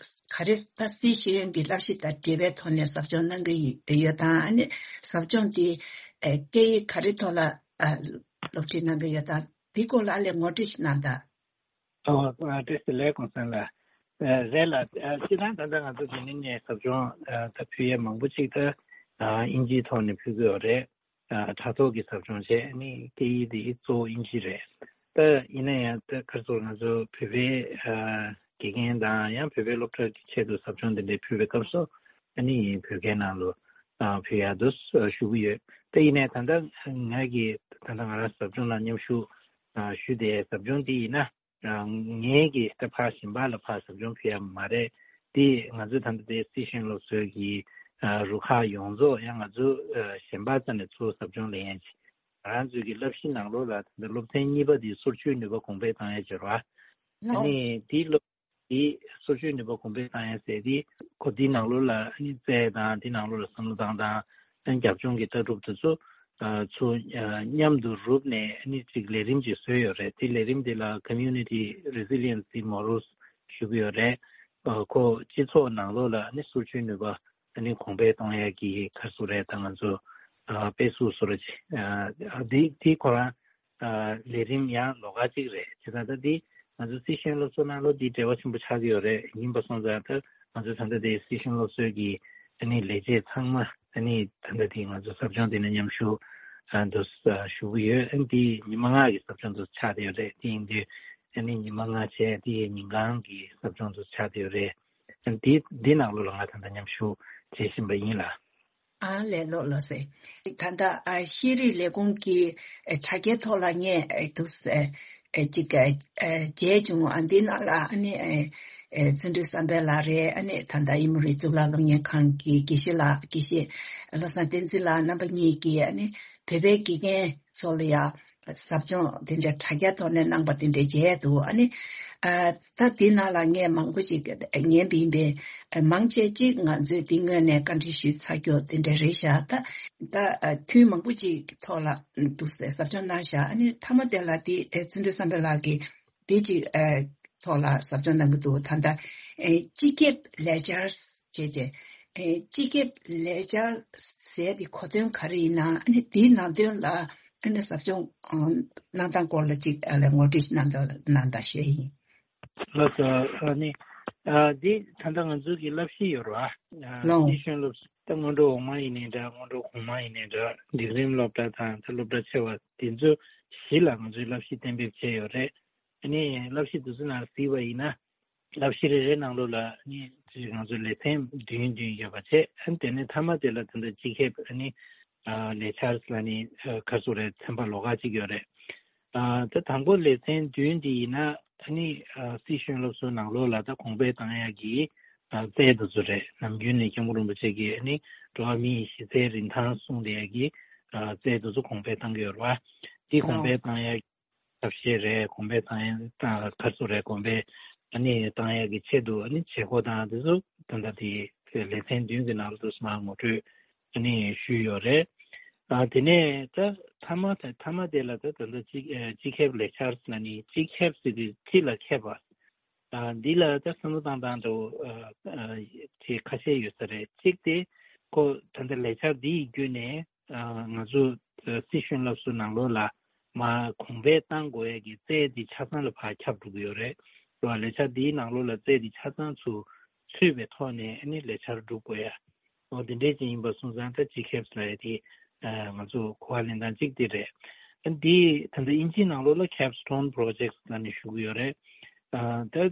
ག་རེ་ད་སྲིད་ཤེས་ཡོན་གྱི་བསླབ་གཞི་དང་འབྲེལ་བའི་ཐོག་ནས་ཟབ་སྦྱོང་གནང་གི་ཡོད་དམ། ཨ་ནི་ཟབ་སྦྱོང་འདི་ཨེ་སྐད་ཡིག་ག་རེ་ཐོག་ལ་ཨ་སློབ་ཁྲིད་གནང་གི་ཡོད་དམ། འདི་སྐོར་ལ་ཨ་ལས་ངོ་སྤྲོད་ཞིག་གནང་དང་། ཨོ། བཀྲ་ཤིས་བདེ་ལེགས་ཀུན་བཟང་ལགས། ཨ་རེད་ལགས། ཨ་སྤྱིར་བཏང་ད་ལྟ་ང་ཚོ་འདི་ནས་ནས་ཟབ་སྦྱོང་ཨ་ད་ཕུལ་ཡས་མང་པོ་ཅིག་ད་ཨ་དབྱིན་ཇིའི་ཐོག་ནས་ཕུལ་གྱི་ཡོད་རེད། ཨ་དྲ་ཐོག་གི་ཟབ་སྦྱོང་བྱས་ནི་སྐད་ཡིག་དེ་གཙོ་བོ་དབྱིན་ཇི་རེད། ད་ཡིན་ན་ཡང་ད་ཁ་སང་ང་ཚོ་བོད་པའི་ཨ་དགེ་རྒན་དང་ཡང་བོད་པའི་སློབ་གྲྭ་གི་ཆེད་དུ་ཟབ་སྦྱོང་དེ་འདྲ་ཕུལ་བའི་སྐབས་སུ་ཨ་ནི་བོད་སྐད་ནང་ལོ་ཨ་ཕུལ་ཡག་འདུག་ཞུ་གི་ཡོད། ད་ཡིན་ནའི་ད་ལྟ་ང་གིས་ད་ལྟ་ང་རང་ཟབ་སྦྱོང་ལ་མཉམ་ཞུགས་ཨ་ཞུས་ཏེ་ཟབ་སྦྱོང་འདི་ཡིན་ན། ཨ་ངས་ཀྱིས་ད་ཕར་གཞན་པ་ལ་ཕར་ཟབ་སྦྱོང་ཕུལ་ཡ་མ་རེད། དེ་ང་ཚོའི་ད་ལྟ་དེ་སྲིད་ཤེས་ཡོན་སློབ་གསོའི་གི་ཨ་རུ་ཁག་ཡོངས་རྫོགས་ཡང་ང་ཚོ་ཨ་གཞན་པ་རྩ་ནས་ཚུར་ཟབ་སྦྱོང་ལེན་ཡ་ཅིག་ང་རང་ཚོའི་གི་བསླབ་གཞི་ནང་ལོགས་ལ་ད་ལྟ་སློབ་ཚན་གཉིས་པ་དེ་སོར་ཆུད་ནུས་པ་གོང་འཕེལ་གཏོང་ཡ་ཅིག་རེད་བ། ཨ་ནི་དེའི་སློབ་དེ་སོར་ཆུད་ནུས་པ་གོང་འཕེལ་གཏོང་ཡ་ཟེར་དེ་ཁོ་དེའི་ནང་ལོགས་ལ་ཨ་ནི་རྩལ་དང་དེའི་ནང་ལོགས་ལ་བསམ་བློ་བཏང་སྟངས། ཨ་ནི་རྒྱབ་ལྗོངས་ཀྱི་ལྟ་གྲུབ་དེ་ཚོ་ཨ་ཚོ་ཨ་མཉམ་དུ་རུབ་ནས་ཨ་ནི་ཅིག་ལས་རིམ་ཅིག་བཟོས་ཡོད་རེད། དེ་ལས་རིམ་དེ་ལ་Community Resiliency Models་ཞུ་གི་ཡོད་རེད། ཨ་ཁོ་སྤྱི་ཚོགས་ནང་ལོགས་ལ་ཨ་ནི་སོར་ཆུད་ནུས་པ་ཨ་ནི་གོང་འཕེལ་གཏོང་ཡ་གི་ག་རེ་ཟེར་དགོས་རེད། ད་ང་ཚོ་ཨ་དཔེ་གཟུགས་བཟོ་འདྲ་ཅིག་ཨ་དེ་དེ་ཁོ་རང་ཨ་ལས་རིམ་ཡང་ལོགས་ཀ་ཅིག་རེད། བྱས་ཙང་ད་འདི་ང་ཚོ་སྲིད་ཤེས་ཡོན་སློབ་གསོ་ནང་ལོགས་འདི་འབྲེལ་བ་ཆེན་པོ་ཆགས་ཀྱི་ཡོད་རེད། ཡིན་པ་སོང་ཙང་ད་ང་ཚོ་ད་ལྟ་དེ་སྲིད་ཤེས་ཡོན་སློབ་གསོའི་གི་ཨ་ནི་ལས་བྱེད་ཚང་མ་ཨ་ནི་ད་ལྟ་དེ་ང་ཚོ་ཟབ་སྦྱོང་དེ་ནས་མཉམ་ཞུགས་ཨ་འདུག་ཞུ་གི་ཡོད། ཨ་ནི་འདི་ཉི་མ་ལྔ་གི་ཟབ་སྦྱོང་འདུག་ཆགས་བསྡད་ཡོད་རེད། དེ་ཡིན་དུས་ཨ་ནི་ཉི་མ་ལྔ་བྱས་དེ་ཉིན་གང་གི་ཟབ་སྦྱོང་འདུག་ཆགས་བསྡད་ཡོད་རེད། ཨ་ནི་འདི་འདི་ནང་ལོགས་ལ་ང་ད་ལྟ་མཉམ་ཞུགས་བྱེད་བཞིན་པ་ཡིན་ལགས། ཨ་ལས་ལོ་ལོ་སེ། ད་ལྟ་ཨ་ཤེས་རིག་ལས་ཁུངས་ཀྱི་ཨ་དྲ་རྒྱའི་ཐོག་ལ་ངས་ཨ་འདུག་སེ་ཨ་ཅིག་ཨ་མཇལ་བྱུང་། ཨ་འདི་ནང་ལ་ཨ་ནི་ཨ་ བརྩོན་འགྲུས་བསམ་འཕེལ་ལགས་རེད། ཨ་ནི་ད་ལྟ་ཨི་མོ་རི་གཙུག་ལག་སློབ་གཉེར་ཁང་གི་དགེ་བཤེས་ལགས། དགེ་བཤེས་བློ་བཟང་བསྟན་འཛིན་ལགས། རྣམ་པ་གཉིས་ཀྱིས་ཨ་ནི་བོད་པའི་དགེ་རྒན་ཚོ་ལ་ཡང་ཟབ་སྦྱོང་དེ་འདྲའི་དྲ་རྒྱ་ཐོག་ནས་གནང་པ་དེ་འདྲ་མཇལ་འདུག་ཨ་ནི་ཨ་ད་དེ་ནང་ལ་ངས་མང་པོ་ཅིག་ཉན་པ་ཡིན་པས། མང་ཆེ་ཅིག་ང་ཚོས་དེ་སྔོན་ནས་བཀའ་འདྲི་ཞུས་ཚར་རྒྱུ་དེ་འདྲ་རེད་ཤག་ད་ད་ཐུན་མང་པོ་ཅིག་ཐོག་ལ་འདུག་ཟེར་ཟབ་སྦྱོང་གནང་ཤག་ཨ་ནི་མཐའ་མ་དེ་ལ་དེ་བརྩོན་འགྲུས་བསམ་འཕེལ་ལགས་ཀྱིས་དེ་ཅིག་ཨ་ཐོག་ལ་ཟབ་སྦྱོང་གནང་གི་འདུག་ད་ལྟ་ཨེ་སྤྱི་ཁྱབ་ལས་འཆར་བྱས་རྗེས་ཨེ་སྤྱི་ཁྱབ་ལས་འཆར་ཟེར་དེ་གོ་དོན་ག་རེ་ཡིན་ན། ཨ་ནི་དེའི་ནང་དོན་ལ་ཨ་ནི་ཟབ་སྦྱོང་ཨང་གནང་སྟངས་སྐོར་ལ་ཅིག་ཨ་ལས་ངོ་སྤྲོད་ཞིག་གནང་དང་གནང་དང་ཞུ་ཡ་ཡིན། ལགས་སོ། ཨ་ནི་ཨ་འདི་ད་ལྟ་ང་ཚོ་གི་བསླབ་གཞི་ཡོད་རེད་བ། ཨ་ལོ། སྲིད་གཞུང་སློབ་གསོ་ད་སྔོན་འགྲོ་འོག་མ་ཡིན་ནའི་འདྲ། སྔོན་འགྲོ་གོང་མ་ཡིན་ནའི་འདྲ། འབྲིང་རིམ་སློབ་གྲྭ་དང་ད་སློབ་གྲྭ་ཆེ་བ་དེ་ཚོ་བཞི་ལ་ང་ཚོས་བསླབ་གཞི་གཏན་འབེབས་བྱས་ཡོད་རེད། ཨ་ནི་བསླབ་གཞི་དེ་ཚོ་ནང་གཟིགས་པ་ཡིན་ན། བསླབ་གཞི་རེ་རེ་ནང་ལོགས་ལ་ནི་ང་ཚོའི་ལེ་ཚན་བདུན་བདུན་ཡོད་པ་བྱས། ཨ་ནི་དེ་ནས་མཐའ་མ་དེ་ལ་ད་ལྟ་སྤྱི་ཁྱབ་ཨ་ནི་ལས་འཆར་ལ་ནི་ག་ཚོད་རེད། ཚན་པ་ལོགས་ཀ་གཅིག་ཡོད་རེད། ད་དང་པོ་ལེ་ཚན་བདུན་འདི་ཡིན་ན་ཨ་ནི་སྲིད་གཞུང་སློབ་གསོའི་ནང་ལོགས་ལ་ད་གོང་འཕེལ་བཏང་ཡག་གི་རྩལ་དེ་ཚོ་རེད། ནམ་རྒྱུན་ནས་སྐྱབས་མགོན་རིན་པོ་ཆེ་གིས་ཨ་ནི་འགྲོ་བ་མིའི་གཞི་རྩའི་རིན་ཐང་སྲུང་བསྡད་ཡག་གི་རྩལ་དེ་ཚོ་གོང་འཕེལ་བཏང་གི་ཡོད་རེད་བ། དེ་གོང་འཕེལ་བཏང་ཡག་ཐབས་ཤེས་རེད། གོང་འཕེལ་བཏང་ཡ་ད་ག་ཚོད་རེད། གོང་འཕེལ་ཨ་ནི་བཏང་ཡ་གི་ཆེད་དུ་ཨ་ནི་བྱེད་སྒོ་དང་དེ་ཚོ་ད་ལྟ་དེ་ལེ་ཚན་བདུན་གྱི་ནང་དུ་མར་ངོ་སྤྲོད་ཨ་ནི་ཞུས་ཡོད་རེད། ཨ་དེ་ནས་ད་མཐའ་མ་ད་མཐའ་མ་དེ་ལ་ད་ད་ལྟ་སྤྱི་སྤྱི་ཁྱབ་ལས་འཆར་ཟེར་ན་ནི་སྤྱི་ཁྱབ་ཟེར་དུས་སྤྱི་ལ་ཁྱབ་པ། ཨ་འདི་ལ་ད་བསམ་བློ་བཏང་སྟངས་འདྲ་བོ་ཨ་ཨ་ཅིག་ཁ་ཤས་ཡོད་ས་རེད། གཅིག་དེ་ཁོ་ད་ལྟ་ལས་འཆར་འདི་ཡི་བརྒྱུད་ནས། ང་ཚོ་སྲིད་གཞུང་སློབ་གསོའི་ནང་ལོགས་ལ་མར་གོང་འཕེལ་གཏང་དགོས་ཡ་གི་རྩལ་འདི་ཆ་ཚང་ལ་ཕར་ཁྱབ་འགྲོ་གི་ཡོད་རེད། རེད་བ། ལས་འཆར་འདིའི་ནང་ལོགས་ལ་རྩལ་འདི་ཆ་ཚང་ཚུར་ཚུད་པའི་ཐོག་ནས་ཨ་ནི་ལས་འཆར་སྒྲུབ་དགོས་ཡ། འོ་འདི་འདྲས་ཅིག་ཡིན་པ་སོང་ཙང་ད་སྤྱི་ཁྱབ་ལབ་ཡ་དེ་ང་ཚོ་གོ་བ་ལེན་སྟངས་གཅིག་དེ་རེད། ཨ་འདི་ད་ལྟ་དབྱིན་ཇིའི་ནང་ལོགས་ལ་capstone projects ལབ་ནས་ཞུ་གི་ཡོད་རེད། ད་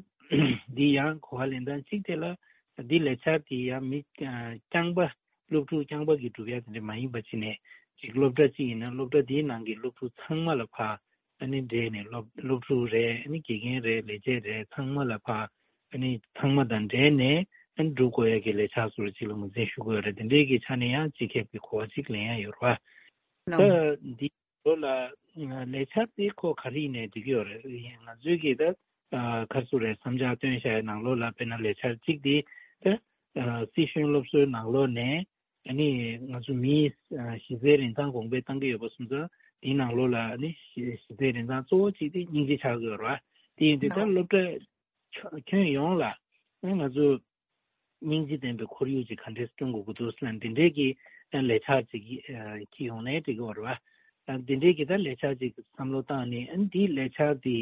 འདི་ཡང་གོ་བ་ལེན་སྟངས་གཅིག་དེ་ལ་འདི་ལས་འཆར་དེ་ཡང་མི་རྐྱང་པ། སློབ་ཕྲུག་རྐྱང་པ་གིས་སྒྲུབ་ཡ་དེ་འདྲ་མ་ཡིན་པ་བྱས་ནས། ཅིག་སློབ་གྲྭ་གཅིག་ཡིན་ན་སློབ་གྲྭ་དེའི་ནང་གི་སློབ་ཕྲུག་ཚང་མ་ལ་ཕར་ཨ་ནི་འབྲེལ་ནས། སློབ་སློབ་ཕྲུག་རེད། ཨ་ནི་དགེ་རྒན་རེད། ལས་བྱེད་རེད། ཚང་མ་ལ་ཕར་ཨ་ནི་ཚང་མ་དང་འབྲེལ་ནས་ཨ་ནི་སྒྲུབ་དགོས་ཡ་གི་ལས་འཆར་ཚོ་ཅིག་ལ་ངོས་འཛིན་ཞུ་དགོས་རེད། དེ་འདྲའི་གི་ཆ་ནས་ཡང་སྤྱི་ཁྱབ་ཀྱི་གོ་བ་ཅིག་ལེན་ཡ་ཡོད་རེད་བ། ད་འདི་ལོ་ལ་ལས་འཆར་དེ་ཁོ་ག་རེ་ཡིན་ནའི་འགྲིག་གི་ཡོད་རེད། ང་ཚོའི་གི་ད་ག་རེ་ཟེར་རེད། བསམ་འཆར་བཏོན་བཞག་ཡའི་ནང་ལོགས་ལ་དཔེར་ན་ལས་འཆར་གཅིག་དེ་ད་སྲིད་གཞུང་སློབ་གསོའི་ནང་ལོགས་ནས། ཨ་ནི་ང་ཚོ་མིའི་གཞི་རྩའི་རིན་ཐང་གོང་འཕེལ་གཏང་གི་ཡོད་པ་སོང་ཙང་། དེའི་ནང་ལོགས་ལ་ཨ་ནི་གཞི་རྩའི་རིན་ཐང་གཙོ་བོ་གཅིག་དེ་སྙིང་རྗེ་ཆགས་ཀྱི་ཡོད་རེད་བ། དེ་ཡིན་དུས་ད་སློབ་གྲྭ་ཁྱོན་ཡོངས་ལ་ཨ་ནི་ང་ཚོ་སྙིང་རྗེ་ལྡན་པའི་ཁོར་ཡུག་ཅིག་ག་འདྲས་བསྐྲུན་དགོས་ཀྱི་འདུག་ཟེར་ན། འདི་འདྲའི་གི་ལས་འཆར་ཅིག་འཁྱེར་ཡོང་ནའི་འགྲིག་གི་ཡོད་རེད་བ། འདི་འདྲའི་གི་ད་ལས་འཆར་ཅིག་བསམ་བློ་བཏང་ནས། ཨ་ནི་འདིའི་ལས་འཆར་འདི་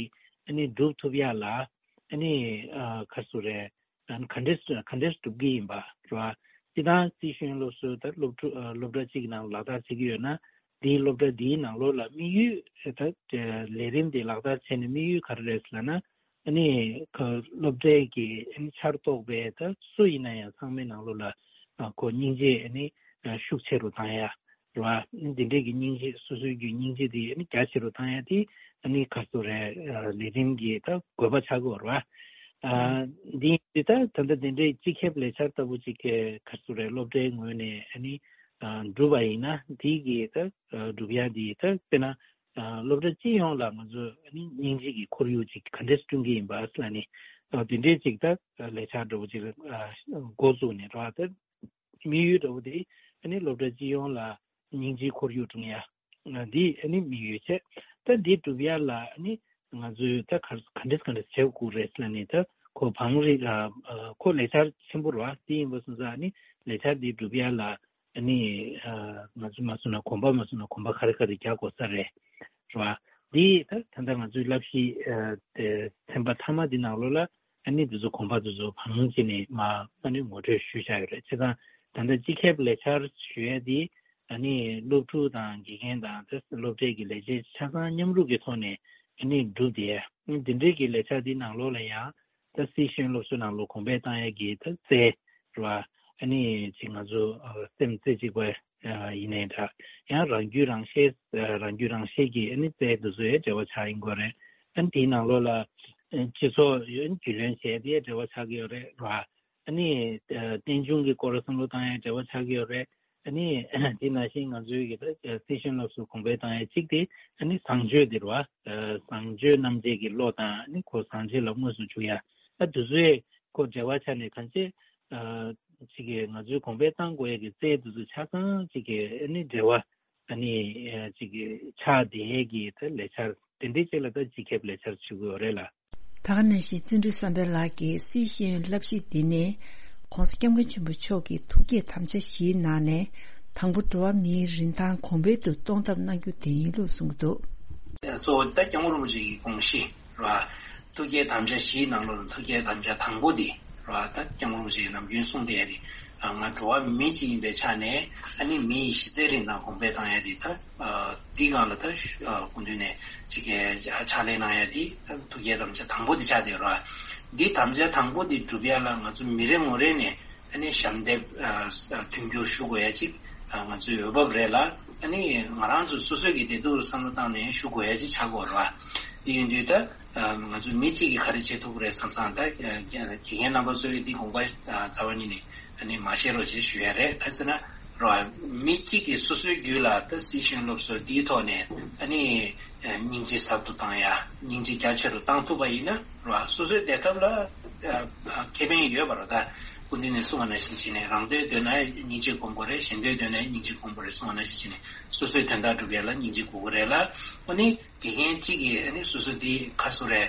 ཨ་ནི་སྒྲུབ་ཐུབ་ཡ་ལ་ཨ་ནི་ག་རེ་ཟེར་རེད། ག་འདྲས་ག་འདྲས་སྒྲུབ་ཀྱི་ཡིན་པ་རེད་བ། སྤྱིར་བཏང་སྲིད་གཞུང་སློབ་གསོའི་ད་སློབ་ཕྲུག་སློབ་གྲྭ་གཅིག་ནང་ལག་བསྟར་བྱེད་ཀྱི་ཡོད་ན། དེའི་སློབ་གྲྭ་དེའི་ནང་ལོགས་ལ་དམིགས་ཡུལ་ད་ལས་རིམ་དེ་ལག་བསྟར་བྱས་ནས་དམིགས་ཡུལ་ག་རེ་རེད་ཟེར་ན། ཨ་ནི་ཁོ་སློབ་གྲྭའི་གི་ཨ་ནི་ཆར་གཏོགས་པའི་ད་སུ་ཡིན་ན་ཡང་ཚང་མའི་ནང་ལོགས་ལ་ཁོ་སྙིང་རྗེ་ཨ་ནི་ཤུགས་ཆེ་རུ་བཏང་ཡ། རེད་བ། འདི་འདྲས་ཀྱི་སྙིང་རྗེ། སོ་སོའི་རྒྱུད་སྙིང་རྗེ་དེ་ཨ་ནི་རྒྱ་ཆེ་རུ་བཏང་ཡ་དེ་ཨ་ནི་ག་རེ་ཟེར་རེད། ལས་རིམ་གྱི་ད་དགོས་པ་ཆགས་ཀྱི་ཡོད་རེད་བ། འདི་འདི་ད་ད་ལྟ་འདི་འདྲའི་སྤྱི་ཁྱབ་ལས་འཆར་ལྟ་བུ་ཅིག་གི་ག་རེ་ཟེར་རེད། སློབ་གྲྭའི་ངོས་ནས་ཨ་ནི་སྒྲུབ་པ་ཡིན་ན། དེའི་གི་ད་སྒྲུབ་ཡ་འདི་ད་དཔེར་ན་སློབ་གྲྭ་སྤྱི་ཡོངས་ལ་ང་ཚོ་ཨ་ནི་སྙིང་རྗེ་གི་ཁོར་ཡུག་ཅིག་ག་འདྲས་བསྐྲུན་གྱི་ཡིན་པ་ཟེར་ནས། འདི་འདྲའི་ཅིག་ད་ལས་འཆར་འདྲ་བོ་ཅིག་འགོ་བཙུགས་ནས་རེད་བ། ད་དམིགས་ཡུལ་འདྲ་བོ་དེ་ཨ་ནི་སློབ་གྲྭ་སྤྱི་ཡོངས་ལ་སྙིང་རྗེའི་ཁོར་ཡུག་བསྐྲུན་ཡ། འདི་ཨ་ནི་དམིགས་ཡུལ་བྱས། ད་འདི་སྒྲུབ་ཡ་ལ་ཨ་ནི་ང་ཚོས་ད་ག་ག་འདྲས་ག་འདྲས་བྱེད་དགོས་རེད་ཟེར་ནས། ད་ཁོ་བང་རིམ་ཨ་ཁོ་ལས་འཆར་ཆེན་པོ་རེད་བ། དེ་ཡིན་པ་སོང་ཙང་ཨ་ནི་ལས་འཆར་འདི་སྒྲུབ་ཡ་ལ་ཨ་ནི་ང་ཚོས་མ་སོང་ན་གོམ་པ་མ་སོང་ན་གོམ་པ་ག་རེ་ག་རེ་རྒྱག་དགོས་ས་རེད། རེད་བ། འདི་ད་ད་ལྟ་ང་ཚོའི་བསླབ་གཞི་ཨ་དེ་ཚན་པ་མཐའ་མ་འདི་ནང་ལོགས་ལ། ཨ་ནི་དེ་ཚོ་གོམ་པ་དེ་ཚོ་བང་བྱས་ནས་མར་ཨ་ནི་ངོ་སྤྲོད་ཞུས་བཞག་ཡོད་རེད། བྱས་ཙང་ད་ལྟ་སྤྱི་ཁྱབ་ལས་འཆར་ཞུ་ཡས་དེ་ཨ་ནི་སློབ་ཕྲུག་དང་དགེ་རྒན་དང་དེ་སློབ་གྲྭའི་གི་ལས་བྱེད་ཆ་ཚང་མཉམ་རུབ་ཀྱི་ཐོག་ནས་ཨ་ནི་བསྒྲུབས་ཏེ། ཨ་ནི་དེ་འདྲའི་གི་ལས་འཆར་དེ་ནང་ལོགས་ལ་ཡང་ད་སྲིད་གཞུང་སློབ་གསོའི་ནང་ལོགས་གོང་འཕེལ་བཏང་ཡས་ཀྱི་ད་རྩལ་རེད་བ། ཨ་ནི་ཅིག་ང་ཚོ་སེམས་རྩེ་གཅིག་པ་ཡིན་ནའི་འདྲ། ཡང་རང་རྒྱུད་རང་ཤེས། རང་རྒྱུད་རང་ཤེས་ཀྱི་ཨ་ནི་རྩལ་དེ་ཚོ་ཡང་འབྲེལ་བ་ཆགས་ཡིན་དགོས་རེད། ཨ་ནི་དེའི་ནང་ལོགས་ལ་ སྤྱི་ཚོགས་རྒྱུས་ལོན་བྱས་ཏེ་འབྲེལ་བ་ཆགས་ཀྱི་ཡོད་རེད་ར། ཨ་ནི་རྟེན་འབྱུང་གི་སྐོར་བསམ་བློ་བཏང་ཡ་འབྲེལ་བ་ཆགས་ཀྱི་ཡོད་རེད། ཨ་ནི་དེ་ནང་བཞིན་ང་ཚོའི་གི་ད་སི་ཤིན་སློབ་གསོ་གོང་འཕེལ་བཏང་ཡ་གཅིག་དེ་ཨ་ནི་བཟང་སྤྱོད་དེ་རེད་བ། བཟང་སྤྱོད་རྣམ་འབྱེད་ཀྱི་བློ་དང་ཨ་ནི་ཁོ་བཟང་སྤྱོད་ལ་དངོས་སུ་འཇུག་ཡ། ཨ་དེ་ཚོའི་ཁོ་འབྲེལ་བ་ཆགས་ནས་གང་ཅི། ཅིག་གི་ང་ཚོའི་གོང་འཕེལ་བཏང་དགོས་ཡ་གི་རྩལ་དེ་ཚོ་ཆ་ཚང་ཅིག་གི་ཨ་ནི་འབྲེལ་བ་ཨ་ནི་ཅིག་གི་ཆགས་བསྡད་ཡས་ཀྱི་ད་ལས་འཆར་དེ་འདྲའི་ཅིག་ལ་ད་སྤྱི་ཁྱབ་ལས་འཆར་ཞུ་དགོས་རེད་ལ། ད་ག་ནང་བཞིན་བརྩོན་འགྲུས་བསམ་འཕེལ་ལགས་ཀྱིས་སི་ཤིན་བསླབ་གཞི་འདི་ནི་༸གོང་ས་༸སྐྱབས་མགོན་ཆེན་པོ་མཆོག་གི་ཐུགས་བསྐྱེད་དམ་བཅའ་བཞིའི་ནང་ནས་དང་པོ་འགྲོ་བ་མིའི་རིན་ཐང་གོང་འཕེལ་དུ་གཏོང་ཐབས་གནང་རྒྱུ་དེ་ཡིན་ལུགས་གསུངས་འདུག། གཙོ་བོ་ད་སྐྱབས་མགོན་རིན་པོ་ཆེ་གི་དགོངས་གཞི་རེད་བ། ཐུགས་བསྐྱེད་དམ་བཅའ་བཞིའི་ནང་ལོགས་ལ་ཐུགས་བསྐྱེད་དམ་བཅའ་དང་པོ་འདི་རེད་བ། ད་སྐྱབས་མགོན་རིན་པོ་ཆེ་གིས་ནམ་རྒྱུན་གསུངས་བསྡད་ཡ་དེ། ང་འགྲོ་བ་མི་གཅིག་ཡིན་པའི་ཆ་ནས་ཨ་ནི་མི་ཡི་གཞི་རྩའི་རིན་ཐང་གོང་འཕེལ་བཏང་ཡ་དེ་ད། འདི་སྒང་ལ་ད་སྐུ་མདུན་ནས་ཅིག་གི་ཕྱག་ལས་གནང་ཡ་དེ་ཐུགས་བསྐྱེད་དམ་བཅའ་དང་པོ་འདི་ཆགས་བསྡད་ཡོད་རེད་བ། འདི་དམ་བཅའ་དང་པོ་འདི་སྒྲུབ་ཡ་ལ་ང་ཚོ་མི་རེ་ངོ་རེ་ནས་ཨ་ནི་ཞབས་འདེགས་མཐུན་འགྱུར་ཞུ་དགོས་ཡ་ཅིག་ང་ཚོའི་འོས་བབ་རེད་ལ། ཨ་ནི་ང་རང་ཚོ་སོ་སོའི་གི་བདེ་སྡུག་ལ་བསམ་བློ་བཏང་ནས་ཞུ་དགོས་ཡ་ཅིག་ཆགས་ཀྱི་ཡོད་རེད་བ། འདི་ཡིན་དུས་ད། ང་ཚོ་མི་གཅིག་གིས་ག་རེ་བྱེད་ཐུབ་ཀྱི་རེད་བསམ་བསམ་ད། དགེ་རྒན་རྣམ་པ་ཚོས་འདི་དགོངས་པ་རྩ་བ་ཉིད་ནས་ཨ་ནི་མ་བཤད་རོགས་ཞེས་ཞུ་ཡ་རེད། ག་ཟེར་ན་རོ། མི་གཅིག་གིས་སོ་སོའི་རྒྱུད་ལ་ད་སི་ཤིན་སློབ་གསོ་འདིའི་ཐོག་ནས་ཨ་ནི་སྙིང་རྗེ་ཟབ་ཏུ་བཏང་ཡ། སྙིང་རྗེ་རྒྱ་ཆེ་རུ་བཏང་ཐུབ་པ་ཡིན་ན་རོ། སོ་སོའི་བདེ་ཐབས་ལ་ཁེ་ཕན་ཡོད་པ་རེད། ད་སྐུ་མདུན་ནས་གསུངས་པ་ནང་བཞིན་བྱས་ནས་རང་དོན་འདོད་ན་སྙིང་རྗེ་སྒོམ་དགོས་རེད། གཞན་དོན་འདོད་ན་སྙིང་རྗེ་སྒོམ་དགོས་རེད་གསུངས་པ་ནང་བཞིན་བྱས་ནས་སོ་སོའི་དོན་དག་སྒྲུབ་ཡ་ལ་སྙིང་རྗེ་དགོས་ཀྱི་རེད་ལ། ཨ་ནི། དགེ་རྒན་གཅིག་གིས་ཨ་ནི་སོ་སོ་འདི་ཁ་སོ་རེ་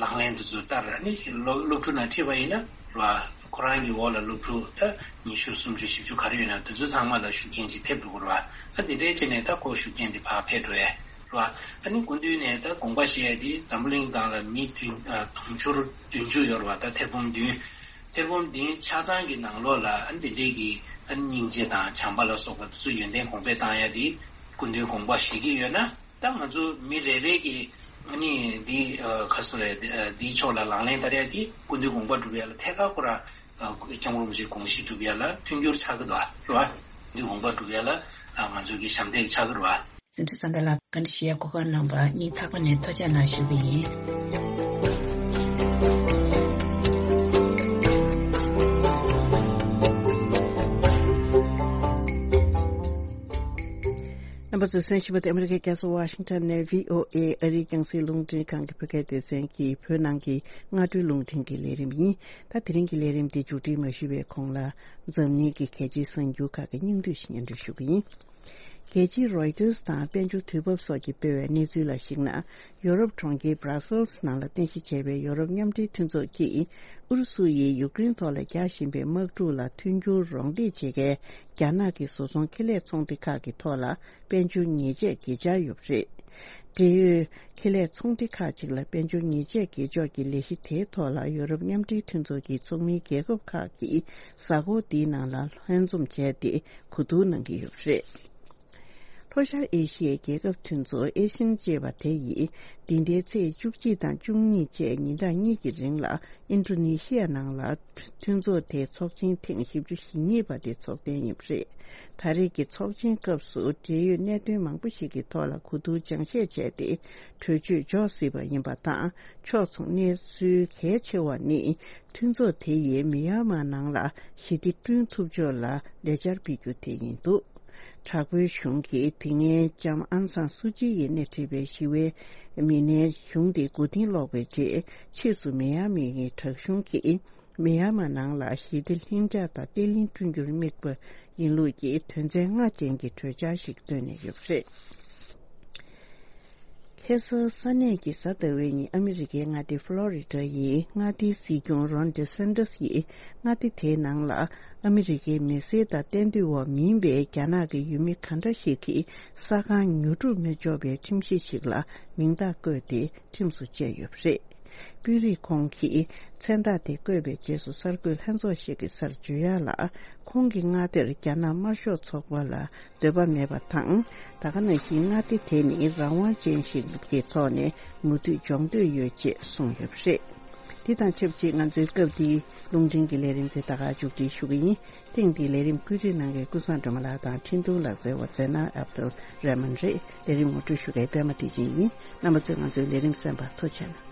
ལག་ལེན་དུ་ཚུར་བསྟར། ཨ་ནི་སློབ་སློབ་ཕྲུག་ནང་ཁྲིད་པ་ཡིན་ན་ར། ཁོ་རང་གི་འོག་ལ་སློབ་ཕྲུག་ད་ཉི་ཤུ་སུམ་ཅུ་བཞི་བཅུ་ག་རེ་ཡོད་ན་དེ་ཚོ་ཚང་མ་ལ་ཤུགས་རྐྱེན་ཅིག་ཐེབས་འགྲོ་གི་རེད་བ། ཨ་དེ་འདྲའི་བྱས་ནས་ད་ཁོ་ཤུགས་རྐྱེན་དེ་ཕར་འཕེལ་འགྲོ་ཡས་རེད་བ། ཨ་ནི་སྐུ་མདུན་ནས་ད་དགོངས་པ་བཞེས་ཡས་དེ་འཛམ་བུ་གླིང་སྒང་ལ་མི་བདུན་དུང་ཕྱུར་བདུན་ཅུ་ཡོད་རེད་བ། ད་ཐེར་འབུམ་བདུན། ཐེར་འབུམ་བདུན་ཆ་ཚང་གི་ནང་ལོགས་ལ་ཨ་ནི་དེ་འདྲའི་གི་ཨ་ནི་སྙིང་རྗེ་དང་བྱམས་པ་ལ་སོགས་པ་དེ་ཚོ་ཡོན་ཏན་གོང་འཕེལ་བཏང་ཡས་དེ་སྐུ་མདུན་དགོངས་པ་བཞེས་ཀྱི་ཡོད་ན། ད་ང་ཚོ་མི་རེ་རེ་གིས་ཨ་ནི་འདི་ཨ་ཁ་སོ་རེ་འདི་ཨ་འདིའི་ཕྱོགས་ལ་ལག་ལེན་བསྟར་ཡ་དེ་སྐུ་མདུན་དགོངས་པ་སྒྲུབ་ཡ་ལ་ཐད་ཀར་ཁོ་རང་ཨ་སྐྱབས་མགོན་རིན་པོ་ཆེའི་དགོངས་གཞི་སྒྲུབ་ཡ་ལ་མཐུན་འགྱུར་ཆགས་ཀྱི་འདུག་ཨ་རེད་བ། སྐུ་མདུན་དགོངས་པ་སྒྲུབ་ཡ་ལ་ཨ་ང་ཚོ་གི་ཞབས་འདེགས་ཆགས་ཀྱི་རེད་བ། འཛིན་གྲྭ་བསམ་འཕེལ་ལགས་བཀའ་འདྲི་ཞུ་ཡ་གོ་སྐབས་གནང་བར་སྙིང་ཐག་པ་ནས་ཐུགས་རྗེ་གནང་ཞུ་གི་ཡིན། རྣམ་པ་ཚོས་གསན་བཞིན་པ་དེ་ཨ་མི་རི་ཀའི་རྒྱལ་ས་ཝ་ཤིང་ཊོན་ནས་བྷི་ཨོ་ཨེ་ཨ་རིའི་རྒྱང་སྲིང་རླུང་འཕྲིན་ཁང་གི་བོད་སྐད་སྡེ་ཚན་གྱི་བོད་ནང་གི་སྔ་དྲོའི་རླུང་འཕྲིན་གྱི་ལས་རིམ་ཡིན། ད་དེ་རིང་གི་ལས་རིམ་འདི་མཇུག་སྒྲིལ་མ་ཞུས་པའི་གོང་ལ་འཛམ་གླིང་གི་གལ་ཆེའི་གསར་འགྱུར་ཁག་གི་སྙིང་བསྡུས་ཤིག་སྙན་སྒྲོན་ཞུ་གི་ཡིན། རྒྱལ་སྤྱིའི་རོའི་ཊར་དང་དཔལ་འབྱོར་དུས་བབ་སོགས་ཀྱིས་སྤེལ་བའི་གནས་ཚུལ་ལ་གཞིགས་ན། ཡོ་རོབ་གྲོང་ཁྱེར་Brussels་ནང་ལ་རྟེན་གཞི་བྱས་པའི་ཡོ་རོབ་མཉམ་འབྲེལ་མཐུན་ཚོགས་ཀྱིས་ཨུ་རུ་སུ་ཡིས་ཡུཀ་རེན་ཐོག་ལ་རྒྱག་བཞིན་པའི་དམག་འཁྲུག་ལ་མཐུན་འགྱུར་རོགས་འདེགས་བྱེད་མཁན་རྒྱ་ནག་གི་བཟོ་ཚོང་ཁེ་ལས་ཚོང་སྡེ་ཁག་གི་ཐོག་ལ་དཔལ་འབྱོར་ཉེས་ཆད་འགེལ་འཆར་ཡོད་པ་རེད། འབྲེལ་ཡོད་ཁེ་ལས་ཚོང་སྡེ་ཁག་ཅིག་ལ་དཔལ་འབྱོར་ཉེས་ཆད་འགེལ་ཕྱོགས་ཀྱི་ལས་གཞི་དེའི་ཐོག་ལ་ཡོ་རོབ་མཉམ་འབྲེལ་མཐུན་ཚོགས་ཀྱི་ཚོགས་མིའི་རྒྱལ་ཁབ་ཁག་གིས་གཟའ་འཁོར་འདིའི་ནང་ལ་ལྷན་འཛོམས་བྱས་ཏེ་གོ་བསྡུར་གནང་གི་ཡོད་པ་རེད། ལྷོ་ཤར་ཨེ་ཤི་ཡའི་རྒྱལ་ཁབ་མཐུན་ཚོགས་ཨེ་ཤན་ཅེས་པ་དེ་ཡིས་འདི་ཟླའི་ཚེས་བཅུ་གཅིག་དང་བཅུ་གཉིས་བཅས་ཉིན་གྲངས་གཉིས་ཀྱི་རིང་ལ་ཨིན་ཌོ་ནེ་ཤི་ཡ་ནང་ལ་མཐུན་ཚོགས་དེའི་ཚོགས་ཆེན་ཐེངས་བཞི་བཅུ་ཞེ་གཉིས་པ་དེ་འཚོགས་གཏན་ཡིན་པ་རེད། ད་རེས་ཀྱི་ཚོགས་ཆེན་སྐབས་སུ་འབྲེལ་ཡོད་གནད་དོན་མང་པོ་ཞིག་གི་ཐོག་ལ་གོ་བསྡུར་སྦྱང་བཤད་བྱས་ཏེ་གྲོས་ཆོད་འཇོག་སྲིད་པ་ཡིན་པ་དང་། ཕྱོགས་མཚུངས་གནས་ཚུལ་གལ་ཆེ་བ་ནི། མཐུན་ཚོགས་དེ་ཡིས་མི་ཡན་མར་ནང་ལ་ཞི་བདེ་བསྐྲུན་ཐུབ་ཕྱོགས་ལ་ལས་འཆར་སྤེལ་རྒྱུ་དེ་ཡིན་འདུག། དྲག་པོའི་གཞུང་གིས་དེ་སྔའི་ལྕམ་ཨང་སང་སུ་ཅི་ཡིས་སྣེ་ཁྲིད་པའི་ཞི་བའི་མི་སྣའི་གཞུང་དེ་མགོ་རྟིང་སློག་པའི་རྗེས། ཕྱིས་སུ་མི་ཡན་མར་གྱི་དྲག་གཞུང་གིས་མི་ཡན་མར་ནང་ལ་ཞི་བདེ་ལྷིང་འཇགས་དང་བརྟན་ལྷིང་བསྐྲུན་རྒྱུར་དམིགས་པ་ཡིན་ལུགས་ཀྱི་དོན་ཚན་ལྔ་ཅན་གྱི་གྲོས་འཆར་ཞིག་བཏོན་ནས་ཡོད་པ་རེད། ཁ་སང་ས་གནས་ཀྱི་གཟའ་ཟླ་བའི་ཉིན་ཨ་མི་རི་ཀའི་མངའ་སྡེ་ཕློ་རི་ཌ་ཡི་མངའ་སྡེའི་སྲིད་སྐྱོང་རོན་ཌི་སན་ཏོས་ཡིས་མངའ་སྡེ་དེའི་ནང་ལ་ཨ་མི་རི་ཀའི་མི་སེར་དང་གཏན་སྡོད་འོག་མིན་པའི་རྒྱ་ནག་གི་ཡུལ་མི་ག་འདྲ་ཞིག་གིས་ས་ཁང་ཉོ་སྒྲུབ་མི་ཆོག་པའི་ཁྲིམས་གཞི་ཞིག་ལ་མིང་རྟགས་བཀོད་དེ་ཁྲིམས་སུ་བཅས་ཡོད་པ་རེད། དཔོན་རིགས་ཁོང་གིས་མཚན་རྟགས་དེ་བཀོད་པའི་རྗེས་སུ་གསར་འགོད་ལྷན་ཚོགས་ཤིག་གི་སར་བརྗོད་ཡག་ལ། ཁོང་གི་མངའ་སྡེར་རྒྱ་ནག་དམར་ཤོག་ཚོགས་པ་ལ་འདོད་པ་མེད་པ་དང་། ད་ག་ནང་བཞིན་མངའ་སྡེ་དེ་ནི་རང་དབང་ཅན་ཞིག་གི་ཐོག་ནས་མུ་མཐུད་སྦྱོང་འདོད་ཡོད་ཅེས་གསུངས་ཡོད་པ་རེད། འདི་དང་ཆབས་ཅིག་ང་ཚོའི་སྐབས་འདིའི་རླུང་འཕྲིན་གྱི་ལས་རིམ་དེ་ད་ག་མཇུག་སྒྲིལ་ཞུ་གི་ཡིན། ཐེངས་འདིའི་ལས་རིམ་བཀོད་སྒྲིག་གནང་མཁན་ཀུན་བཟང་སྒྲོལ་མ་ལགས་དང་འཕྲིན་གཏོང་ལག་རྩལ་བ་ཛེ་ན་ཨབ་དུལ་རེ་མན་རེད། ལས་རིམ་ངོ་སྤྲོད་ཞུ་མཁན་པད་མ་བདེ་ཆེན་ཡིན། རྣམ་པ་ཚོས་ང་ཚོའི་ལས་རིམ་གསན་པར་ཐུགས་རྗེ་གནང་།